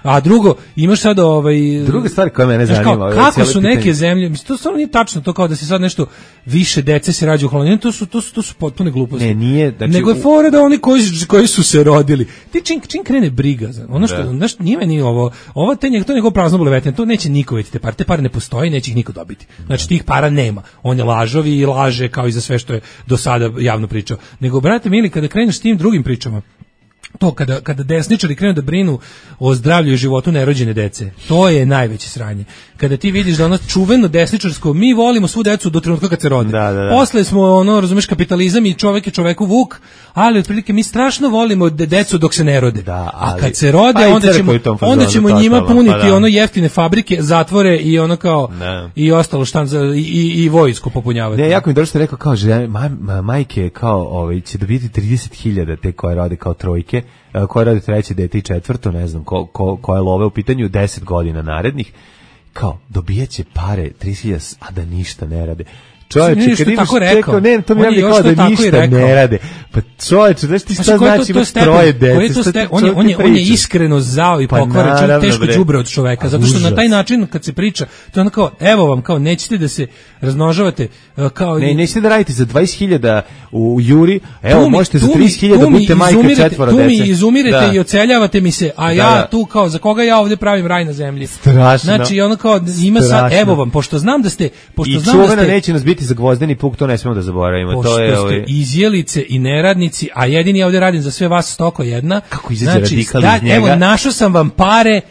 A drugo, imaš sad ovaj Druga stvar koja mene znaš kao, zanima, ovo je kako cijelo su pitanje. neke zemlje, mislim to stvarno nije tačno to kao da se sad nešto više dece se rađa u Holandiji, to su to su to su potpune gluposti. Ne, nije, znači, Nego je u- fora da oni koji koji su se rodili. Ti čim čim krene briga za ono što Da. znaš nije meni ovo, ovo te njega to nego prazno bulevetine, to neće niko vidjeti te pare, te pare ne postoji, neće ih niko dobiti. Znači tih para nema. On je lažovi i laže kao i za sve što je do sada javno pričao. Nego brate mili kada kreneš s tim drugim pričama, to kada, kada desničari krenu da brinu o zdravlju i životu nerođene dece, to je najveće sranje. Kada ti vidiš da ono čuveno desničarsko, mi volimo svu decu do trenutka kad se rode. Da, da, da. Posle smo, ono, razumeš, kapitalizam i čovek je čoveku vuk, ali otprilike mi strašno volimo de decu dok se ne rode. Da, A ali- kad se rode, pa i onda crkva ćemo, je u tom fazonu, onda ćemo njima totalno, puniti pa da. ono jeftine fabrike, zatvore i ono kao, Da. i ostalo šta za, i, i, i vojsku popunjavati. Ne, jako mi dobro što je rekao kao žene, maj, ma, majke kao ovaj, će dobiti trideset hiljada te koje rode kao trojke, e, koje rode treće dete i četvrto, ne znam, ko, ko, koje love u pitanju deset godina narednih, kao dobijaće pare trideset hiljada, a da ništa ne rade. Čovječe, kad imaš čekao, ne, to mi je kao da ništa ne rade. Pa čovječe, znaš ti šta znači imaš troje dece? On je, on je, on je iskreno zao i pokvaren, čak teško đubre od čoveka, zato što na taj način kad se priča, to je ono kao, evo vam, kao nećete da se razmnožavate, kao... Ne, nećete da radite za dvadeset hiljada u Juri, evo, možete za trideset hiljada budete majka četvora dece. Tu mi izumirete i oceljavate mi se, a ja tu kao, za koga ja ovde pravim raj na zemlji? Strašno. Znači, ono kao, ima sad, evo vam, pošto znam da ste... I čuvena neće nas biti za gvozdeni puk, to ne smemo da zaboravimo. Pošto to je, ste ovaj... izjelice i neradnici, a jedini ja ovdje radim za sve vas stoko jedna. Kako izađe znači, radikal iz njega? Evo, našao sam vam pare,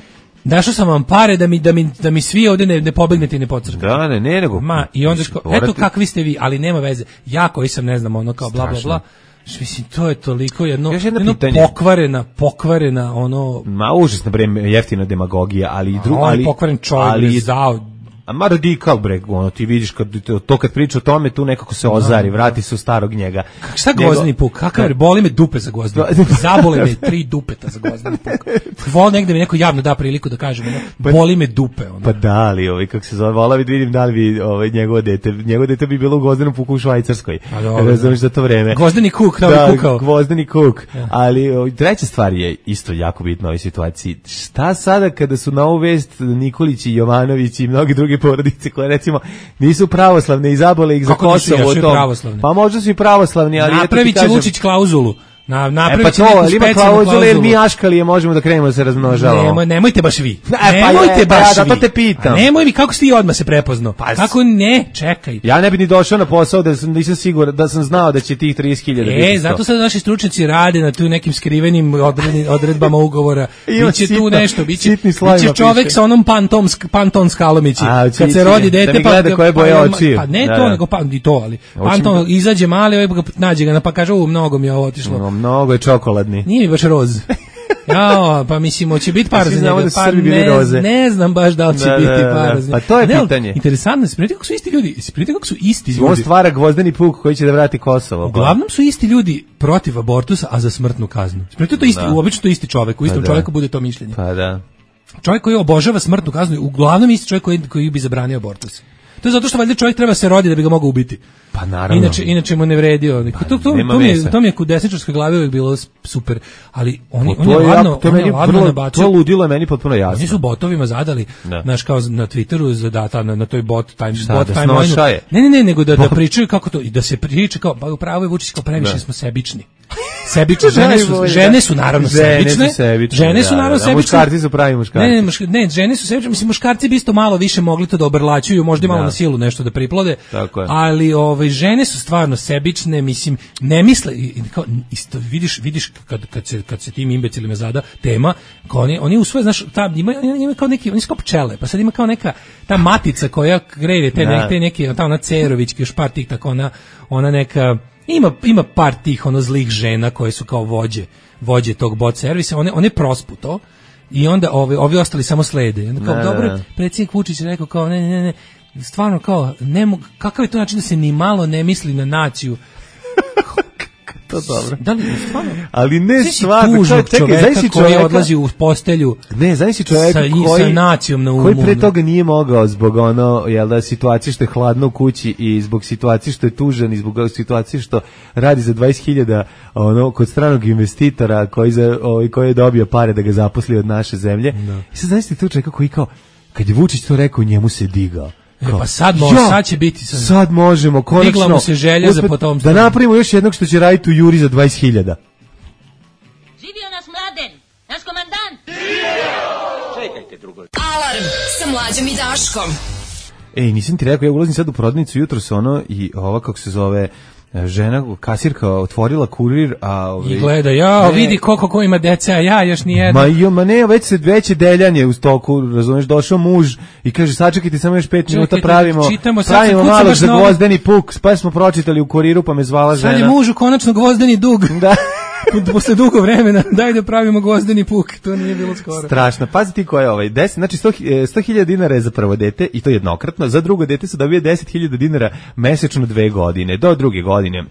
našao sam vam pare da mi, da mi, da mi svi ovdje ne, ne pobegnete i ne pocrkate. Da, ne, ne, nego... Ma, i onda, ško, eto kakvi ste vi, ali nema veze. Ja koji sam, ne znam, ono kao bla, bla, bla. Mislim, to je toliko jedno, jedno pokvarena, pokvarena, ono... Ma, užasno, bre, jeftina demagogija, ali i drugo... Ali pokvaren čovjek, ali zao... A ma radikal, bre, ono, ti vidiš, kad, to kad priča o tome, tu nekako se ozari, vrati se u starog njega. Kak, šta gvozdeni puk? Kakav, boli me dupe za gvozdeni puk. Zabole me tri dupeta za gvozdeni puk. Vol negde mi neko javno da priliku da kažem, ono, boli me dupe. Ono. Pa da li, ovaj, kako se zove, vola bi vidim da li bi ovaj, njegovo dete, njegovo dete bi bilo u gvozdenom puku u Švajcarskoj. Razumiješ za to vreme. Gvozdeni kuk, da, da kukao. Gvozdeni kuk. Ja. Ali ovaj, treća stvar je isto jako bitna u ovoj situaciji. Šta sada kada su na ovu vest Nikolić i Jovanović i mnogi drugi porodice koje recimo nisu pravoslavne i zabole ih za Kosovo to. Pa možda su i pravoslavni, ali napravit će Vučić klauzulu. Na napravit e pa to, ali ima klauzulu jer mi aškalije možemo da krenemo da se razmnožavamo. Nemoj, nemojte baš vi. E, pa nemojte je, baš ja, vi. Da to te pitam. A nemoj mi, kako si ti odmah se prepoznao? Pa, kako ne, čekaj. Ja ne bi ni došao na posao da sam, nisam siguran, da sam znao da će tih trideset hiljada biti. E, zato sad naši stručnjaci rade na tu nekim skrivenim odredbama ugovora. Biće tu nešto, biće, biće čovek sa onom pantom, panton skalomići. Kad se rodi dete, da mi gleda koje boje očiju. Pa ne to, nego pa i to, ali panton izađe mali, ovaj ga nađe ga, pa kaže, u, mnogo mi je ovo otišlo. Mnogo je čokolad. Nije mi baš roz. Jao, pa mislimo će biti par za njega. Pa ne, ne znam baš da li će da, biti da, par za njega. Pa to je ne, pitanje. Interesantno, spremite kako su isti ljudi. Spremite kako su isti ljudi. On stvara gvozdeni puk koji će da vrati Kosovo. Uglavnom su isti ljudi protiv abortusa, a za smrtnu kaznu. Spremite to isti, obično to isti čovek. U istom pa čoveku bude to mišljenje. Pa da. Čovjek koji obožava smrtnu kaznu, uglavnom isti čovjek koji, koji bi zabranio abortus. To je zato što valjda čovjek treba se roditi da bi ga mogao ubiti. Pa naravno. Inače, inače mu ne vredio. Pa, to, to, to, mi je, to mi je kod desničarske glave uvijek bilo super, ali oni, on je ladno, to, on je ladno nabacio. To ludilo je meni potpuno jasno. Oni su botovima zadali, znaš, kao na Twitteru, zadata, na, na toj bot time, šta, bot da time ne, ne, ne, nego da, da pričaju kako to, i da se priča kao, pa upravo je Vučić kao previše da. Smo sebični. Sebične žene su, žene su naravno sebične. Žene su naravno sebične. Muškarci su pravi muškarci. Ne, ne, ne, žene su sebične. Mislim, muškarci bi isto malo više mogli to da obrlaćuju, možda i malo na silu nešto da priplode. Ali ove žene su stvarno sebične, mislim, ne misle kao isto vidiš, vidiš kad kad se kad se tim imbecilima zada tema, kao oni oni usvoje, znaš, ta ima ima kao neki, oni su kao pčele, pa sad ima kao neka ta matica koja kreira te neke neke ta ona Cerovićki još par tih tako ona ona neka Ima, ima par tih ono zlih žena koje su kao vođe, vođe tog bot servisa, one, one prospu to i onda ovi, ovi ostali samo slede. I onda kao, ne, dobro, ne. Predsjednik Vučić je rekao kao, ne, ne, ne, stvarno kao, ne mogu, kakav je to način da se ni malo ne misli na naciju? To dobro. Da li, stvarno? Ali ne stvarno, čekaj, znaš si čovjeka koji odlazi u postelju. Ne, znaš si čovjeka sa, koji sa nacijom na umu. Koji pre toga nije mogao zbog ono, jel da, situacije što je hladno u kući i zbog situacije što je tužan i zbog situacije što radi za dvadeset hiljada ono kod stranog investitora koji za ovaj koji je dobio pare da ga zaposli od naše zemlje. No. I sad znaš ti tu čovjeka koji kao kad je Vučić to rekao, njemu se digao. E, pa sad, može, ja, sad će biti sad. Sad možemo, konačno. Digla mu se želja za potomstvo. Da napravimo još jednog što će raditi u Juri za dvadeset hiljada. Živio nas Mladen, naš komandant. Čekajte drugo. Alarm sa Mlađom i Daškom. Ej, nisam ti rekao, ja ulazim sad u prodavnicu jutros ono i ova kako se zove žena, kasirka otvorila kurir, a ovaj i gleda, ja, vidi koliko ko ima deca, a ja još nijedno. Ma jo, ma ne, već se veće deljanje u stoku, razumeš, došao muž i kaže sačekajte samo još pet minuta, pravimo, čitamo, pravimo malo za gvozdeni puk, pa smo pročitali u kuriru, pa me zvala žena. Sad je mužu konačno gvozdeni dug. Da. Posle dugo vremena, daj da pravimo gvozdeni puk, to nije bilo skoro. Strašno, pazi ti ko je ovaj, deset, znači sto hiljada dinara je za prvo dete i to jednokratno, za drugo dete se dobije deset hiljada dinara mesečno dve godine, do druge godine.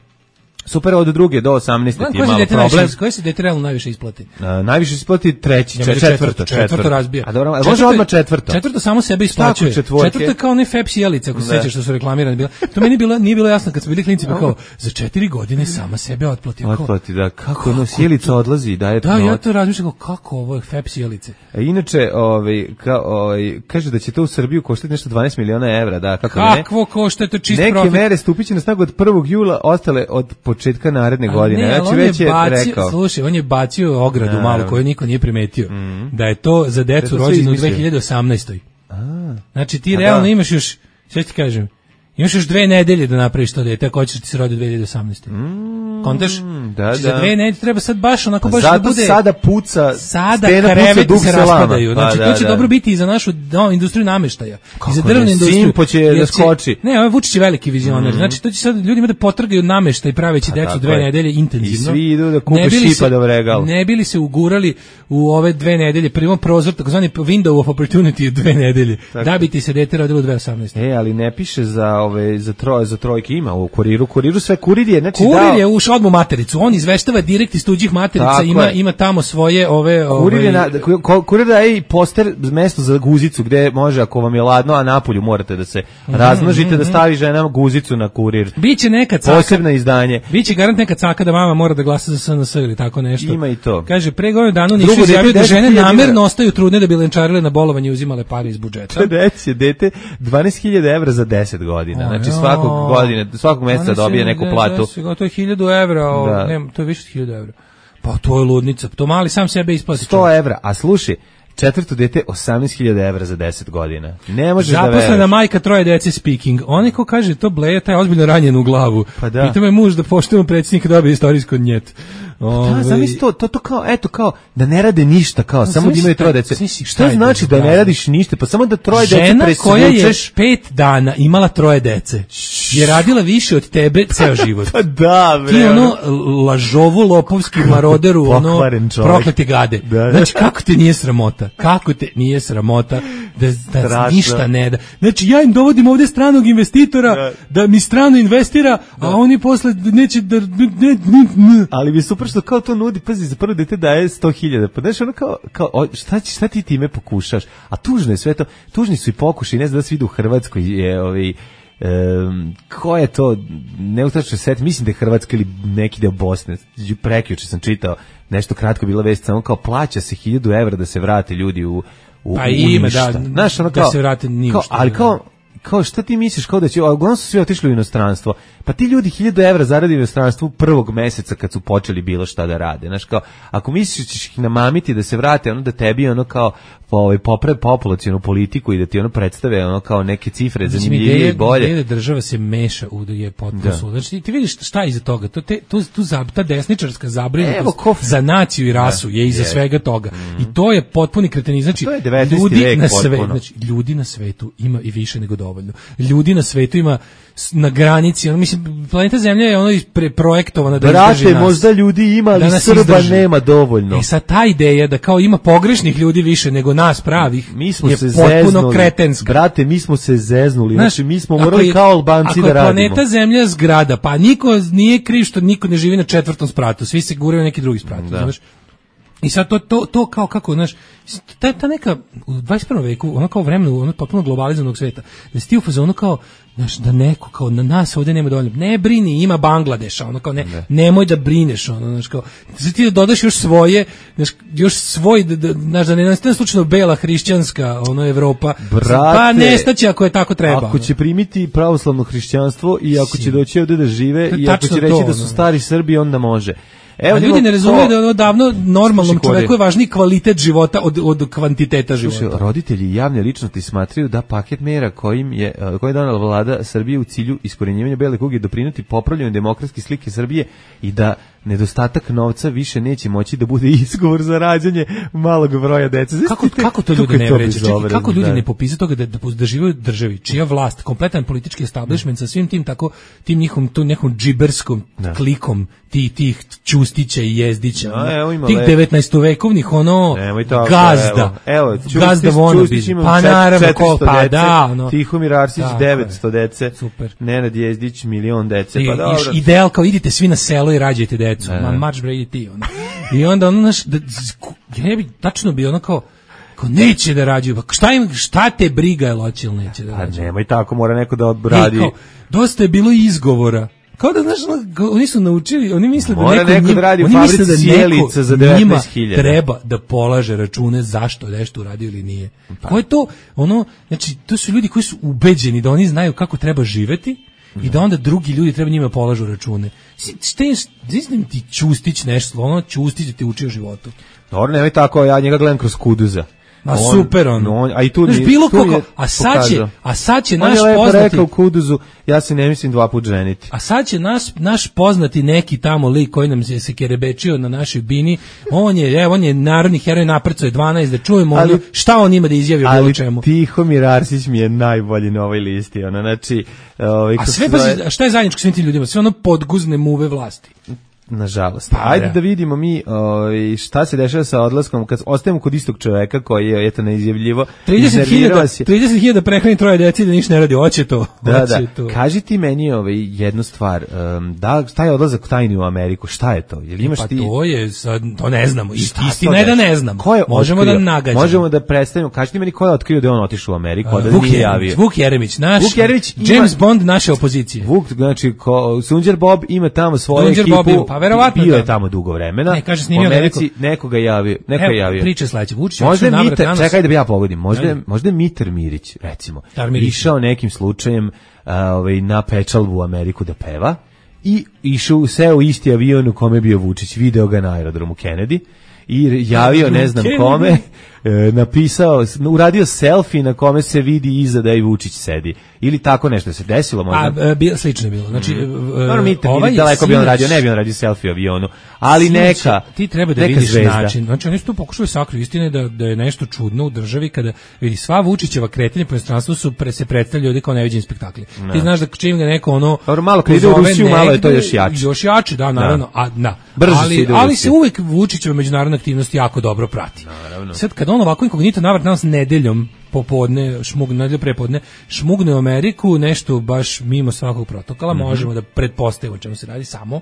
Super, od druge do osamnaeste ti je malo problem. Koje se dete realno najviše isplati? A, najviše isplati treći, Ja čet, četvrto, četvrto, četvrto razbija. A dobro, može odmah četvrto. Četvrto samo sebe isplaćuje. Četvrto je kao one Pepsi jelice, ako se sećaš što su reklamirane bile. To meni bilo nije bilo jasno kad smo bili klinci, pa kao za četiri godine sama sebe otplati. Otplati, da, kako ono sjelica odlazi, daje. Da, ja to razmišljam kako ovo je Pepsi jelice. A inače, ovaj kao ovaj kaže da će to u Srbiju koštati nešto dvanaest miliona evra, da, kako ne? Kakvo košta to čist Neke profit? Neke mere stupiće na snagu od prvog jula, ostale od početka naredne godine. Ne, znači već je bacio, rekao. Slušaj, on je bacio ogradu malu koju niko nije primetio. Mm. Da je to za decu rođenu u dve hiljade osamnaestoj. A. Znači ti A realno da. imaš još, sve ti kažem, imaš još dve nedelje da napraviš to dete, ako hoćeš da ti se rodi u dve hiljade osamnaeste. Mm, Kontaš? Da, znači, da. Za dve nedelje treba sad baš onako baš da bude... Zato sada puca, sada kreveti se raspadaju. Znači, pa, da, to će da. dobro biti i za našu no, industriju nameštaja. Kako I za drvnu industriju. Simpo će da skoči. Ne, ovaj Vučić je veliki vizioner. Mm. Znači, to će sad ljudima da potrgaju nameštaj praveći decu dve nedelje intenzivno. I svi idu da kupe šipa da vregal. Ne bili se ugurali u ove dve nedelje, prvo prozor, takozvani window of opportunity dve nedelje, da bi ti se dete rodilo u dve hiljade osamnaeste. E, ali ne piše za ove za troje za trojke ima u kuriru, kuriru sve kurir je, znači kurir dao... je ušao odmah matericu, on izveštava direkt iz tuđih materica, tako ima je. Ima tamo svoje ove ove kurir je na, kurir da je i poster mesto za guzicu gde može ako vam je ladno, a napolju morate da se mm -hmm, razmnožite mm -hmm. da stavi ženama guzicu na kurir. Biće neka caka, posebno izdanje. Biće garant neka caka da mama mora da glasa za S N S ili tako nešto. Ima i to. Kaže pre godinu dana nisu izjavili da žene namerno ostaju trudne da bi lenčarile na bolovanje i uzimale pare iz budžeta. Deci dete dvanaest hiljada evra za deset godina. O, znači svakog godine, svakog meseca dobije neku platu. To je hiljadu evra, ne, to je više od hiljadu evra. Pa to je ludnica, to mali sam sebe isplati. sto evra, a slušaj, četvrto dete osamnaest hiljada evra za deset godina. Ne možeš da veruješ. Zaposlena majka troje dece speaking. Oni ko kaže to bleja, taj ozbiljno ranjen u glavu. Pa da. Pita me muž da poštujemo predsjednika dobije istorijsko njet. Pa da, zamisli to, to, to kao, eto kao, da ne rade ništa, kao, no, samo da imaju troje dece. Šta znači da ne radiš ništa? Pa samo da troje dece presvučeš. Žena koja je pet dana imala troje dece je radila više od tebe ceo život. Pa da, bre. Ti ono lažovu, lopovski maroderu, ono proklete gade. Da, da. Znači, kako te nije sramota? Kako te nije sramota da, da ništa ne da? Znači, ja im dovodim ovde stranog investitora da, da mi strano investira, da. A oni posle neće da... Ne, ne, ne. Ali bi super što kao to nudi, pazi, za prvo dete daje sto hiljada, pa znaš ono kao, kao o, šta, šta ti time pokušaš, a tužno je sve to, tužni su i pokušaj, ne znam da se vidi u Hrvatskoj, je ovaj, um, ko je to, ne utačno set, mislim da je Hrvatska ili neki deo Bosne, prekjuče sam čitao, nešto kratko bila vest, samo kao plaća se hiljadu evra da se vrate ljudi u, u, pa u ima, ništa. Da, znaš, ono kao, da se vrate ništa. Ali kao, kao šta ti misliš kao da će, a uglavnom su svi otišli u inostranstvo, pa ti ljudi hiljadu evra zaradi u inostranstvu prvog meseca kad su počeli bilo šta da rade, znaš kao, ako misliš ćeš ih namamiti da se vrate, ono da tebi ono kao ovaj poprave populacionu politiku i da ti ono predstave ono kao neke cifre zanimljivije i bolje. Ideja da država se meša u da je potpuno sud. Znači ti, ti vidiš šta je iza toga, to te tu tu za ta desničarska zabrinutost za naciju i rasu je iza svega toga. Mm. I to je potpuni kretenizam. Znači ljudi na svetu, znači ljudi na svetu ima i više nego dovoljno. Ljudi na svetu ima na granici, ono mislim planeta Zemlja je ono preprojektovana da Brate, izdrži nas. Možda ljudi ima, ali Srba izdrži. Nema dovoljno. E sad ta ideja da kao ima pogrešnih ljudi više nego nas pravih, mi smo je se potpuno zeznuli. Kretenska. Brate, mi smo se zeznuli, Znaš, znači mi smo morali je, kao Albanci da radimo. Ako je planeta Zemlja zgrada, pa niko nije kriv što niko ne živi na četvrtom spratu, svi se guraju na neki drugi sprat, znaš. I sad to, to, to kao kako, znaš, ta, ta neka u dvadeset prvom veku, ono kao vremenu, ono potpuno globalizovanog sveta, da si ti u fazonu kao, znaš, da neko, kao na nas ovdje nema dovoljno, ne brini, ima Bangladeša, ono kao, ne, ne. nemoj da brineš, ono, znaš, kao, da ti da dodaš još svoje, znaš, još svoj, da, da, znaš, da ne nastane slučajno bela hrišćanska, ono, Evropa, Brate, pa nestaće ako je tako treba. Ako će primiti pravoslavno hrišćanstvo i ako si. će doći ovdje da žive i ako će reći to, da su stari Srbi, onda može. Evo, ljudi ne razumiju da je ono davno normalnom čoveku je važniji kvalitet života od, od kvantiteta života. Slušaj, roditelji i javne ličnosti smatraju da paket mera kojim je, koji je donala vlada Srbije u cilju iskorenjivanja bele kuge doprinuti popravljanju demokratske slike Srbije i da nedostatak novca više neće moći da bude izgovor za rađanje malog broja dece. Kako, kako to ljudi ne vređe? Kako ljudi da. ne popise toga da, da, da žive u državi, čija vlast, kompletan politički establishment sa svim tim tako, tim njihovim, tom nekom džiberskom da. klikom tih, tih Ćustića i Jezdića, no, evo, tih devetnaestovekovnih, ono, tako, gazda, evo, evo, Ćustić, gazda vonabi, pa naravno, ko, pa dece, da, ono. Tihomir Arsić, devetsto dece, super. Nenad Jezdić, milion dece, I, pa dobro. Ideal kao idite svi na selo i rađajte decu, ma marš bre, idi ti, ono. I onda ono, znaš, da, ja ne bi, tačno bi ono kao, kao neće da rađaju, pa šta, im, šta te briga je loći ili neće da rađaju? Pa nemoj tako, mora neko da odradi. Kao, dosta je bilo izgovora. Kao da, znaš, oni su naučili, oni misle da mora neko, neko njim, da radi u oni misle da sjelica za devetnaest hiljada. Treba da polaže račune zašto je nešto uradio ili nije. Pa. Ko je to, ono, znači, to su ljudi koji su ubeđeni da oni znaju kako treba živeti i da onda drugi ljudi treba njima polažu račune. Šta je, znam ti Ćustić nešto, ono Ćustić da ti uči o životu. Dobro, nemoj tako, ja njega gledam kroz Kuduza. A on, super on. on a i tu znaš, bilo koliko, a sad će, a sad će naš poznati. On je lepo poznati, rekao u Kuduzu, ja se ne mislim dva put ženiti. A sad će naš, naš poznati neki tamo lik koji nam se, se kerebečio na našoj bini, on je, evo, on je narodni heroj, naprco je dvanaest, da čujemo ali, ono, šta on ima da izjavi o bilo čemu. Ali Tihomir Arsić mi je najbolji na ovoj listi, ono, znači... Ovaj, a sve, pa, zove... šta je zajedničko svim tim ljudima? Sve ono podguzne muve vlasti. Nažalost. Pa, ajde da vidimo mi ovaj, šta se dešava sa odlaskom kad ostajemo kod istog čoveka koji je eto neizjavljivo. trideset hiljada prehrani troje dece da ništa ne radi, hoće to. Da, hoće da. To. Kaži ti meni ovaj, jednu stvar, um, da, šta je odlazak tajni u Ameriku, šta je to? Jel imaš pa ti... to je, sad, to ne znamo, istina je da ne znamo. Ko je možemo otkrio? Da nagađamo. Možemo da predstavimo, kaži ti meni ko je otkrio da je on otišao u Ameriku, a da Vuk nije javio. Vuk Jeremić, naš, Vuk Jeremić James ima... Bond naše opozicije. Vuk, znači, ko, Sunđer Bob ima tamo svoju Sunđer ekipu, Bob, pa verovatno bio da. je tamo dugo vremena. Ne, kaže snimio u Americi neko... nekoga javio, neko Evo, je javio. Priča sledeće, Vučić. Možda Mitar, čekaj da bi ja pogodim. Možda možda Mitar Mirić, recimo. Mirić. Išao nekim slučajem uh, ovaj na pečalbu u Ameriku da peva i išao seo isti avion u kome je bio Vučić, video ga na aerodromu Kennedy i javio ne znam kome, e, napisao, uradio selfie na kome se vidi iza da i Vučić sedi. Ili tako nešto se desilo možda. A, bi, slično je bilo. Znači, mm. no, mi, ovaj daleko bi on radio, ne bi on radio selfie u avionu, ali sinoć, neka ti treba da vidiš zvezda. Način. Znači, oni su tu pokušali sakriti istine da, da je nešto čudno u državi kada vidi sva Vučićeva kretanja po inostranstvu su pre, se predstavljaju ljudi kao neviđeni spektakli. No. Ti znaš da čim ga neko ono... Dobro, malo kad ide u Rusiju, malo je to još jače. Još jače, da, naravno. No. A, na. Brže ali, se ali se uvek Vučićeva međunarodna aktivnost jako dobro prati. Naravno. Sad kad on ovako inkognito navrat nas nedeljom popodne, šmugne, nedelju prepodne, šmugne u Ameriku, nešto baš mimo svakog protokola, mm-hmm. možemo da pretpostavimo o čemu se radi samo,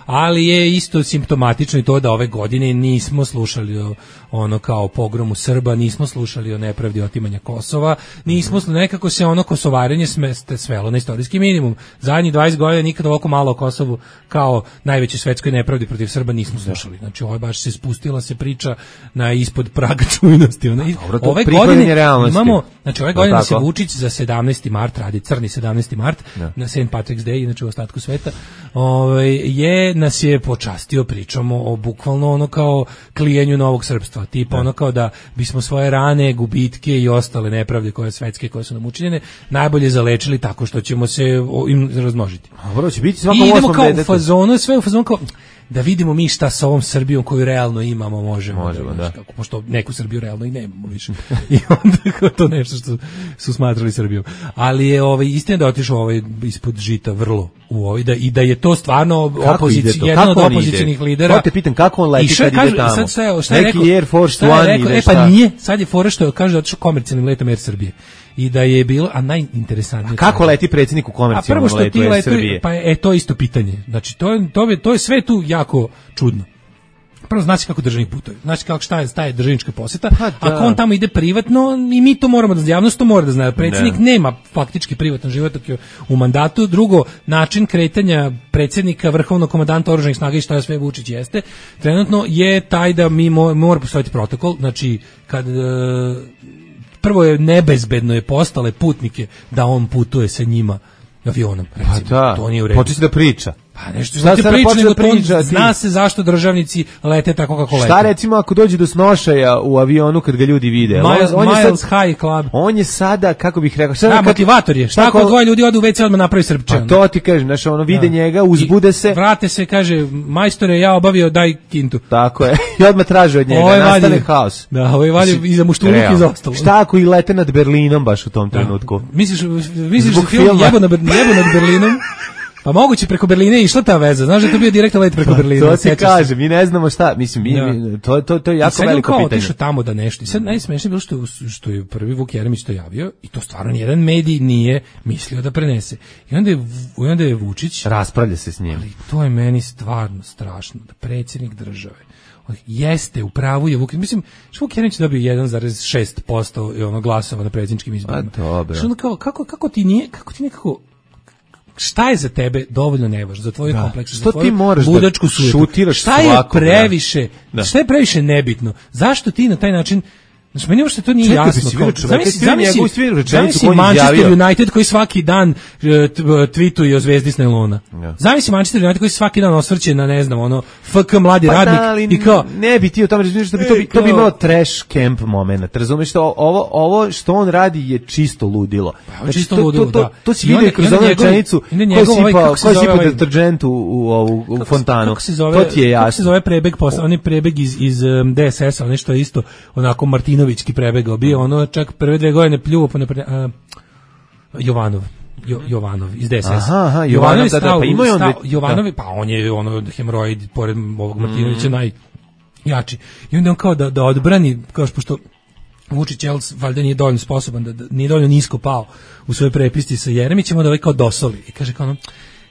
ali je isto simptomatično i to da ove godine nismo slušali o, ono kao pogromu Srba, nismo slušali o nepravdi otimanja Kosova, nismo mm-hmm. nekako se ono kosovarenje smeste svelo na istorijski minimum. Zadnjih dvadeset godina nikad ovako malo o Kosovu kao najvećoj svetskoj nepravdi protiv Srba nismo slušali. Znači ovo baš se spustila se priča na ispod praga čujnosti. Ona, dobro, ove godine imamo, znači ove godine se Vučić za sedamnaesti mart radi, crni sedamnaesti mart, ja. Na Saint Patrick's Day, znači u ostatku sveta, ovaj, je nas je počastio, pričamo o bukvalno ono kao klijenju novog srpstva, tipa ja. Ono kao da bismo svoje rane, gubitke i ostale nepravde koje svetske koje su nam učinjene najbolje zalečili tako što ćemo se im razmnožiti. Dobro, će biti svako I idemo kao u fazonu, sve u fazonu kao da vidimo mi šta sa ovom Srbijom koju realno imamo možemo, možemo da, da. Kako, pošto neku Srbiju realno i nemamo više. I onda to nešto što su smatrali Srbijom. Ali je ovaj istina da otišao ovaj ispod žita vrlo u ovaj da i da je to stvarno opozicija, jedan od opozicionih lidera. Ja te pitam kako on leti kad ide tamo. Sad šta, šta je neki rekao? Air Force One ili e, pa nije, sad je fora što kaže da otišao komercijalnim letom Air Srbije. I da je bilo, a najinteresantnije... A kako leti predsjednik u komercijalnom letu Air Srbije? Pa je to isto pitanje. Znači, to je, to je, to je sve tu jako čudno. Prvo, znači kako državni putovi. Znači kako šta je, šta je državnička poseta. Pa, ako on tamo ide privatno, i mi to moramo da javnost to mora da zna. Predsjednik ne. nema faktički privatan život u mandatu. Drugo, način kretanja predsjednika, vrhovnog komandanta oružanih snaga i šta je sve Vučić jeste, trenutno je taj da mi mo, mora postojati protokol. Znači, kad... prvo je nebezbedno je postale putnike da on putuje sa njima avionom, recimo. Pa da, to nije u redu. početi da priča. Pa nešto što ti priča, nego to zna se zašto državnici lete tako kako lete. Šta recimo ako dođe do snošaja u avionu kad ga ljudi vide? Miles, on, on Miles sad, High Club. On je sada, kako bih rekao... Da, kad, motivator je. Šta ako dvoje ljudi odu u ve ce odmah napravi srpče? Pa to ti kažem, znaš, ono vide da. njega, uzbude se. I vrate se, kaže, majstore, ja obavio, daj kintu. Tako je. I odmah traže od njega, ovaj nastane vadi, haos. Da, ovo je vadi iza muštuluk i za ostalo. Šta ako i lete nad Berlinom baš u tom trenutku? Misliš, misliš da film jebo nad Berlinom? Pa moguće preko Berlina je išla ta veza. Znaš da je to bio direktan let preko Berlina. To se kaže, mi ne znamo šta. Mislim, mi, da. mi, to, to, to je jako veliko pitanje. I sad je kao otišao tamo da nešto. I sad najsmešnije bilo što, što je prvi Vuk Jeremić to javio i to stvarno nijedan medij nije mislio da prenese. I onda je, i onda je Vučić... Raspravlja se s njim. Ali to je meni stvarno strašno. Da predsjednik države jeste, u pravu je Vuk, mislim, što Vuk Jeremić dobio jedan zarez šest posto ono glasova na predsjedničkim izborima. A dobro. Što kao, kako, kako ti nije, kako ti nekako šta je za tebe dovoljno nevažno, za tvoju kompleks, za tvoju budačku da šutiraš šta je previše, da. šta je previše nebitno, zašto ti na taj način, znači meni uopšte to nije Čekaj, jasno. Zamisli Manchester United koji svaki dan uh, tweetuje o zvezdi s nailona. Ja. Zamisli Manchester United koji svaki dan osvrće na, ne znam, ono, F K mladi pa radnik da, i kao... Ne bi ti o tome razmišljati, to, bi, to bi imalo trash camp moment. Razumeš, što ovo, ovo što on radi je čisto ludilo. Pa, znači, čisto to, ludilo, to, to, da. To si vidio kroz onu rečenicu ko si pa deterđent u, u, u, u fontanu. Kako se zove, to ti je jasno. Kako se zove prebeg, posle, on je prebeg iz, iz um, D S S-a, nešto isto, onako Martinovićki prebegao. Bio ono čak prve dve godine pljuo po napred... Uh, Jovanov. Jo, Jovanov iz D S S. Aha, aha, Jovanov, da, da, pa ima on... Stav, Jovanov, da. Pa on je ono hemoroid, pored ovog Martinovića, mm. najjači. I onda on kao da, da odbrani, kao što pošto Vučić Jels valjda nije dovoljno sposoban, da, da nije dovoljno nisko pao u svojoj prepisti sa Jeremićem, onda ovaj kao dosoli. I kaže kao ono,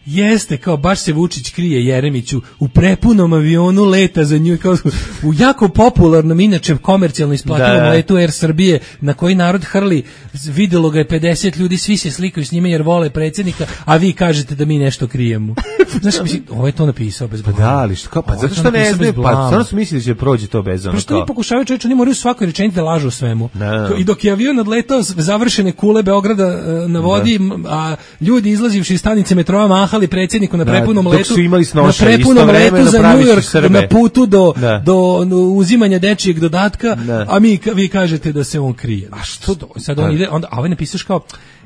jeste, kao baš se Vučić krije Jeremiću u prepunom avionu leta za nju, kao u jako popularnom, inače komercijalno isplativom da. letu Air Srbije, na koji narod hrli, videlo ga je pedeset ljudi, svi se slikaju s njime jer vole predsjednika, a vi kažete da mi nešto krijemo. Znaš, mislim, ovo je to napisao bez blama. Pa da, ali što, kao, pa zato što ne znaju, pa stvarno su mislili da će prođe to bez ono. Pa što oni pokušavaju čovječe, oni moraju svakoj rečenici da lažu o svemu. No. I dok je avion odletao završene kule Beograda na vodi, no. a ljudi izlazivši iz stanice metroa mahali predsjedniku na prepunom da, letu, na prepunom letu za New York, na putu do, da. do, do uzimanja dečijeg dodatka, da. a mi, vi kažete da se on krije. A što to? Sad on ide, onda, a ovaj napisaš kao,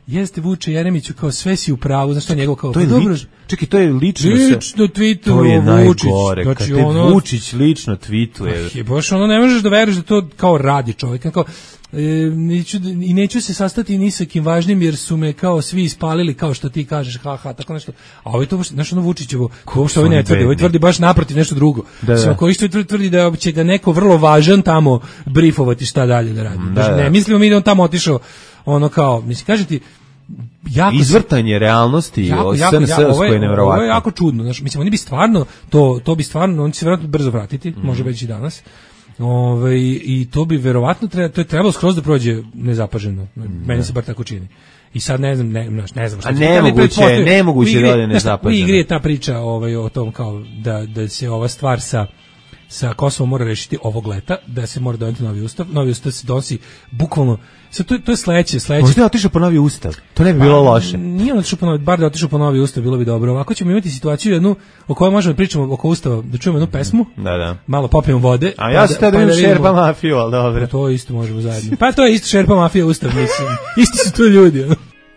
jeste Vuče Jeremiću, kao sve si u pravu, znaš što njegov kao, to je dobro, li, čekaj, to je lično lično tweetuje to je Vučić, najgore, znači, kad te ono, Vučić lično tweetuje. Je baš ono, ne možeš da veruješ da to kao radi čovjek, kao, e, neću, i neću se sastati ni sa kim važnim jer su me kao svi ispalili kao što ti kažeš, ha ha, tako nešto. A ovo je to baš, znaš ono Vučićevo, ko što ovaj ne tvrdi, ovaj tvrdi baš naprotiv nešto drugo. Da, da. Koji što tvrdi da će ga neko vrlo važan tamo brifovati šta dalje da radi. Da, da. Ne mislimo mi da on tamo otišao ono kao, mislim, kaže ti, jako izvrtanje realnosti jako, jako, jako, ovo, je, ovo je jako čudno, znači, mislim, oni bi stvarno to, to bi stvarno, oni će se vjerojatno brzo vratiti, mm. može već i danas. Ove, i to bi verovatno treba, to je trebalo skroz da prođe nezapaženo. Meni ne. se bar tako čini. I sad ne znam, ne, ne znam šta. A nemoguće, nemoguće da ode nezapaženo. U igri je ta priča ovaj, o tom kao da, da se ova stvar sa sa Kosovom mora rešiti ovog leta, da se mora doneti novi ustav. Novi ustav se donosi bukvalno, sad to, to je sledeće, sledeće. Možda je otišao po novi ustav, to ne bi bilo pa, loše. Nije on otišao po novi, bar da je otišao po novi ustav, bilo bi dobro. Ovako ćemo imati situaciju jednu, o kojoj možemo da pričamo oko ustava, da čujemo jednu pesmu, da, da. malo popijemo vode. A ja sam tada pa da šerpa mafiju, ali dobro. To isto možemo zajedno. Pa to je isto šerpa mafija ustav, mislim. Isti su to ljudi.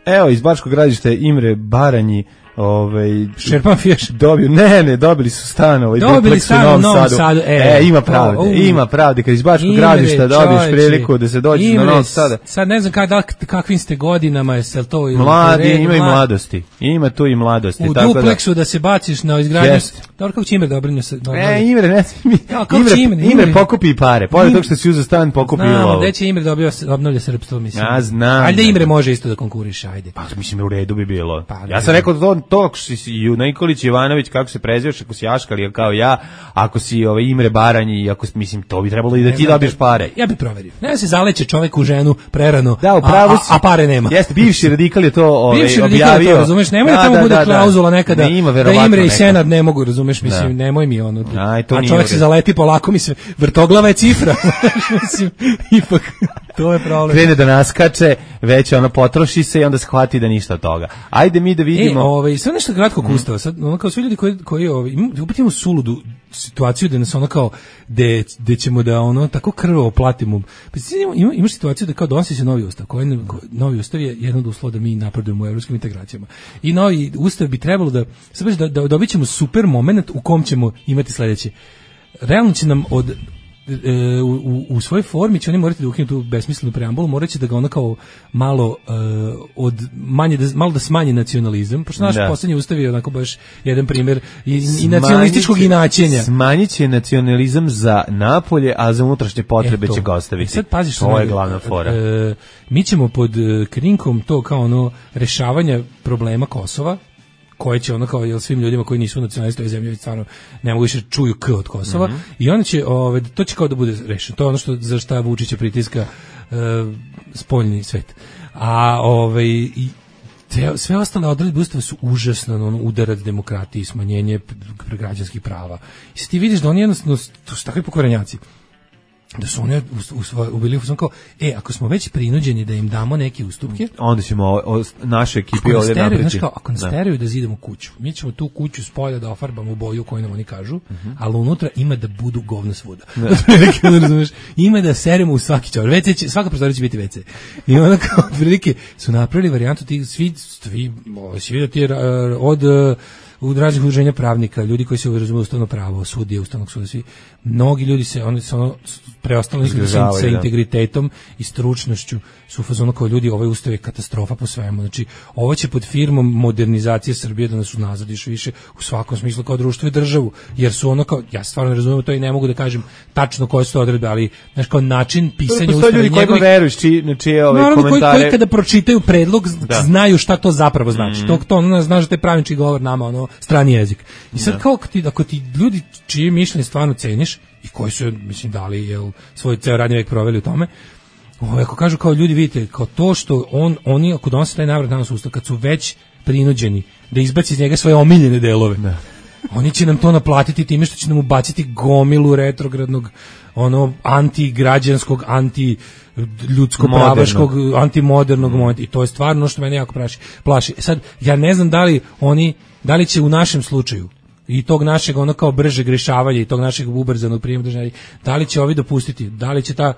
Evo, iz Bačkog Gradišta Imre Baranji, ovaj Šerpan Fiješ dobio, ne, ne, dobili su stan, ovaj dobili stan u Novom Sadu. E, e, ima pravde, o, ima pravde, kad iz Bačkog Gradišta dobiješ priliku da se dođeš na Novom Sadu. Sad ne znam kada, kakvim ste godinama, jel to ili mladi, ima i mladosti. Ima tu i mladosti, u tako dupleksu da, da se baciš na izgradnju. Dobro, kako će Imre da obrine se? E, Imre, ne mi. Ja, Imre, Imre, Imre pokupi pare. Pored toga što si uzeo stan, pokupi lovu. Znamo, gde će Imre dobio obnovlja srpstvo, mislim. Ja znam. Ajde Imre može isto da konkuriše, ajde. Pa mislim u redu bi bilo. Ja sam rekao to to si Nikolić Ivanović, kako se preziveš, ako si Aškali kao ja, ako si ovaj Imre Baranji, i ako mislim to bi trebalo i da ti dobiješ pare. Ja bih proverio. Ne se zaleće čovek u ženu prerano, da, upravo a, a, a pare nema. Jeste, bivši radikal je to ovaj bivši objavio. To, razumeš, nemoj da, da tamo da, bude da, klauzula nekada da, da Imre i Senad ne mogu, razumeš, mislim, da. Nemoj mi ono. Aj, a čovjek se zaleti polako, mi se vrtoglava je cifra. Mislim, ipak. To je problem. Krene da naskače, već ono potroši se i onda shvati da ništa od toga. Ajde mi da vidimo. E, ovaj, sve nešto kratko mm. Ustava, sad, ono kao svi ljudi koji, koji ovaj, opet imamo suludu situaciju da nas ono kao, de, de ćemo da ono tako krvavo platimo. Pa ima, imaš situaciju da kao donosi se novi ustav, koji, novi ustav je jedan od uslova da mi napredujemo u evropskim integracijama. I novi ustav bi trebalo da, sad da, da dobit ćemo super moment u kom ćemo imati sledeće. Realno će nam od E, u, u svojoj formi će oni morati da ukinu tu besmislenu preambulu, morat će da ga ono kao malo uh, od manje da, malo da smanji nacionalizam, pošto naš da. Poslednji ustav je onako baš jedan primjer i, i nacionalističkog inaćenja. Smanjit će nacionalizam za napolje, a za unutrašnje potrebe će ga ostaviti. Sad paziš, to je glavna fora. E, mi ćemo pod krinkom to kao ono rešavanja problema Kosova, koje će ono kao jel svim ljudima koji nisu nacionalisti ove zemlje stvarno ne mogu više čuju k od Kosova, mm-hmm. i onda će ove, to će kao da bude rešeno. To je ono što za šta Vučića pritiska e, spoljni svet. A ovaj i te, sve ostale odredbe ustava su užasno ono, udarac demokratiji, smanjenje građanskih prava. I sad ti vidiš da oni jednostavno to su takvi pokvarenjaci. Da su oni ubili u kao, e, ako smo već prinuđeni da im damo neke ustupke, onda ćemo o, o, naše ekipe ovdje napreći. Ako nas teraju da zidamo kuću, mi ćemo tu kuću s polja da ofarbamo u boju koju nam oni kažu, uh-huh. ali unutra ima da budu govna svuda. Da. Ima da seremo u svaki čovjek. ve ce će, svaka prostorija će biti ve ce. I onda kao prilike su napravili varijantu tih svi, svi, svi da ti je od u raznih udruženja pravnika, ljudi koji se razumiju ustavno pravo, sudije, ustavnog suda, svi, mnogi ljudi se, oni se ono, preostali sa, sa integritetom i stručnošću su u fazonu kao ljudi, ovaj ustav je katastrofa po svemu, znači, ovo će pod firmom modernizacije Srbije da nas unazadiš više u svakom smislu kao društvo i državu, jer su ono kao, ja stvarno ne razumijem to i ne mogu da kažem tačno koje su to odredbe, ali, znaš, kao način pisanja ustava. Postoje ljudi kojima veruješ, či, na čije ove naravno, komentare. Koji, koji kada pročitaju predlog, da. Znaju šta to zapravo znači. Mm. To, to ono, znaš da te pravnički govor nama, ono, strani jezik. I sad da. Kao ti, ako ti ljudi čije mišljenje stvarno ceniš i koji su, mislim, dali jel, svoj ceo radni vek proveli u tome, ovo, ako kažu kao ljudi, vidite, kao to što on, oni, ako donose taj navrat danas ustav, kad su već prinuđeni da izbaci iz njega svoje omiljene delove, da. Oni će nam to naplatiti time što će nam ubaciti gomilu retrogradnog, ono, antigrađanskog, anti ljudsko pravaškog, antimodernog mm. momenta, i to je stvarno što mene jako plaši. plaši. Sad, ja ne znam da li oni, da li će u našem slučaju i tog našeg ono kao brže grešavanja i tog našeg ubrzanog prijema držanja, da li će ovi dopustiti, da li će ta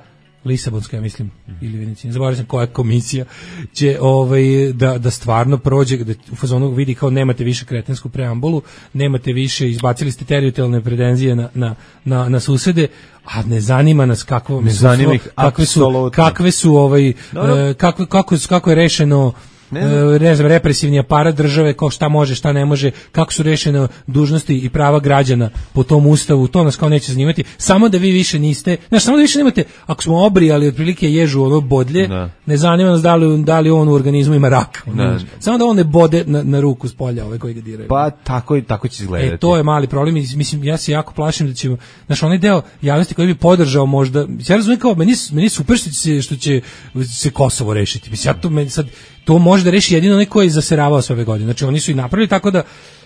Lisabonska, ja mislim, ili Venecija, zaboravio sam koja komisija, će ovaj, da, da stvarno prođe, da u fazonu vidi kao nemate više kretensku preambulu, nemate više, izbacili ste teritorijalne pretenzije na, na, na, na susede, a ne zanima nas kakvo, ne zanima ih kakve su, kakve su ovaj, no. kakve, kako, kako je rešeno Ne, ne znam, represivni aparat države, kao šta može, šta ne može, kako su rešene dužnosti i prava građana po tom ustavu, to nas kao neće zanimati, samo da vi više niste, znaš, samo da više nemate, ako smo obrijali otprilike ježu ono bodlje, ne, ne zanima nas da li, da li on u organizmu ima rak, ne, samo da on ne bode na, na ruku s polja ove koji ga diraju. Pa tako, tako će izgledati. E, to je mali problem, mislim, ja se jako plašim da ćemo, znaš, onaj deo javnosti koji bi podržao možda, ja razumijem kao, meni, meni super što će, što će se Kosovo rešiti, mislim, ja to meni sad, to može da reši jedino onaj koji je zaseravao sve ove godine. Znači oni su i napravili tako da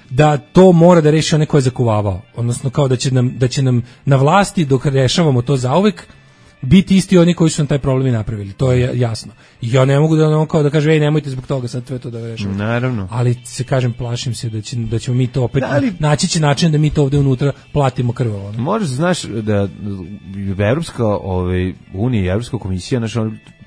da to mora da reši onaj koji je zakuvavao. Odnosno kao da će nam da će nam na vlasti dok rešavamo to zauvek biti isti oni koji su nam taj problem i napravili. To je jasno. I ja ne mogu da ono kao da kažem ej nemojte zbog toga sad sve to da rešavamo. Naravno. Ali se kažem plašim se da će da ćemo mi to opet da, ali, naći će način da mi to ovde unutra platimo krvavo. Možeš znaš da Evropska ovaj unija i Evropska komisija naš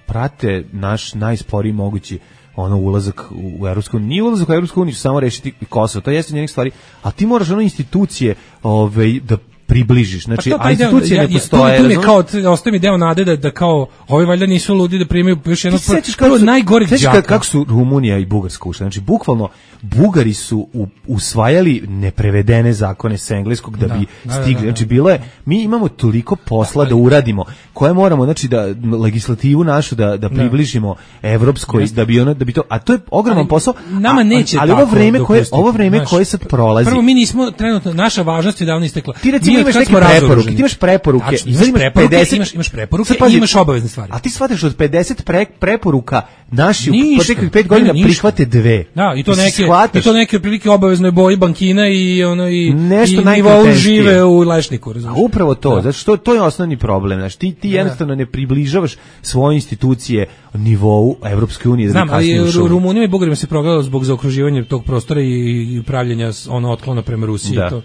prate naš najsporiji mogući ono ulazak u Evropsku uniju, nije ulazak u Evropsku uniju, samo rešiti Kosovo, to jeste njenih stvari, a ti moraš ono institucije ovaj, da približiš, znači, pa to, a institucije deo, ne postoje. Tu mi je kao, ostaje mi deo nade da, da kao, ovi valjda nisu ludi da primaju još jednog prvo najgorih đaka. Kako su Rumunija i Bugarska ušle, znači, bukvalno, Bugari su u, usvajali neprevedene zakone sa engleskog da, da bi da, stigli, da, da, da. Znači, bilo je, mi imamo toliko posla da, da uradimo, koje moramo, znači, da legislativu našu da, da približimo da. Evropskoj, da bi ono, da bi to, a to je ogroman posao, nama neće ali ovo vreme koje, ovo vreme koje sad prolazi. Prvo, mi nismo, trenutno, naša važnost je davno istekla. Ti recimo mi imaš kad neke smo preporuke, razoruženi. ti imaš preporuke, Tačno, imaš imaš preporuke, pedeset imaš, imaš preporuke Sad pazi, i imaš obavezne stvari. A ti shvataš od pedeset pre, preporuka naši u Ništa. proteklih pet godina Ne, ništa. prihvate dve. Da, i to Ti neke shvataš? i to neke prilike obaveznoj boji bankina i ono i Nešto i nivou najkvalitetnije. žive u Lešniku, razumiješ? A upravo to, Da. zato što to je osnovni problem, znači ti ti Da. jednostavno ne približavaš svoje institucije nivou Evropske unije da Znam, bi kasnije ali ušao. Ru- Rumunima i Bugarima se progledalo zbog zaokruživanja tog prostora i, i pravljenja s- ono otklona prema Rusiji. Da. To.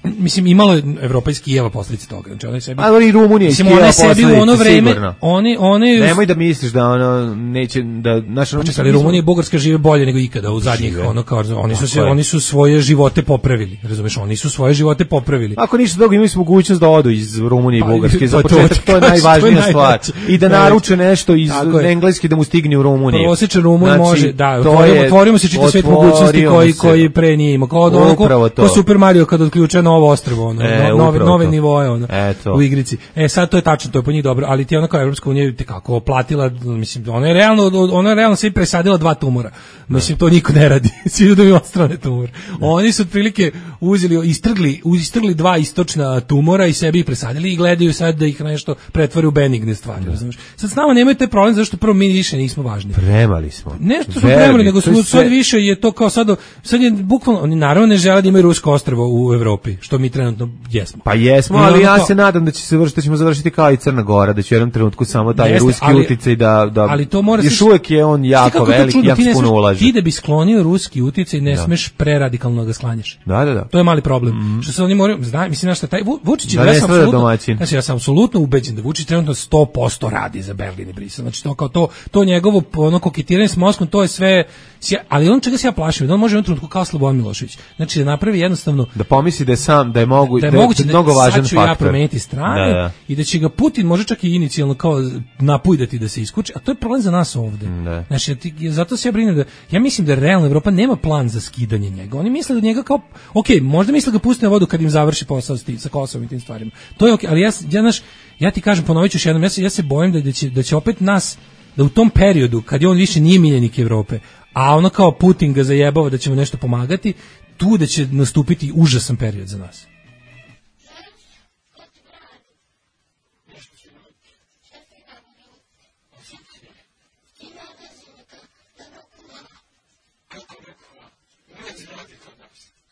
Mislim, imalo je Evropa iz Kijeva posljedice toga. Znači, ona je sebi... Ali i Rumunija iz Mislim, Kijeva ona je sebi u posledice, ono vreme... sigurno. Oni, oni, Nemoj da misliš da ono neće da naš Pa čekaj, ali Rumunija i Bugarska žive bolje nego ikada u zadnjih Žive. ono kao oni su se Tako je. oni su svoje živote popravili, razumeš, oni su svoje živote popravili. Ako ništa drugo, imali smo mogućnost da odu iz Rumunije i Pa, Bugarske. Za pa to početak ti to je kažem, najvažnija to je stvar. najveće. I da Najveće. naruče nešto iz Tako je. engleski da mu stigne u Rumuniju. Prosječan Rumun Znači, može, da, to otvorimo, je- otvorimo se čita svet otvorimo mogućnosti koji se. koji pre nije imao. Kao ono, Upravo ko, to. ko Super Mario kad otključa novo ostrvo, ono, E, no- nove, upravo nove to. nivoe ono, Eto. u igrici. E sad to je tačno, to je po njih dobro, ali ti ona kao Evropska unija te kako platila, mislim, ona je realno, ona je realno sve presadila dva tumora. Mislim, to niko ne radi. Svi ljudi imaju odstrane tumor. Oni su otprilike uzeli, istrgli, istrgli dva istočna tumora i sebi ih presadili i gledaju sad da ih nešto pretvore u benigne stvari. Razumeš? Sad s nama nemaju taj problem zašto prvo mi više nismo važni. Premali smo. Nešto smo Verni, premali, nego to je smo sve- sad više je to kao sad, sad je bukvalno, oni naravno ne žele da imaju rusko ostrvo u Evropi, što mi trenutno jesmo. Pa jesmo, I ali ono ja kao- se nadam da će se završiti, da ćemo završiti kao i Crna Gora, da će u jednom trenutku samo taj Jeste, ruski ali- uticaj da, da ali to mora još se- uvek je on Znaš ti jako kako je to velik, čudno, jako ti ne puno smeš- ulaže. Ti da bi sklonio ruski uticaj ne smeš preradikalno da ga sklanjaš. Da, da, da. To je mali problem. Što se oni moraju, znam, mislim na šta taj Vu- Vučić je Da ja ne sam strada apsolutno, domaćin. znači ja sam apsolutno ubeđen da Vučić trenutno sto posto radi za Berlin i Brisel. Znači to kao to to njegovo ono koketiranje s Moskvom, to je sve sja- ali on čega se ja plašim, da on može u jednom trenutku kao Slobodan Milošević. Znači da napravi jednostavno Da pomisli da je sam, da je mogu, da je moguće da mnogo važan sad ću ja faktor. promeniti strane Da, da. i da će ga Putin može čak i inicijalno kao napujdati da se iskuči, a to je problem za nas ovde. Da. Znači, ja ti- zato se ja brinem da, ja mislim da realno Evropa nema plan za skidanje njega. Oni misle da njega kao, ok, možda misle da ga puste na vodu kad im završi posao s tim, sa Kosovom i tim stvarima. To je ok, ali ja, ja, naš, ja ti kažem, ponovit ću još jednom, ja se, ja se bojim da, da, će, da će opet nas, da u tom periodu, kad je on više nije miljenik Evrope, a ono kao Putin ga zajebava da ćemo nešto pomagati, tu da će nastupiti užasan period za nas.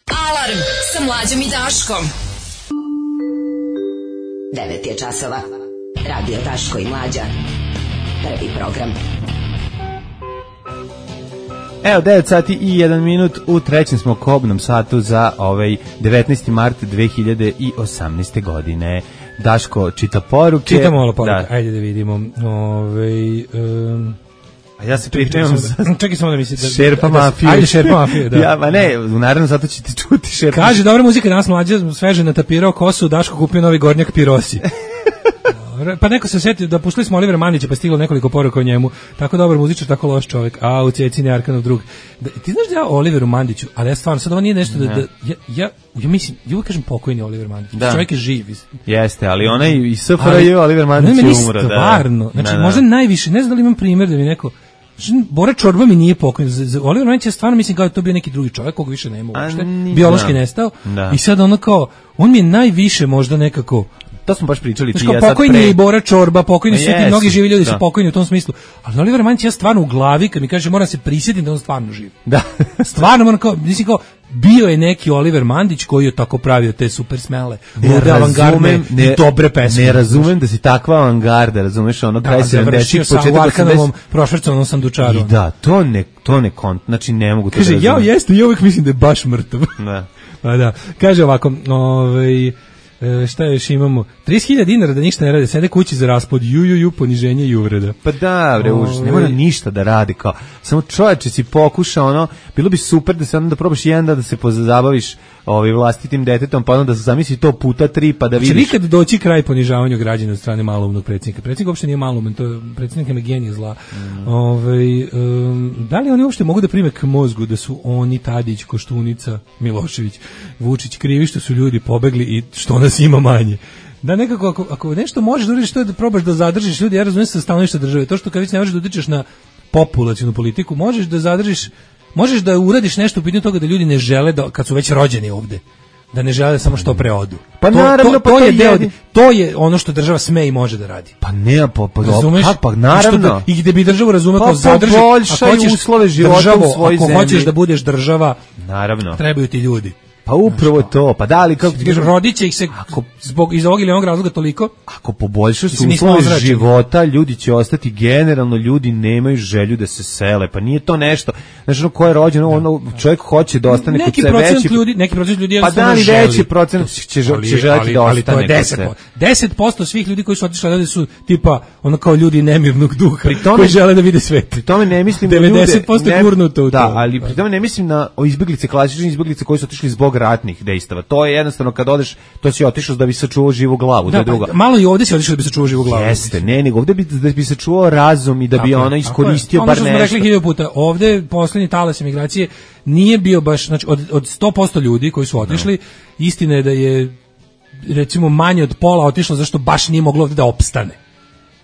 Alarm sa Mlađom i Daškom. devet je časova. Radio Daško i Mlađa. Prvi program. Evo, devet sati i jedan minut, u trećem smo kobnom satu za ovaj devetnaesti mart dve hiljade osamnaeste. godine. Daško čita poruke. Čitamo malo poruke, Da. ajde da vidimo. Ove, um, A ja se pripremam za čekaj samo da mi se... Da, Šerpa da- mafiju. Ajde, Šerpa mafiju, da. Ja, ma ne, u naravno zato ćete čuti Šerpa. Kaže, dobra muzika, danas Mlađa sveže natapirao kosu, Daško kupio novi gornjak Pirosi. Dobro, pa neko se setio da puštali smo Olivera Mandića, pa je stiglo nekoliko poruka o njemu. Tako dobar muzičar, tako loš čovjek. A u Cecini Arkanov drug. Da, ti znaš da ja o Oliveru Mandiću, ali ja stvarno, sad ovo nije nešto da, da ja, ja, ja mislim, ja uvijek kažem pokojni Oliver Mandić. Da. Čovjek je živ. Jeste, ali onaj i S F R J Oliver Mandić meni je umro. Da. stvarno, znači Da, da. možda najviše, ne znam da li imam primjer da mi neko, Bora Čorba mi nije pokojni. Za, za Oliver Mandić ja stvarno mislim kao da je to bio neki drugi čovjek koga više nema A, uopšte. ni- Biološki da. nestao. Da. I sad ono kao, on mi je najviše možda nekako, To smo baš pričali ti znači i kao ja sad pokojni je pre. i Bora Čorba, pokojni su svi ti Jesu, mnogi živi ljudi da. su pokojni u tom smislu. Ali Oliver Mandić ja stvarno u glavi kad mi kaže moram se prisjetiti da on stvarno živ. Da. Stvarno moram kao, mislim kao, bio je neki Oliver Mandić koji je tako pravio te super smele, Ne lude avangardne razumem, i dobre pesme. Ne razumem da si takva avangarda, razumeš, ono kraj Da, završio sedamdesetih, sam u početak Arkanovom osamdesetih. prošvercovanom sandučaru. I da, to ne, to ne kont, znači ne mogu to Kaže, da ja razumem. jeste, ja uvijek mislim da je baš mrtav. Da. Pa da, kaže ovako, ovaj, e, šta još imamo, trideset hiljada dinara da ništa ne rade, sede kući za raspod, ju, ju, ju, poniženje i uvreda. Pa da, bre, užas, ne mora Ovaj. ništa da radi, kao, samo čovječe si pokuša, ono, bilo bi super da se onda da probaš jedan dan da se pozabaviš ovaj, vlastitim detetom, pa onda da se zamisli to puta tri, pa da Će vidiš. nikad doći kraj ponižavanju građana od strane maloumnog predsjednika. Predsjednik uopšte nije malouman, to je predsjednik je genije zla. Mm. Ovaj, um, da li oni uopšte mogu da prime k mozgu da su oni, Tadić, Koštunica, Milošević, Vučić krivi što su ljudi pobegli i što nas ima manje? Da nekako, ako, ako nešto možeš da uradiš, to je da probaš da zadržiš ljudi, ja razumijem sa stanovišta države, to što kad već ne možeš da utičeš na populacionu politiku, možeš da zadržiš, možeš da uradiš nešto u pitanju toga da ljudi ne žele da, kad su već rođeni ovde, da ne žele samo što pre odu. Pa to, naravno, to, pa to to je je deo, jedin- to je ono što država sme i može da radi. Pa ne, pa, pa, Razumeš? pa, pa I naravno. što da- I gde bi državu razumeo Pa kao zadrži, poboljšaj ako hoćeš uslove života državo, u svojoj ako zemlji. hoćeš da budeš država, Naravno. trebaju ti ljudi. Pa upravo to. Pa da li, kako ti kažem, Rodit će ih se zbog iz ovog ili onog razloga toliko. ako poboljšaš Mislim, mi smo uslove ozračeni. života, ljudi će ostati, generalno ljudi nemaju želju da se sele, pa nije to nešto, znači ono ko je rođen, ono, čovjek hoće da ostane kod Neki sebe procent veći, ljudi, neki procent ljudi pa jednostavno da li želi. veći procent će, žel- Ali- će želiti ali- da ali ostane to je kod deset sebe. posto. deset posto svih ljudi koji su otišli odavde su tipa ono kao ljudi nemirnog duha Pri tome- koji žele da vide svet. Pri tome ne mislim na ljude, devedeset posto je ne- gurnuto u da, to. ali pri tome ne mislim na o izbeglice, klasične izbeglice koji su otišli zbog ratnih dejstava. To je jednostavno kad odeš, to si otišao da bi sačuvao živu glavu, to je Da, druga. pa, malo i ovde se otišao da bi se čuo živu glavu. Jeste, ne, nego ovde bi, da bi se čuo razum i da bi Tako je, ono tako iskoristio je. bar Ono što smo nešto. rekli hiljadu puta, ovde poslednji talas emigracije nije bio baš, znači od, od sto posto ljudi koji su otišli, istina je da je recimo manje od pola otišlo zašto baš nije moglo ovde da opstane.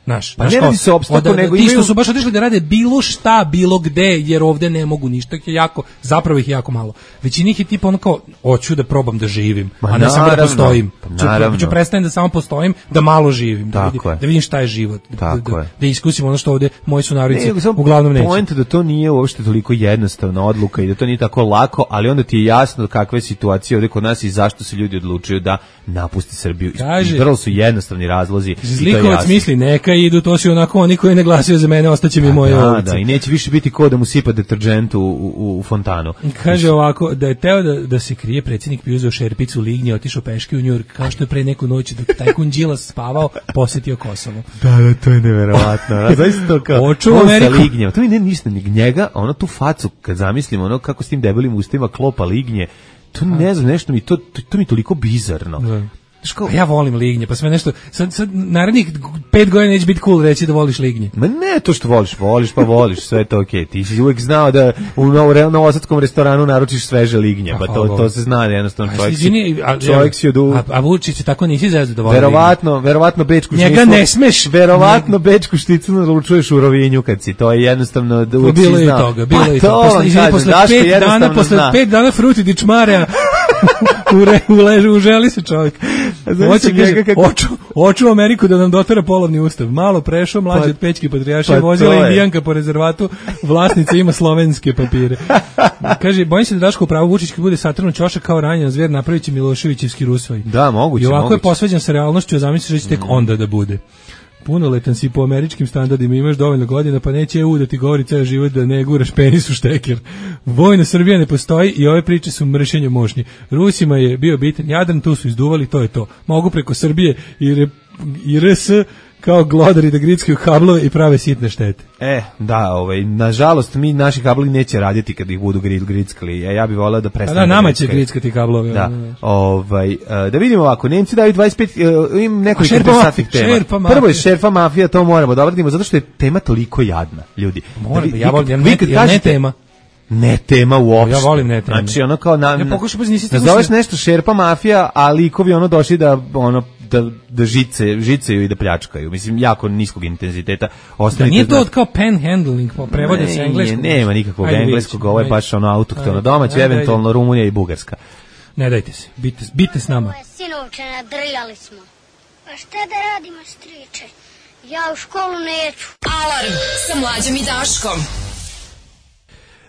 Znaš, Pa znaš ne kao, radi se o opstanku, od- nego ti što imaju- su baš otišli da rade bilo šta, bilo gde, jer ovde ne mogu ništa, ih je jako, zapravo ih je jako malo. Većina njih je tipa ono kao, hoću da probam da živim, Ma a ne samo da naravno, postojim. pa Ću, naravno. ću prestanem da samo postojim, da malo živim, da, Tako vidim, je. da vidim šta je život, da, Tako da, je. da iskusim ono što ovde moji Ne, sunarodnici nego samo uglavnom neće. poenta da to nije uopšte toliko jednostavna odluka i da to nije tako lako, ali onda ti je jasno kakva je situacija ovde kod nas i zašto se ljudi odlučuju da napuste Srbiju. Kaže- I vrlo su jednostavni razlozi. i to je Zlikovac jasno. misli, neka idu, to su onako oni koji ne glasaju za mene, ostaće mi moje Da, ovce. da, i neće više biti ko da mu sipa deterđent u, u, u fontanu. Kaže ovako, da je teo da, da se krije, predsjednik bi uzeo šerpicu lignje, otišao peške u Njujork, kao što je pre neku noć dok tajkun Đilas spavao, posetio Kosovo. Da, da, to je neverovatno. A zaista to kao, Očuva on sa Ameriku. lignjama. To mi ne ništa, ni njega, a ono tu facu, kad zamislim, ono kako s tim debelim ustima klopa lignje, to ne znam, nešto mi, to, to, to mi je toliko bizarno. Da. Znaš kao, Pa ja volim lignje, pa sve nešto, sad, sad narednih pet godina neće biti cool reći da voliš lignje. ma ne to što voliš, voliš pa voliš, sve je to okej. Ti si uvek znao da u novo, novosadskom restoranu naručiš sveže lignje, pa to, to se zna, jednostavno čovjek si, Izvini, a, čovjek si od u... a, a Vučić je tako nisi zezao da voli lignje. Verovatno, verovatno bečku Njega šnicu- ne smeš. Verovatno bečku šticu naručuješ u Rovinju kad si, to je jednostavno da Pa uvek si bilo je i znao. toga, bilo Pa je i to toga. vam Posle, izvini, kažem, posle Daško pet dana, jednostavno posle zna. pet dana fruti dičmarja, ure, uleže, uželi se čovjek. znaš Hoće, njega kaže, kako- oču, oču Ameriku da nam dotera polovni ustav. Malo prešao, mlađi Pa- od Pećke patrijarše, pa vozila to je. indijanka po rezervatu, vlasnica ima slovenske papire. Kaže, bojim se da Daško pravo Vučić kad bude satrnu ćošak kao ranjen zver, napravit će Miloševićevski rusvaj. Da, moguće, I ovako moguće. je posveđan sa realnošću, a zamisliš da će tek onda da bude. Punoletan si po američkim standardima, imaš dovoljno godina, pa neće E U da ti govori ceo život da ne guraš penis u šteker. Vojna Srbija ne postoji i ove priče su mršenje mošnji. Rusima je bio bitan Jadran, tu su izduvali, to je to. Mogu preko Srbije i, re, i R S kao glodari da grickaju kablove i prave sitne štete. E, da, ovaj, nažalost, mi naši kablovi neće raditi kad ih budu grid, grickali. E, ja bih volao da A prestane. da, nama će grickaju. grickati kablove. Da, ovaj, uh, da vidimo ovako, Nemci daju dvadeset pet, uh, im nekoliko Šerpa interesantnih mafija, tema. šerpa mafija. Prvo je šerfa mafija, to moramo da obradimo, zato što je tema toliko jadna, ljudi. Mora, Da vi- ja vi- volim, ja vi ne, kad ja ne kažete- tema. Ne tema uopšte. Ja volim ne teme. Znači, ono kao na, Ja pokušam, pa nisi stigao nazoveš se- nešto šerpa mafija, a likovi ono došli da, ono, da, da žice, žiceju i da pljačkaju. Mislim, jako niskog intenziteta. Da Ostavite nije to zna- od kao panhandling, pa prevode se Ne, engleskog. nema nikakvog Ajde, vidjet engleskog, ćemo, ovo je ajde. baš ono autohtono Ajde, domaće, ajde, ajde. eventualno Rumunija i Bugarska. Ne dajte se, bite, bite s nama. Sinovče, nadrljali smo. Pa šta da radimo, striče? Ja u školu neću. Alarm sa mlađom i Daškom.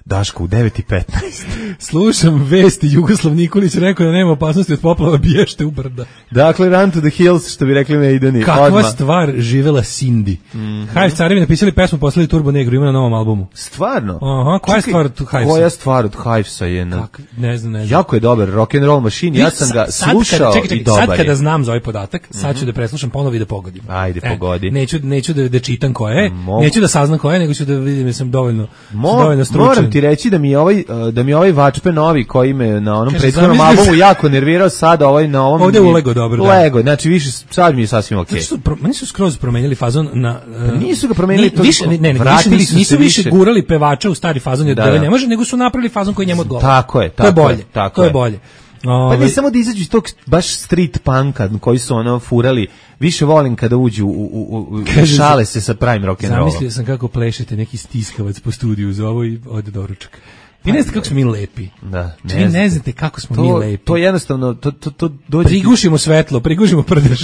Daško, u devet i petnaest. Slušam vesti, Jugoslav Nikolić rekao da nema opasnosti od poplava, biješte u brda. Dakle, Run to the Hills, što bi rekli Maideni. Kakva odmah. stvar živela Cindy. Mm-hmm. Hive Carevi napisali pesmu, poslali Turbo Negru, ima na novom albumu. Stvarno? Aha, koja je Čekaj, stvar od Hivesa? Koja stvar od Hivesa je? Na... Kak, ne znam, ne znam. Jako je dobar, rock and roll machine, ja sam ga Sad slušao kada, čekaj, čekaj, i dobar sad kada je. znam za ovaj podatak, sad ću da preslušam ponovo i da pogodim. Ajde, pogodi. Neću, neću da, da čitam ko je, Mogu. neću da saznam ko je, nego ću da vidim da sam dovoljno, Mo, sam dovoljno stručan. moram ti reći da mi je ovaj uh, da mi je ovaj Vačpe novi koji me na onom Kaže, prethodnom zamisli- albumu jako nervirao, sad ovaj na ovom Ovde je mi- ulego dobro, da. Lego, znači više sad mi je sasvim okej. Zato što pro, meni su skroz promenili fazon na Pa nisu ga promenili ni, toliko, više, ne, ne, vratili više, su nisu se više više. gurali pevača u stari fazon jer Da, da, da. ne može, nego su napravili fazon koji njemu odgovara. Tako je, To je tako je, bolje. tako to je je. bolje. Pa Ovaj, ne samo da izađu iz tog baš street punka koji su ono furali, više volim kada uđu u, u, u Kaže, šale se sa pravim rock and rollom. Zamislio sam kako plešete neki stiskavac po studiju za ovo i ode doručak. Vi ne znate kako smo mi lepi. Da, ne vi ne znate kako smo to, mi lepi. To jednostavno, to, to, to dođe... Prigušimo svetlo, prigušimo prdež.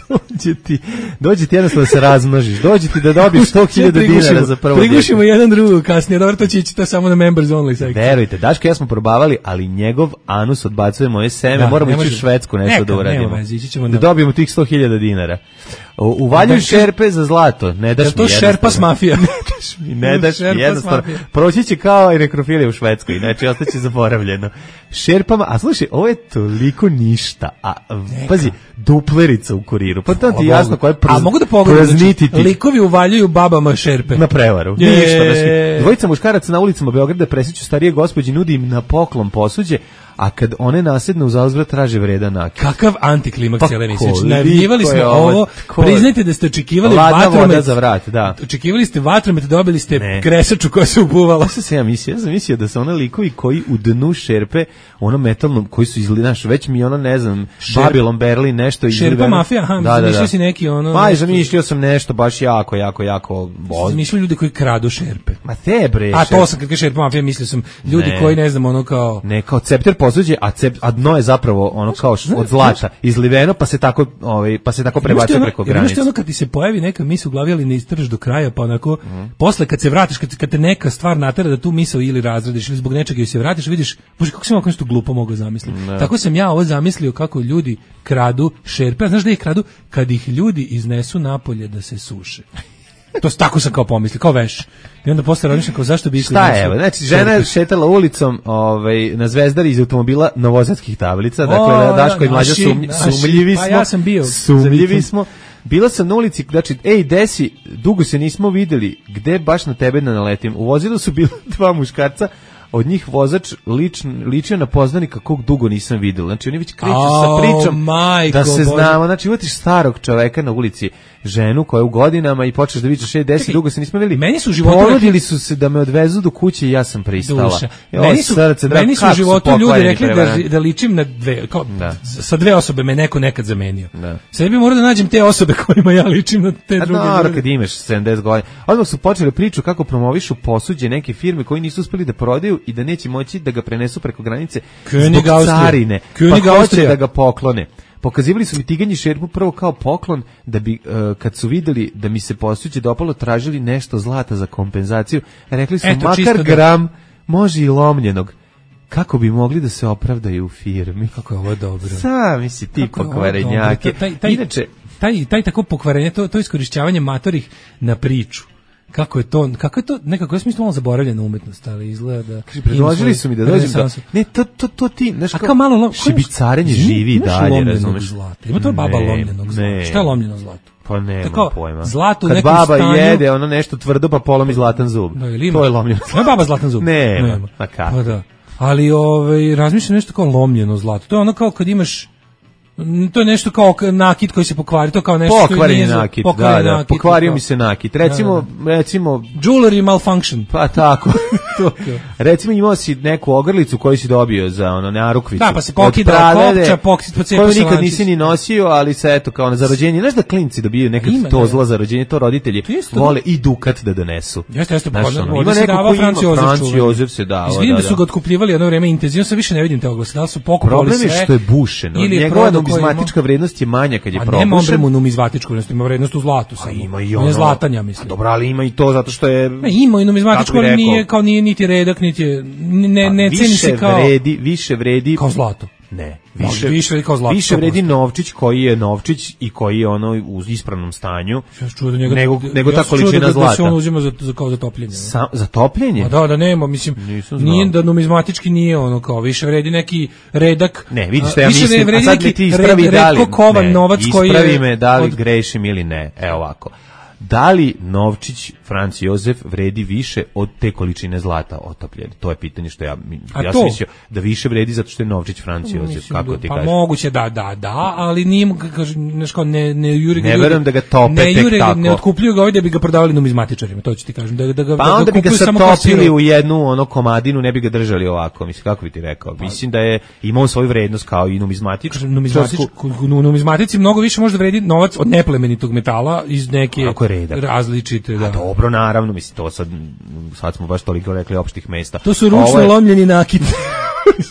dođe ti, dođe ti jednostavno da se razmnožiš, dođe ti da dobiješ sto hiljada dinara za prvo djete. Prigušimo jedan drugo kasnije, dobro, to će ići to samo na members only sekciju. Verujte, Daško i ja smo probavali, ali njegov anus odbacuje moje seme, da, moramo ići u Švedsku nešto da uradimo. Vezi, da na... dobijemo tih sto hiljada dinara. Uvaljuju šerpe za zlato, ne daš mi to šerpas mafija. Ne daš mi, ne daš mi jednostavno. Proći će kao i nekrofilija u Švedskoj, znači ostaće zaboravljeno. Šerpama, a slušaj, ovo je toliko ništa, a pazi, duplerica u kuriru, pa to ti jasno koja je praz, a mogu da pogledam, znači, likovi uvaljuju babama šerpe. Na prevaru, je. Ništa. Znači, dvojica muškaraca na ulicama Beograda presjeću starije gospođe, nudi im na poklon posuđe, a kad one nasedne uz uzvrat traže vredan nakit. Kakav antiklimaks cijele emisije. Znači, najavljivali smo ovo, priznajte da ste očekivali vatromet za vrat, da. Očekivali ste vatromet, dobili ste ne. Kresaču koja se ubuvala. Šta se ja mislio? Ja sam mislio da su ona likovi koji u dnu šerpe, ono metalnom, koji su izgledali, već mi ono, ne znam, Šerp, Babylon Berlin, nešto izgledano. Šerpa mafija, aha, da, zamišljio da, da. si neki ono... Ma, zamišljio sam nešto baš jako, jako, jako... Zamišljio ljudi koji kradu šerpe. Ma te bre. A to sam, kad kaže šerpa mafija, mislio sam ljudi ne. koji, ne znam, ono kao... Ne, kao cepter posuđe, a cep a dno je zapravo ono kao od zlata izliveno, pa se tako ovaj pa se tako prebacuje preko granice. Znači ono kad ti se pojavi neka misao u glavi, ali ne istražiš do kraja, pa onako mm. posle kad se vratiš, kad, kad te neka stvar natera da tu misao ili razradiš ili zbog nečega se vratiš, vidiš, bože kako sam ovako nešto glupo mogao zamisliti. Ne. Tako sam ja ovo zamislio kako ljudi kradu šerpe, a znaš da ih kradu kad ih ljudi iznesu napolje da se suše. To tako sam kao pomislio, kao veš. I onda posle razmišljam kao zašto bi... Šta je, evo, znači žena je šetala ulicom ovaj, na Zvezdari iz automobila novosadskih tablica, dakle o, Daško i Mlađa sum, sumljivi smo. Pa ja sam bio. Sumljivi smo. Bila sam na ulici, znači, ej, desi, dugo se nismo videli, gde baš na tebe da naletim. U vozilu su bila dva muškarca, od njih vozač ličn, ličio na poznanika kog dugo nisam vidio. Znači, oni već kreću oh, sa pričom majko, da se znamo. Znači, uvatiš starog čoveka na ulici, ženu koja je u godinama i počneš da vidiš, ej, desi, dugo se nismo videli. Meni su u životu ponudili rekli... su se da me odvezu do kuće i ja sam pristala. Jo, meni su, srce, meni su u životu su ljudi rekli da, da ličim na dve, kao, da. Sa dve osobe me neko nekad zamenio. Da. Sad bi morao da nađem te osobe kojima ja ličim na te A druge. A no, kad imaš sedamdeset godina. Odmah su počeli priču kako promovišu posuđe neke firme koji nisu uspeli da prodaju i da neće moći da ga prenesu preko granice zbog carine. Pa hoće da ga poklone. Pokazivali su mi tiganji šerpu prvo kao poklon, da bi, uh, kad su videli da mi se posuđe dopalo, tražili nešto zlata za kompenzaciju. Rekli su, Eto, makar gram, da... može i lomljenog. Kako bi mogli da se opravdaju u firmi? Kako je ovo dobro. Sami si ti pokvarenjaki. Taj, taj, Inače, taj, taj tako pokvarenje, to, to iskorišćavanje matorih na priču. Kako je to, kako je to, nekako je smislo malo zaboravljena umetnost, ali izgleda da... Predložili su mi da dođem do... Ne, to, to, to ti, znaš kao... malo lom... Šibicarenje živi i dalje, razumeš? Zlata. Ima to baba lomljenog zlata. Šta je lomljeno zlato? Pa nema Tako, pojma. Zlato u Kad nekom baba stanju... jede ono nešto tvrdo pa polomi zlatan zub. Da, ili to je lomljeno zlato. Nema baba zlatan zub? Nema. nema. Pa kako? Pa da. Ali ovaj, razmišljam nešto kao lomljeno zlato. To je ono kao kad imaš... To je nešto kao nakit koji se pokvari, to kao nešto što nije nakit, da, da, nakit, pokvario mi se nakit. Recimo, da, da. recimo jewelry malfunction. Pa tako. Recimo imao si neku ogrlicu koju si dobio za ono narukvicu. Da, pa se pokida kopča, pokida po cepu. Koju nikad nisi ni nosio, ali se eto kao na za rođenje, znaš da klinci dobijaju nekad Ima, to zla za rođenje, to roditelji vole i dukat da donesu. Jeste, jeste, pa ima neko koji ima Franci Jozef se dao. Izvinim da su ga otkupljivali jedno vreme intenzivno, sa više ne vidim te oglase. Da li su pokupovali sve? Problem je što je bušeno. Njegova numizmatička vrednost je manja kad je probušen. Nema on numizmatičku vrednost, ima vrednost u zlatu samo. Ima i ono. Zlatanja, mislim. Dobro, ali ima i to zato što je... Ne, ima i numizmatičku, ali nije, kao nije niti redak, niti je... Ne, ne ceni se kao... Vredi, više vredi... Kao zlato. Ne, više, više vredi kao zlato. Više vredi novčić koji je novčić i koji je ono u ispravnom stanju. Ja čuo da njega, nego nego ta količina da, zlata. Da se on uzima za, za kao za topljenje. Sa, za topljenje? A da, da nema, mislim, nije da numizmatički nije ono kao više vredi neki redak. Ne, vidiš šta ja mislim, a sad mi ti ispravi da li, kovan novac koji je... Ispravi me da li od... grešim ili ne, evo ovako. Da li novčić Franci Jozef vredi više od te količine zlata otopljene? To je pitanje što ja, ja sam mislio da više vredi zato što je novčić Franci Jozef. Mislim, kako ti pa kažeš? Pa moguće da, da, da, ali nije, kažem, ne, ne juri ga ne verujem da ga tope ne tek juri, tako. Ne otkupljuju ga ovdje da bi ga prodavali numizmatičarima, to ću ti kažem. Da, da ga, pa da onda ga bi ga satopili u jednu ono komadinu, ne bi ga držali ovako. Mislim, kako bi ti rekao? Pa, mislim da je imao svoju vrednost kao i numizmatič. Numizmatič, numizmatici mnogo više može da vredi novac od neplemenitog metala iz neke redak. Različite, da. A dobro, naravno, mislim, to sad, sad smo baš toliko rekli opštih mesta. To su ručno je... lomljeni nakit.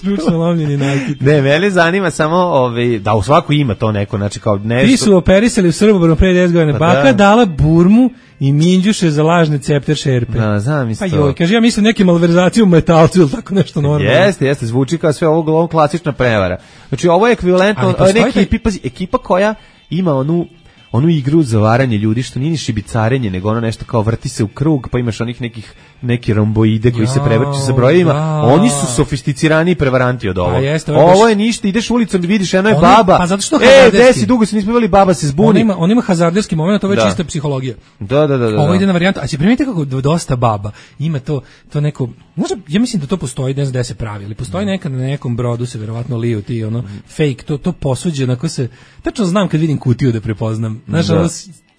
Ručno lomljeni nakit. Ne, mene zanima samo, ovaj, da u svaku ima to neko, znači kao nešto... Ti su operisali u Srbobranu pre deset godina. Pa baka da. Dala burmu i minđuše za lažne cepter šerpe. Da, znam isto. Pa joj, kaže, ja mislim neke malverzacije u metalcu ili tako nešto normalno. Jeste, jeste, zvuči kao sve ovo, ovo klasična prevara. Znači, ovo je ekvivalentno, neki ekipa, ekipa koja ima onu onu igru za varanje ljudi, što nije ni šibicarenje, nego ono nešto kao vrti se u krug, pa imaš onih nekih neki romboide koji ja, se prevrću sa brojevima. Ja. Oni su sofisticirani prevaranti od ovo. Jeste, ovo baš... je ništa, ideš ulicom i vidiš, eno je on, baba. Pa zato što e, desi, dugo se nismo bili, baba se zbuni. On ima, on ima hazarderski moment, to je već čista psihologija. Da, da, da, da. Ovo ide na varijantu, a će primetite kako dosta baba ima to, to neko, možda, ja mislim da to postoji, ne znam da se pravi, ali postoji nekad na nekom brodu se verovatno liju ti, ono, fake, to, to posuđe, onako se, tačno znam kad vidim kutiju da prepoznam. Znaš, ono,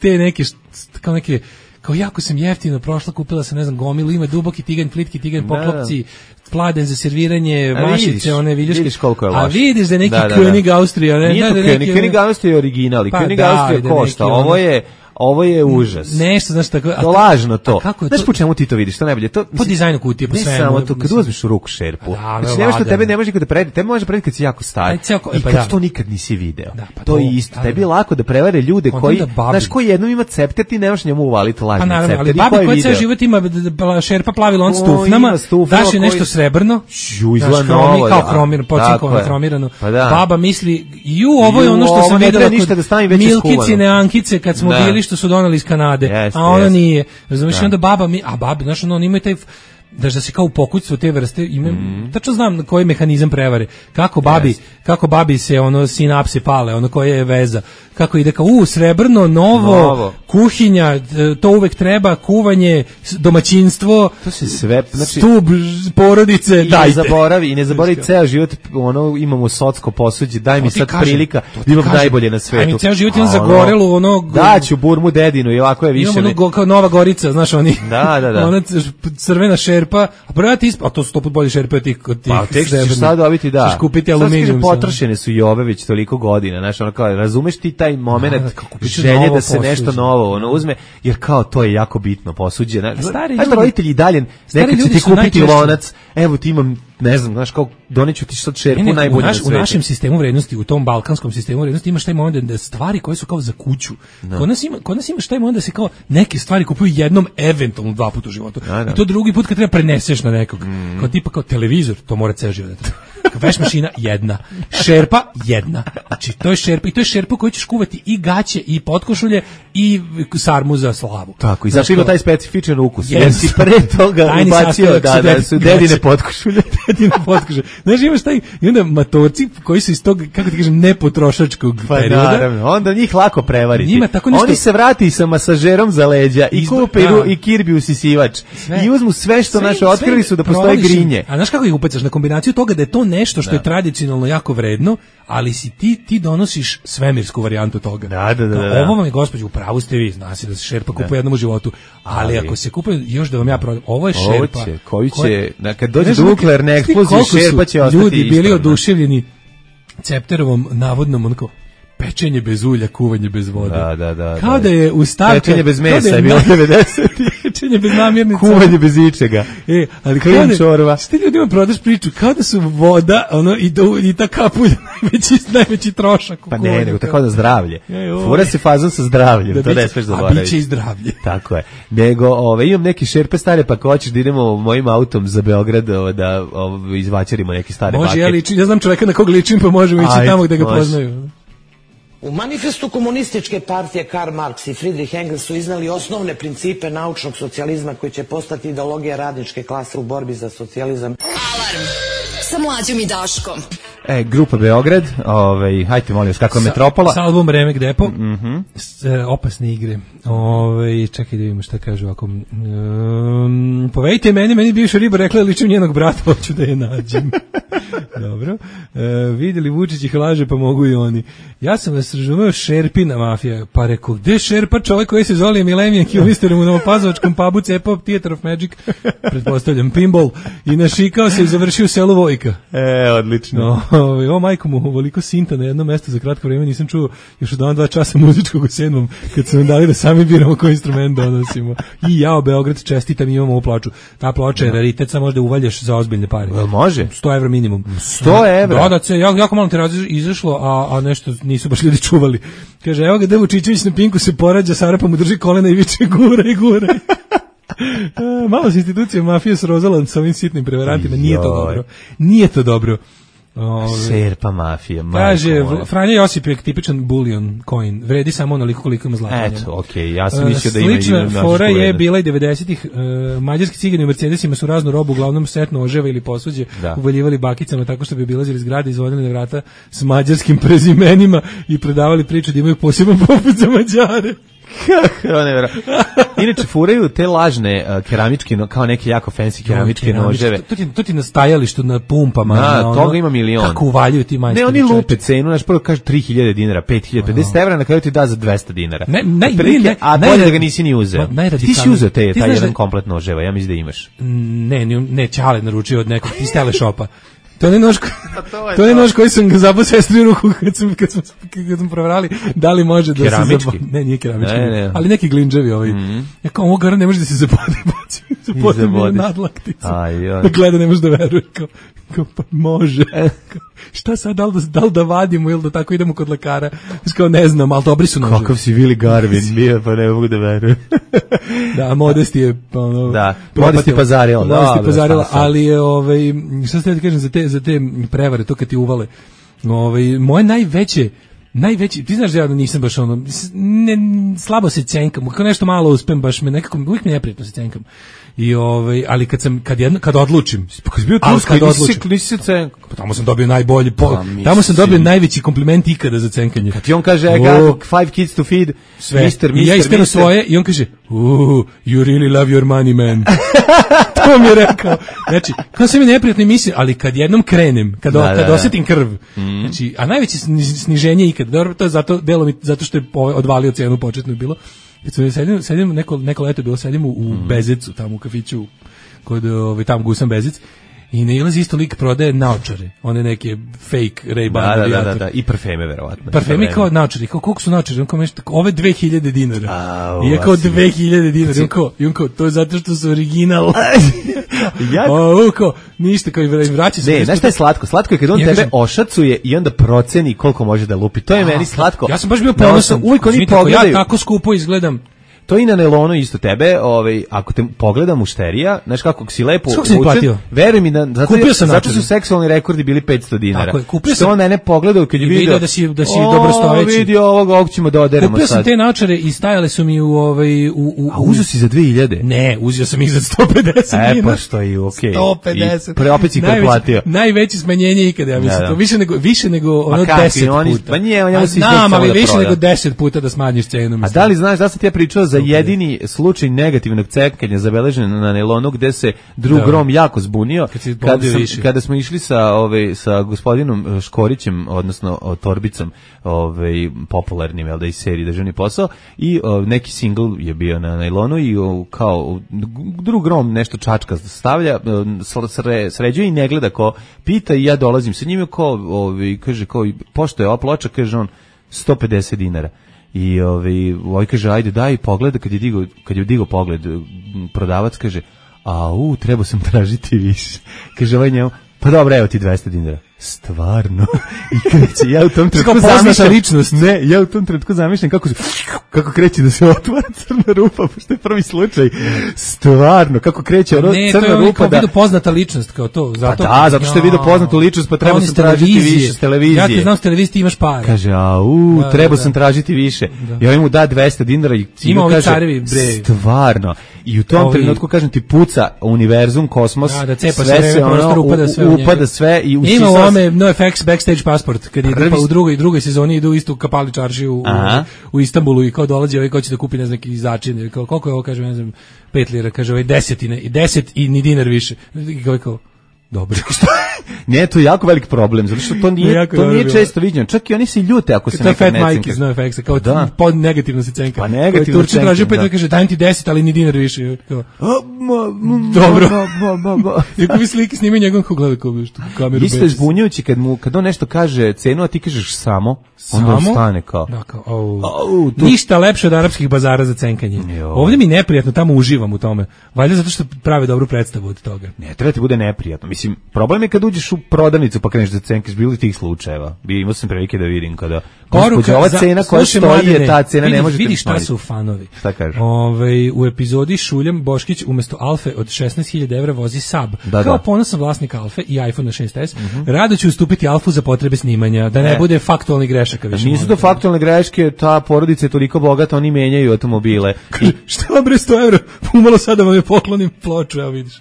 te neke, kao neke, kao jako sam jeftino prošla, kupila sam, ne znam, gomilu, ima duboki tiganj, plitki tiganj, poklopci, pladen za serviranje, a mašice, vidiš, one viljuške. Vidiš koliko je loš. A vidiš da je neki da, da, König da. Austrija. Ne, nije da, to da, König, neki, König Austrija je original, i pa König da, Austrija da, košta, neki, ovo je... Ovo je užas. Nešto, znaš tako. To lažno to. Kako je znaš to? po čemu ti to vidiš? To najbolje. To, po dizajnu kutije, po ne svemu. Ne samo to, kad uzmeš u ruku šerpu. Da, znači, nema što tebe ne može nikada prevedi. Tebe može prevedi kad si jako star. Aj, ceo, I pa kad da. to nikad nisi video. Da, pa to, to je isto. Da, tebi je lako da prevare ljude koji, znaš, koji jednom ima cepter, ti nemaš njemu uvaliti lažni cepter. Pa naravno, ali babi koji ceo život ima šerpa plavi lon s tufnama, daš je nešto srebrno, izgleda novo. Kao kromir, počinkovano kromirano. Baba misli, ju, ovo je ono što sam videla kod Milkicine Ankice kad smo bili što su doneli iz Kanade. Yes, a ona yes. nije. Razumiješ, onda baba mi, a babi, znaš, ono, on ima taj, da da se kao u pokućstvu te vrste, ima, mm. tačno znam koji je mehanizam prevare, kako babi, yes. kako babi se, ono, sinapse pale, ono, koja je veza, kako ide kao, u, srebrno, novo, novo, kuhinja, to uvek treba, kuvanje, domaćinstvo, to se sve, znači, stub porodice, i dajte. Ne zaboravi, i ne zaboravi ceo život, ono, imamo socko posuđe, daj mi sad kažem, prilika, da imam najbolje na svetu. Aj mi ceo život imam zagorelu, ono, daću burmu dedinu, i ovako je više. Imamo ono, kao Nova Gorica, znaš, oni, da, da, da. ona crvena šerpa, a prvo ti isp... a to su sto put bolje šerpe od tih od tih. Pa tek ćeš sad dobiti, da. Ćeš kupiti aluminijum. Potrošene su i ove već toliko godina, znaš, ono kao, razumeš ti taj moment želje da se nešto novo ono uzme, jer kao to je jako bitno posuđe. Znaš, ljudi, roditelji dalje nekad će ti kupiti najčešće lonac, evo ti imam, ne znam, znaš, kao doneću ti sad šerpu ne, ne, najbolje na svetu. U našem sistemu vrednosti, u tom balkanskom sistemu vrednosti imaš taj moment da stvari koje su kao za kuću. No. Kod nas ima, kod nas imaš taj moment da se kao neke stvari kupuju jednom, eventualno dva puta u životu. No, no. I to drugi put kad treba preneseš na nekog. Mm. Kao tipa kao televizor, to mora ceo život. Veš mašina jedna, šerpa jedna. Znači to je šerpa i to je šerpa koju ćeš kuvati i gaće i potkošulje i sarmu za slavu. Tako, i zato ima taj specifičan ukus. Yes. Jer si pre toga ubacio da, da su dedine potkošulje. Dedine potkošulje. Znaš, imaš taj, i onda matorci koji su iz tog, kako ti kažem, nepotrošačkog pa, perioda. Naravno, onda njih lako prevariti. Njima tako nešto... Oni se vrati sa masažerom za leđa i kupe i kirbi usisivač. Sve. I uzmu sve što sve, naše otkrili su da postoje grinje. A znaš kako ih upecaš na kombinaciju toga da je to nešto što da. je tradicionalno jako vredno, ali si ti ti donosiš svemirsku varijantu toga. Da, da, da, da. Ovo vam je, gospođo, u pravu ste vi, zna se da se šerpa kupuje jednom u životu, ali, ali ako se kupuje, još da vam ja prodam, ovo je šerpa. Ovo će, koji će, na, kad dođe do nuklearne eksplozije, šerpa će ostati ljudi isto, bili oduševljeni Cepterovom navodnom onako pečenje bez ulja, kuvanje bez vode. Da, da, da. Kao da je u stavka... Pečenje bez mesa je bilo devedeset. Pečenje bez namirnica. Kuvanje bez ičega. E, ali kao da... Što ti ljudima prodaš priču? Kao da su voda, ono, i, do, i ta kapulja najveći, najveći trošak. Pa ne, nego tako da zdravlje. Fura se fazon sa zdravljem, da to ne smeš zaboraviti. A biće i zdravlje. Tako je. Nego, ove, imam neki šerpe stare, pa ko hoćeš da idemo mojim autom za Beograd, ove, da ove, izvaćarimo neke stare može, bake. Ja, ličim, ja znam čoveka na kog ličim, pa možemo ići tamo gde ga može. Poznaju. U manifestu komunističke partije Karl Marx i Friedrich Engels su iznali osnovne principe naučnog socijalizma koji će postati ideologija radničke klase u borbi za socijalizam. Alarm sa Mlađom i Daškom. E, grupa Beograd, ovaj, hajte molim vas, kako je sa, Metropola. S album Remek Depo, mm-hmm. s, e, opasne igre. Ovaj, čekaj da vidimo šta kaže ovako. Um, povedite meni, meni bivša riba rekla ličim njenog brata, hoću da je nađem. Dobro. E, vidjeli Vučić ih laže, pa mogu i oni. Ja sam vas razumeo šerpina mafija, pa rekao, gde šerpa čovjek koji se zove Millennium Kilmister u Novopazovačkom pubu Cepao Theater of Magic, pretpostavljam, pinball, i našikao se i završio u selu Vojka. E, odlično. No, Ove, o majko mu, ovoliko sinta na jedno mesto za kratko vreme nisam čuo još od dva časa muzičkog u sedmom, kad su nam dali da sami biramo koji instrument donosimo. I jao, Beograd, čestitam, imamo ovu ploču. Ta ploča je raritet, sa možda uvaljaš za ozbiljne pare. Jel može? sto evra minimum. sto evra? Da, da, se, jako, jako malo tiraža izašlo, a, a nešto nisu baš ljudi čuvali. Kaže, evo ga Devo Čičević na Pinku se porađa, Sara pa mu drži kolena i viče gura i gura. Malo se institucija mafije srozala sa ovim sitnim prevarantima, nije to dobro. Nije to dobro. Ove, Serpa mafija. Kaže, Franja Josip je tipičan bullion coin, vredi samo onoliko koliko ima zlata. Eto, okej, okay, ja sam mislio da ima... Slična fora je bila i devedesetih. Uh, mađarski cigani u Mercedesima su raznu robu, uglavnom setno oževa ili posuđe, da. Uvaljivali bakicama tako što bi obilazili zgrade, izvodili na vrata s mađarskim prezimenima i predavali priču da imaju poseban poput za Mađare. Inače furaju te lažne uh, keramičke, no, kao neke jako fancy keramičke no, noževe. To ti, to ti na stajalištu, na pumpama. Da, na ono, toga ima milion. Kako uvaljuju ti majstori. Ne, oni lupe cenu, znaš, prvo kaže tri hiljade dinara, pet hiljada, pedeset evra, na kraju ti da za dvesta dinara. Ne, ne, Prilike, ne, a bolje da ga nisi ni uzeo. Ti si uzeo te, taj jedan da, komplet noževa, ja mislim da imaš. Ne, ne, ne, Ćale naručio od nekog iz teleshopa. To je nož, to je, to je nož koji sam ga zabao sestri u ruku kad sam, kad sam, kad sam proverali da li može da keramički? se zabode. Ne, nije keramički, ne, ne. ali neki glinđevi ovaj. Mm-hmm. Ja kao, ovo gara ne može da se zabode, zabode mi je nadlaktica. Gleda, ne može da veruje. Kao, kao pa može. Kao, šta sad, da li da, da li da vadimo ili da tako idemo kod lekara? Kao, ne znam, ali dobri su noževi. Kakav si Vili Garvin, bio, pa ne mogu da verujem. Da, Modesti je... Pa, ono, da, Modesti pazarila. Modesti pazarila, ali je, ovaj, šta ste da kažem za te, za te prevare, to kad ti uvale. Ovaj, moje najveće, najveći, ti znaš da ja nisam baš ono, ne, slabo se cenkam, kao nešto malo uspem, baš me nekako, uvijek mi neprijatno se cenkam. I ovaj, ali kad sam kad jedno kad odlučim, pa kad bio Turska, kad odlučim, nisi se cenkao. Pa tamo sam dobio najbolji, po, pa, tamo sam dobio najveći kompliment ikada za cenkanje. Kad ti on kaže I got five kids to feed, sve. mister, mister, I ja iskrenuo svoje i on kaže, "Ooh, you really love your money, man." To mi je rekao. Znači, kao se mi neprijatno misli, ali kad jednom krenem, kad da, kad da, osetim krv. Mm. Znači, a najveće sniženje ikada. Dobro, to je zato delo mi zato što je odvalio cenu početno bilo. Kad sedim, sedim neko, neko leto bilo, sedim u, u Bezecu, tamo u kafiću, kod ovaj, tamo Gusan Bezec, i ne ilazi isto lik prodaje naočare, one neke fake Ray-Ban. Da, da, da, da, i parfeme, verovatno. Parfeme kao naočare, kao koliko su naočare, on kao nešto, ove dve hiljade dinara. A, I je kao dve hiljade dinara, i on kao, i on kao, to je zato što su original. Ja? O, kao, ništa, kao i vraća se. Ne, znaš šta je slatko? Slatko je kad on ja tebe kažem, ošacuje i onda proceni koliko može da lupi. To je a, meni slatko. Ja sam baš bio ponosan. Uvijek oni pogledaju. Ja tako skupo izgledam. To i na nelonu isto tebe, ovaj, ako te pogledam mušterija, znaš kako si lepo učen, veruj mi da zato, zato su seksualni rekordi bili petsto dinara. Tako je, kupio što on mene pogledao kad je video, video da si da si dobro stojeći. Vidi ovog, ovog ćemo da oderemo kupio sad. Kupio sam te naočare i stajale su mi u ovaj u u A uzeo si za dve hiljade? Ne, uzeo sam ih za sto pedeset dinara. E pa što je okej. sto pedeset. I pre opet si preplatio. Najveće smanjenje ikada, ja mislim, to više nego više nego ono deset puta. Pa nije, on je se znam, ali više nego deset puta da smanjiš cenu. A da li znaš da sam ti ja pričao za jedini slučaj negativnog cenkanja zabeležen na nelonu gde se drug da. Rom jako zbunio kad kada, sam, kada smo išli sa ovaj sa gospodinom Škorićem, odnosno o, Torbicom, ovaj popularnim jel da iz serije Državni posao, i o, neki singl je bio na nelonu i o, kao drug Rom nešto čačka stavlja, sre, sređuje i ne gleda ko pita, i ja dolazim sa njime, ko ovaj kaže kao pošto je ova ploča, kaže on sto pedeset dinara. I ovaj ovaj kaže ajde daj pogled, kad je digao kad je digao pogled prodavac kaže a u treba sam tražiti više. Kaže ovaj njemu pa dobro evo ti dvesta dinara. Stvarno. I kreće, ja u tom trenutku zamišljam ličnost. Ne, ja u tom trenutku zamišljam kako, kako kreće da se otvara crna rupa, pošto je prvi slučaj. Stvarno, kako kreće ono ne, crna rupa. Ne, to je kao da... vidio poznata ličnost, kao to. Zato, pa da, zato što je vidio poznatu ličnost, pa treba sam tražiti više s televizije. Ja te znam s televizije, ti imaš para. Kaže, a u, da, treba da, sam tražiti više. Da. Ja mu da dvesta dinara i ima ovi kaže, carevi, bre. Stvarno. I u tom ovi... trenutku, kažem ti, puca univerzum, kosmos, da, da cepa sve se, ono, upada sve, upada sve i ima ome no effects backstage pasport, kad je pa u drugoj drugoj sezoni idu isto u Kapali čaršiju u, u Istanbulu i kao dolazi ovaj ko će da kupi ne znam neki začin, kao koliko je ovo, kaže ne znam pet lira, kaže ovaj desetine i deset i ni dinar više. I kao kao dobro. Ne, to je jako velik problem, zato što to nije, to nije često viđeno. Čak i oni se ljute ako se nekad ne cenka. To je Fat Mike iz NoFX-a, kao da. pod negativno se cenka. Pa negativno se cenka, traži opet da kaže, dajem ti deset, ali ni dinar više. Kao, dobro. Iako vi slike snimaju njegov ko gleda kao što kameru. Isto je zbunjujući kad, mu, kad on nešto kaže cenu, a ti kažeš samo, onda on stane kao. Da, kao oh. Oh, tu... Ništa lepše od arapskih bazara za cenkanje. Jo. Ovdje mi neprijatno, tamo uživam u tome. Valjda zato što prave dobru predstavu od toga. Ne, treba ti bude neprijatno. Mislim, problem je kad uđeš u prodavnicu pa kreneš da cenkaš, bilo tih slučajeva. Bi imao sam prilike da vidim kada poruka, ova cena koja stoji je ta cena, vidi, ne možete vidi šta su fanovi. Šta kaže? Ove, u epizodi Šuljam Boškić umjesto Alfe od šesnaest hiljada evra vozi Saab. Da, kao da. Ponosan vlasnik Alfe i iPhone šest es, uh-huh. rado će ustupiti Alfu za potrebe snimanja, da ne, ne. bude faktualnih grešaka više. Nisu to faktualne greške, ta porodica je toliko bogata, oni menjaju automobile. I... Šta bre sto evra? Umalo sada vam je poklonim ploču, evo vidiš.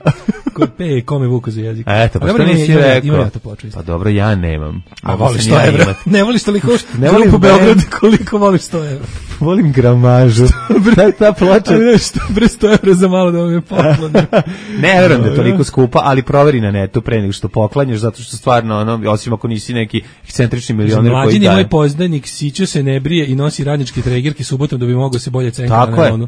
Ko pe, kome vuku za jezik. Eto, pa što nisi rekao? Pa dobro, ja nemam. A voliš sto evra? Ne voliš toliko ne volim po Beogradu, koliko voliš sto evra? Volim gramažu. Ta, ta ploča. Ali što bre sto evra za malo da vam je poklonim. Ne verujem da je toliko skupa, ali proveri na netu pre nego što poklanjaš, zato što stvarno, ono, osim ako nisi neki ekscentrični milioner koji daje. Mlađin je moj poznanik, siću se, ne brije i nosi radničke tregerke subotom da bi mogao se bolje cenkati na onu.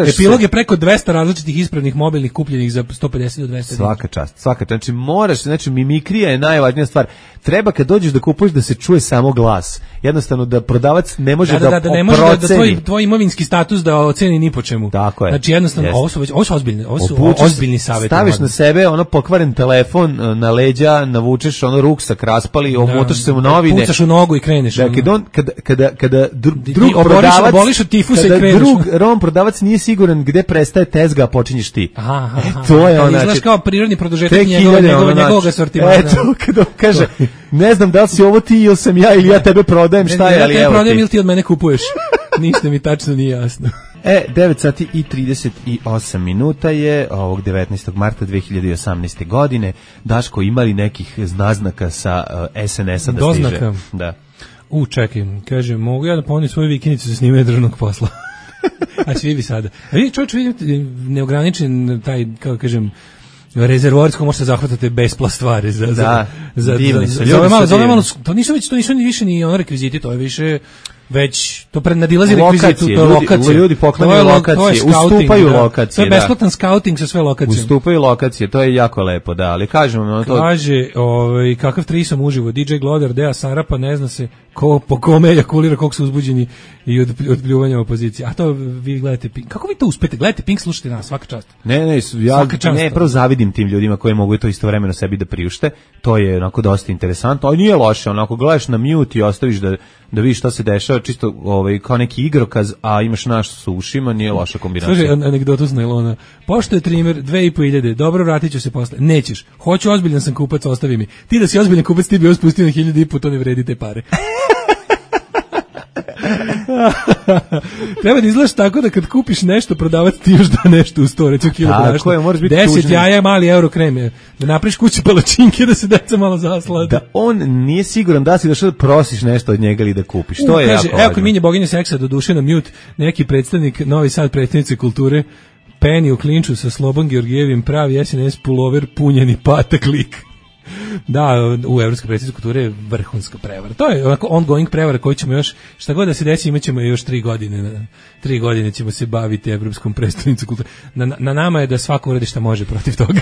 Epilog je preko dvesta različitih ispravnih mobilnih kupljenih za sto pedeset do dvesta. Svaka čast, svaka čast. Znači moraš, znači mimikrija je najvažnija stvar. Treba kad dođeš da kupuješ da se čuje samo glas. Jednostavno da prodavac ne može da da, da, da ne može da, da tvoj, tvoj imovinski status da oceni ni po čemu. Tako je. Znači jednostavno Jest. ovo su već ovo su ozbiljni, ovo su Opučeš, ozbiljni savjeti. Staviš na sebe ono pokvaren telefon na leđa, navučeš ono ruksak raspali, omotaš se u novine. Pucaš u nogu i kreneš. Da, kada on kada kada kada dru, drug oboriš, prodavac oboliš od tifusa i kreneš. Drug rom prodavac nije siguran gde prestaje tezga, a počinješ ti. Aha, aha, e, to je ona. Izgledaš kao prirodni produžetak njegovog njegovog njegovog asortimana. Eto, kada kaže, ne znam da li si ovo ti ili sam ja ili ja tebe prodajem, šta je, ali evo ti. Ja tebe prodajem ili ti od mene kupuješ. Ništa mi tačno nije jasno. E, devet sati i trideset osam minuta je ovog devetnaestog marta dve hiljade osamnaeste. godine. Daško, imali nekih naznaka sa uh, es en es-a da Doznaka. stiže? Da. U, čekaj, kaže, mogu ja da ponudim svoju vikendicu za snimanje državnog posla? A svi vi sada. A vi čovječ vidite neograničen taj, kako kažem, rezervoarsko možete zahvatati bespla stvari za da, za za divni za, za, malo, za malo, to nisu već to nisu ni više ni ono rekviziti, to je više već to prednadilazi rekvizitu, to je lokacija. Ljudi poklanjaju lokacije, ustupaju da. lokacije. To je besplatan skauting sa sve lokacije. Ustupaju lokacije, to je jako lepo, da, ali kažemo ono to. Kaže, ovaj kakav trisom uživo, D J Glodar, Dea Sarapa, ne zna se ko po kome ejakulira, koliko su uzbuđeni i od, od pljuvanja opozicije. A to vi gledate Pink. Kako vi to uspete? Gledate Pink, slušate nas, svaka čast. Ne, ne, ja ne, prvo zavidim tim ljudima koji mogu to istovremeno sebi da priušte. To je onako dosta interesantno, ali nije loše, onako gledaš na mute i ostaviš da da vidiš šta se dešava, čisto ovaj kao neki igrokaz, a imaš naš sa ušima, nije loša kombinacija. Slušaj, anegdotu s najlona. Pošto je trimer dve i po hiljade, dobro, vratit ću se posle. Nećeš. Hoću, ozbiljan sam kupac, ostavi mi. Ti da si ozbiljan kupac, ti bi ovo spustio na hiljadu i po, to ne vredi te pare. Treba da izgledaš tako da kad kupiš nešto, prodavac ti još da nešto u sto, recimo kilo brašna. deset jaja, mali euro kreme. Da napriš kući palačinke da se deca malo zaslade. Da on nije siguran da si došao da prosiš nešto od njega ili da kupiš. To U, je kaže, jako evo kod minje boginje seksa do duše na mute, neki predstavnik Novi Sad predstavnice kulture Penny u klinču sa Slobom Georgijevim, pravi es en es pulover, punjeni patak lik. Da, u Evropskoj predstavnici kulture je vrhunska prevara. To je onako ongoing prevara koju ćemo još, šta god da se desi, imat ćemo još tri godine. Tri godine ćemo se baviti Evropskom predstavnicom kulture. Na, na nama je da svako uradi šta može protiv toga.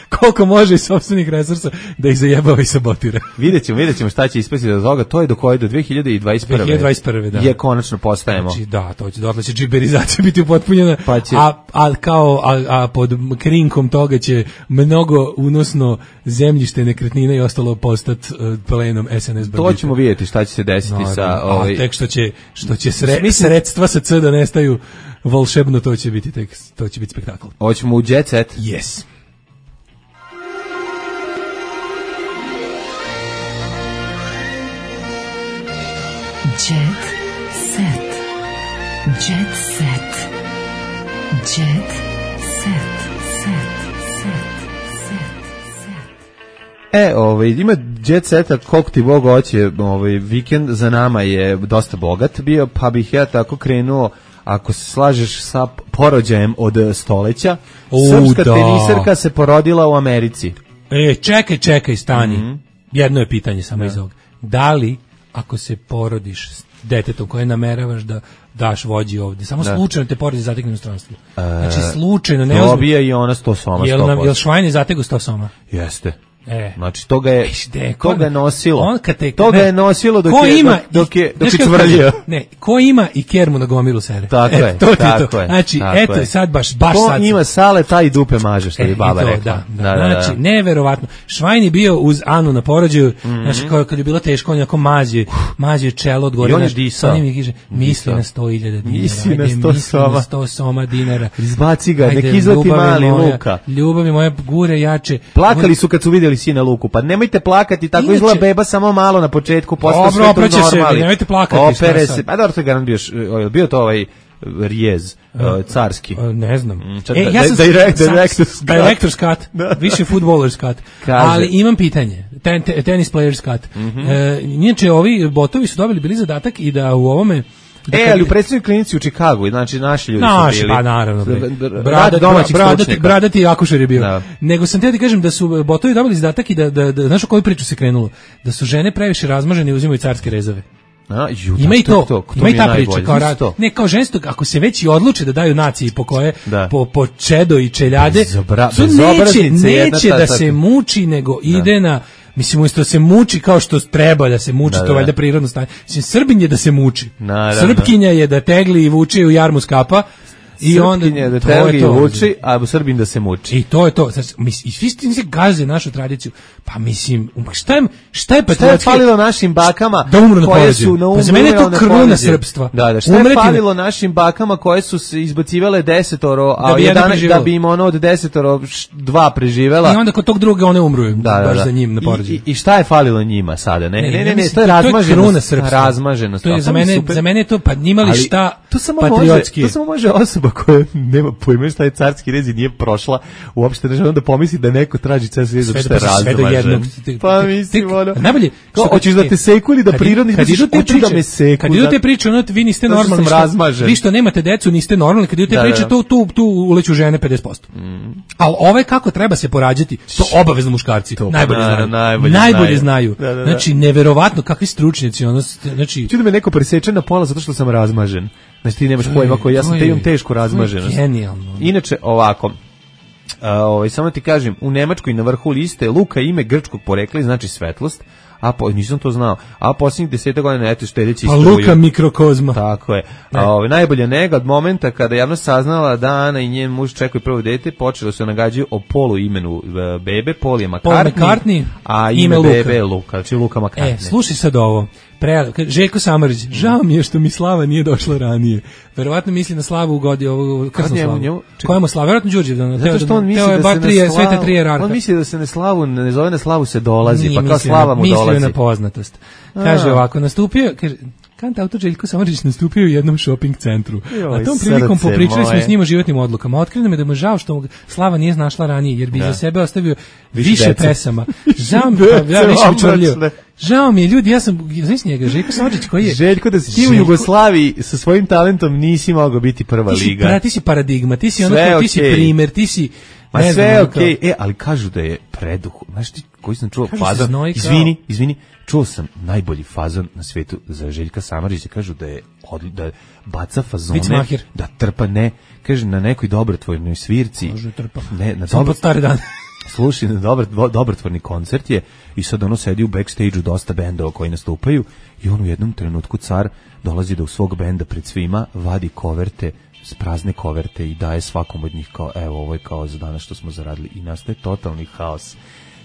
Koliko može iz sopstvenih resursa da ih zajebava i sabotira. Vidjet ćemo, vidjet ćemo šta će ispasti od toga. To je do koje do dve hiljade dvadeset prve. dve hiljade dvadeset prve, da. Je konačno postajemo. Znači, da, to će, dotle će džiberizacija biti upotpunjena, pa će... a, a, kao, a, a pod krinkom toga će mnogo unosno zemljište, nekretnine i ostalo postati uh, plenom es en es bandita. To ćemo vidjeti šta će se desiti no, sa... Ovaj... A tek što će, što će sre, Mislim... sredstva sa C da nestaju volšebno, to će biti tek, to će biti spektakl. Hoćemo u Jet Set? Yes. Jet set. Jet set. Jet set. Set. Set. Set. E, ovaj, ima Jet Seta, koliko ti Bog hoće, ovaj, vikend za nama je dosta bogat bio, pa bih ja tako krenuo, ako se slažeš sa porođajem od stoleća, U, srpska da. teniserka se porodila u Americi. E, čekaj, čekaj, stani. Mm-hmm. Jedno je pitanje samo da. iz ovog. Da li, ako se porodiš s detetom koje nameravaš da daš vođi ovde, samo da. slučajno te porodi zatekne u inostranstvu. E, znači, slučajno, ne ozbiljno. Dobija i ona sto soma. Jel, nam, jel Švajn zategu sto soma? Jeste. E. Znači toga je de, toga je nosilo. On kad te, toga ne, je nosilo dok ko je ima, dok, dok je dok je znači, čvrljio. Ne, ko ima i kermu na gomilu sere. Tako e, je. To ti tako to. Je, znači, eto je. sad baš baš ko sad. Ko ima sale taj dupe maže što e, je baba to, rekla. Da, da, da, da, znači, da. neverovatno. Švajn je bio uz Anu na porođaju, mm-hmm. znači kao kad je bilo teško, on je jako mazio, mazio čelo od gore. I on je disao. Sa njim kaže, misli na sto hiljada dinara. Misli na sto soma. Na sto soma dinara. Izbaci ga, nek izleti mali Luka. Ljubavi moja, gure jače. Plakali su kad su vidjeli sina Luku, pa nemojte plakati, tako izgleda beba samo malo na početku, posle sve to normali. Se, nemojte plakati. Opere se, pa dobro, to je garant bio, bio to ovaj Rijez, uh, carski. Uh, ne znam. Čet, e, ja sam direct, director's cut. Director's cut, više footballer's cut. Ali imam pitanje, ten, ten, tennis player's cut. Mm-hmm. E, inače, ovi botovi su dobili bili zadatak i da u ovome Da e, ali u predsjednoj klinici u Čikagu, znači naši ljudi naši, su bili. Pa naravno. Brada, domaćih bradati, stručnjaka. Bradati akušer je bio. Da. Nego sam te da kažem da su botovi dobili zadatak i da, da, da znaš o koju priču se krenulo? Da su žene previše razmažene i uzimaju carske rezave. A, ju, ima i to, to, to ima i ta priča kao rad. Ne, kao ženstvo, ako se već i odluče da daju naciji po koje, da. po, po čedo i čeljade, Bezobra, neće, neće da se muči, nego da. ide na, mislim, umjesto da se muči kao što treba da se muči, da, to valjda prirodno stanje. Mislim, Srbin je da se muči. Naravno. Srpkinja je da tegli i vuče u jarmu skapa. I onda da telgi vuči, a Srbin da se muči. I to je to. Znači, i svi ste se gaze našu tradiciju. Pa mislim, šta je, šta je šta je falilo našim bakama da umru na koje su na pa za mene je to kruna srpstva. Da, da, šta je falilo našim bakama koje su se izbacivale desetoro, a da jedan da bi im ono od desetoro dva preživela. I onda kod tog druga one umru, da, baš da, da. za njim na porođaju. I, I šta je falilo njima sada? Ne, ne, ne, ne, ne to je razmaženost. Razmaženost. To je za mene, za mene je to pa njimali šta patriotski. To samo može osoba koja nema pojma šta je carski rez i nije prošla uopšte, da onda pomisli da neko traži carski rez što je razmažen. Pa mislim, ono, najbolje, što hoćeš da te seku ili da prirodno hoćeš da me seku. Kad idu te priče, ono, vi niste normalni, vi što nemate decu, niste normalni, kad idu te priče, tu, tu, tu uleću žene pedeset posto. Ali ove kako treba se porađati, to obavezno muškarci, najbolje znaju. Najbolje znaju. Znači, neverovatno, kakvi stručnjaci, ono, znači... Čudo me neko preseče na pola zato što sam razmažen. Znači ti nemaš pojma koji ja sam te imam tešku razmaženost. Genijalno. Inače, ovako, a, ovaj, samo ti kažem, u Nemačkoj na vrhu liste Luka ime grčkog porekla, znači svetlost, a po, nisam to znao, a posljednjih deseta godina eto štedeći struju. A Luka mikrokozma. Tako je. A, ovaj, najbolja nega od momenta kada javnost saznala da Ana i njen muž čekaju prvo dete, počelo se nagađaju o polu imenu bebe, Paul je McCartney, McCartney a ime, ime bebe je Luka, znači Luka McCartney. E, slušaj sad ovo. Pre, Željko Samarić, žao mi je što mi Slava nije došla ranije. Verovatno misli na Slavu u godi ovu krsnu slavu. Koja mu Slava? Verovatno Đurđev. Da, zato što on misli da se ne slavu, on misli da se ne slavu, ne zove na Slavu se dolazi, nije, pa kao Slava mu dolazi. Mislio na poznatost. Kaže ovako, nastupio, kaže, kant autor Željko Samarić nastupio u jednom shopping centru. Joj, a tom prilikom popričali moje. smo s njim o životnim odlukama. Otkrilo me da mu žao što mu Slava nije našla ranije, jer bi da. za sebe ostavio više, više pesama. Žao mi, ja više bi čvrljio. Žao mi je, ljudi, ja sam, znaš njega, Željko Samardžić koji je... Željko, da si ti u Jugoslaviji sa svojim talentom nisi mogao biti prva ti si, liga. Pra, ti si paradigma, ti si ono, ti okay. si primer, ti si... Ma sve je okej, okay. E, ali kažu da je preduh. Znaš ti koji sam čuo kažu fazon? Kao... Izvini, izvini, čuo sam najbolji fazon na svetu za Željka Samardžića. Kažu da je, da baca fazone, da trpa, ne, kaže na nekoj dobrotvornoj svirci. Može trpa. Ne, na dobro stare dane. Slušaj, dobar, dobrotvorni koncert je i sad ono sedi u backstage-u dosta bendova koji nastupaju i on u jednom trenutku car dolazi do svog benda pred svima, vadi koverte, prazne koverte i daje svakom od njih kao, evo, ovo je kao za danas što smo zaradili i nastaje totalni haos.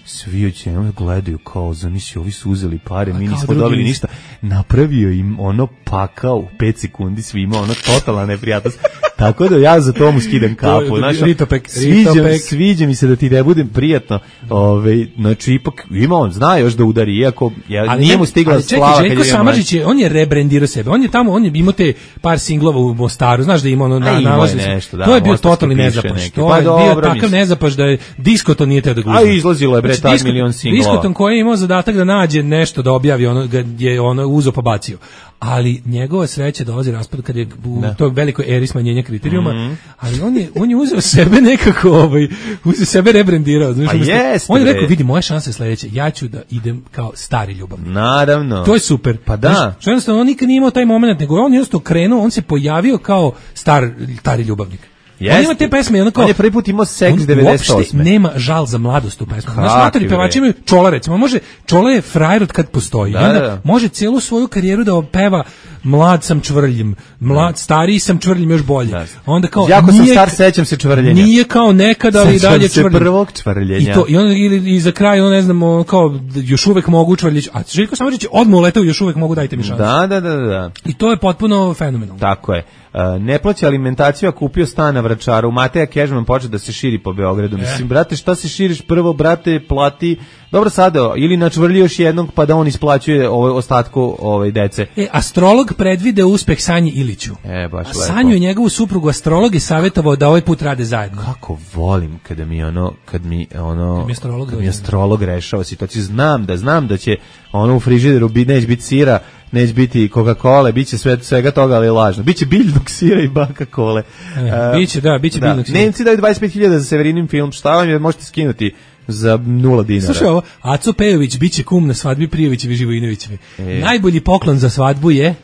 Svi ođe gledaju kao, zamisli, ovi su uzeli pare, mi nismo dobili ništa. Napravio im ono pakao u pet sekundi svima, ono totalna neprijatnost. Tako da ja za tomu skidam kapu. Znaš, ritopek, sviđa, sviđa mi se da ti ne budem prijatno. Ove, znači, ipak ima on, zna još da udari, iako ja, ali nije mu stigla ali slava. Ali čekaj, Željko Samardžić je, on je rebrendirao sebe. On je tamo, on je imao te par singlova u Mostaru, znaš da ima ono na, nalazi se. Da, to je bio totalni nezapaš. To pa je bio takav nezapaš da je Diskoton nije teo da gluzne. A izlazilo je bre znači, tak milion singlova. Diskoton koji je imao zadatak da nađe nešto da objavi, ono je ono uzo pa bacio. ali njegova sreća dolazi raspad kad je u Da. toj velikoj eri smanjenja kriterijuma, Mhm. ali on je, on je uzeo sebe nekako, ovaj, uzeo sebe rebrendirao. Znaš, Pa umesto- jeste, on je bre. rekao, vidi, moja šansa je sledeća, ja ću da idem kao stari ljubavnik. Naravno. To je super. Pa da. Znaš, što jednostavno on nikad nije imao taj moment, nego on je jednostavno krenuo, on se pojavio kao star, stari ljubavnik. Jeste. On ima te pesme, ono kao... On je prvi put imao seks on devedeset osme. uopšte nema žal za mladost u pesmu. Znaš, Kakvi, matori pevači bre. imaju Čola, recimo. Može, Čola je frajer od kad postoji. Da, I onda da. može celu svoju karijeru da peva mlad sam čvrljim, mlad, stariji sam čvrljim još bolje. Da. Onda kao... Jako sam nije- star, sećam se čvrljenja. Nije kao nekada, ali i Sećam dalje se čvrljim. prvog čvrljenja. I to, i onda ili i za kraj, ono ne znam, ono kao još uvek mogu čvrljić. A Željko Samardžić je odmah uletao, još uvek mogu, dajte mi šansu. Da, da, da, da. I to je potpuno fenomenalno. Tako je. Uh, ne plaća alimentaciju, a kupio stan na Vračaru. Mateja Kežman počeo da se širi po Beogradu. Mislim, brate, šta se širiš prvo, brate, plati. Dobro, sada, ili načvrli još jednog, pa da on isplaćuje ovaj ostatku ovaj dece. E, astrolog predvide uspeh Sanji Iliću. E, baš A lepo. Sanju i njegovu suprugu astrolog je savjetovao da ovaj put rade zajedno. Kako volim kada mi ono, kad mi ono, Kad mi astrolog kad mi dođe. astrolog rešava situaciju. Znam da, znam da će ono u frižideru bi, neće biti sira, neće biti Coca-Cola, bit će sve, svega toga, ali je lažno. Biće biljnog sira i Coca-Cola. E, biće, da, biće biljnog sira. Nemci daju dvadeset pet hiljada za Severinin film, šta vam je, možete skinuti za nula dinara. Slušaj ovo, Aco Pejović biće kum na svadbi Prijovićevi i Živojinovićevi. E. Najbolji poklon za svadbu je,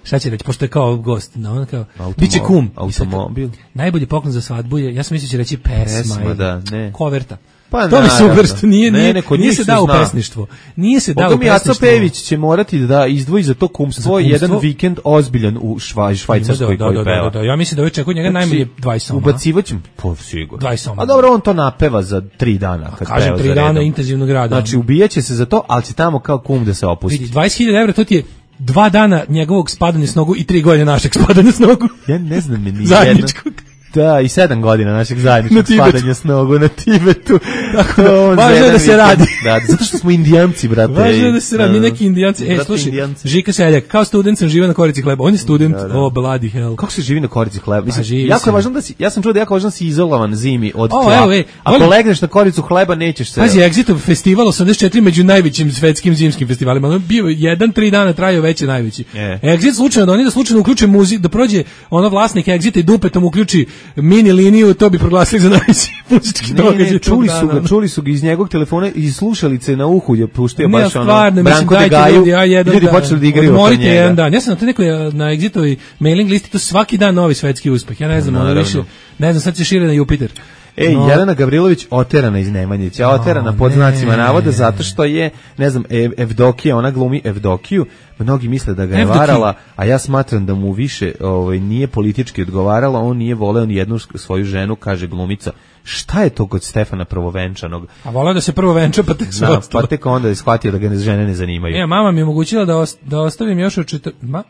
šta će reći, pošto je kao gost, no, on kao, Automo- biće kum. automobil. Najbolji poklon za svadbu je, ja sam mislio će reći pesma, Pesma, ili da, ne. koverta. Pa to mi naravno. super što nije, Ne, nije, ne, kod nije njih se se dao u zna. pesništvo. Nije se dao u Boga mi Aco pesništvo. Pejević će morati da izdvoji za to kumstvo, Za kumstvo? jedan vikend ozbiljan u švaj, Švajcarskoj Da, koji da, da, peva. da, da, ja mislim da ovaj čekao njega najmanje dvadeset soma. Ubacivaćem, po sigurno. dvadeset soma. A dobro, on to napeva za tri dana. Kad Kažem, peva tri za dana redom. intenzivnog rada. Znači, ubijaće se za to, ali će tamo kao kum da se opusti. Vidi, dvadeset hiljada evra, to ti je dva dana njegovog spadanja s nogu i tri godine našeg spadanja s nogu. Ja ne znam ni Zajedničkog. Da, i sedam godina našeg Na zajedničkog Tibetu. spadanja s nogu na Tibetu. Tako da, To on za važno je jedan da se vikend- radi. Da, zato što smo indijanci, brate. Važno je da se radi, mi neki indijanci. E, Brate, slušaj, indijanci. Žika Seljak, kao student sam živio na korici hleba. On je student, Da, da. oh, bloody hell. Kako se živi na korici hleba? Mislim, Pa živi jako se. je važno da si, ja sam čuo da je jako važno da si izolovan zimi od O, tla. evo, ej, Ako volim- legneš na koricu hleba, nećeš se... Pazi, Exitov festival osamdeset četiri među najvećim svetskim zimskim festivalima. On je bio jedan, tri dana trajao veći najveći. E. Exit slučajno da oni da slučajno uključe muzik, da prođe ono vlasnik Exita i dupetom uključi mini liniju, to bi proglasili za najveći muzički Ne, događaj ne, tog čuli su dana, ga, ono. čuli su ga iz njegovog telefona i slušalice na uhu je puštio Ne, baš ono. stvarno, mislim, Branko de dajte Gaju, ljudi, ja jedan ljudi dan. počeli da igraju oko Odmorite njega. jedan dan. Ja sam na to nekoj na Exitovoj mailing listi, to svaki dan novi svetski uspeh. Ja ne znam, ono Naravno. više, ne znam, sad se šire na Jupiter. Ej, No. Jelena Gavrilović oterana iz Nemanjića, oterana pod ne. znacima navoda zato što je, ne znam, Ev, Evdokija, ona glumi Evdokiju, mnogi misle da ga je Evdokiju. varala, a ja smatram da mu više ovaj, nije politički odgovarala, on nije voleo ni jednu svoju ženu, kaže glumica. Šta je to kod Stefana Prvovenčanog? A voleo da se prvo venča, pa tek sve Da, ostalo. pa tek onda je shvatio da ga ne- žene ne zanimaju. E, mama mi je omogućila da, os- da ostavim još od četir... Ma,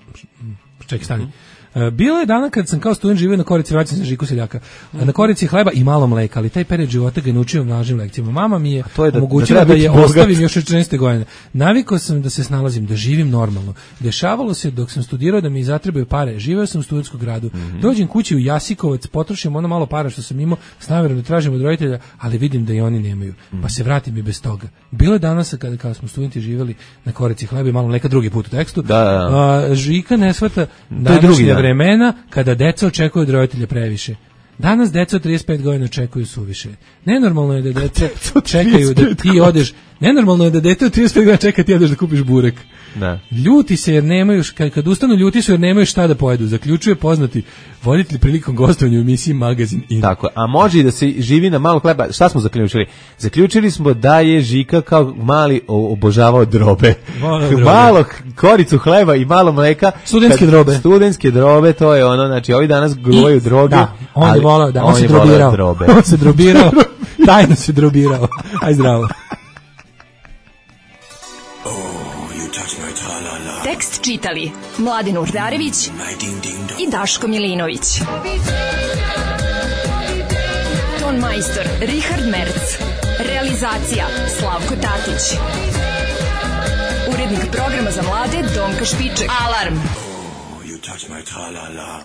čekaj, stani. E, bilo je dana kad sam kao student živio na Korici, vraćam se na Žiku Seljaka. E, Na Korici hleba i malo mleka, ali taj period života ga je naučio množim lekcijama. Mama mi je, to je da- omogućila da da, treba biti je bogat. ostavim još od četrnaeste godine. Navikao sam da se snalazim, da živim normalno. Dešavalo se dok sam studirao da mi zatrebaju pare. Živeo sam u studentskom gradu. Dođem kući u Jasikovac, potrošim ono malo para što sam imao, s namjerom da tražim od roditelja, ali vidim da i oni nemaju. Pa se vratim i bez toga. Bilo je danas kada, kada smo studenti živjeli na Korici hleba i malo mleka, drugi put u tekstu. Da, da. A, Žika ne shvata drugi današnja dan. vremena kada deca očekuju od roditelja previše. Danas deca od trideset pet godina očekuju suviše. Nenormalno je da deca čekaju da ti odeš. Nenormalno je da dete od trideset pet godina čeka ti odeš da kupiš burek. Da. Ljuti se jer nemaju, š- kad, kad ustanu ljuti su jer nemaju šta da pojedu. Zaključuje poznati voditelj prilikom gostovanja u emisiji Magazin In. Tako, a može i da se živi na malo hleba. Šta smo zaključili? Zaključili smo da je Žika kao mali o- obožavao drobe. Voleo drobe. Malo koricu hleba i malo mleka. Studentske Kad- drobe. Studentske drobe, to je ono, znači ovi danas gluvaju droge. Da, on je ali volao, da, on, se je volao drobirao. drobe. On se drobirao. Tajno se drobirao. Aj zdravo. Tekst čitali Mladin Urdarević i Daško Milinović. Ton majstor Richard Merc. Realizacija Slavko Tatić. Urednik programa za mlade Donka Špiček. Alarm! You touch my tra-la-la.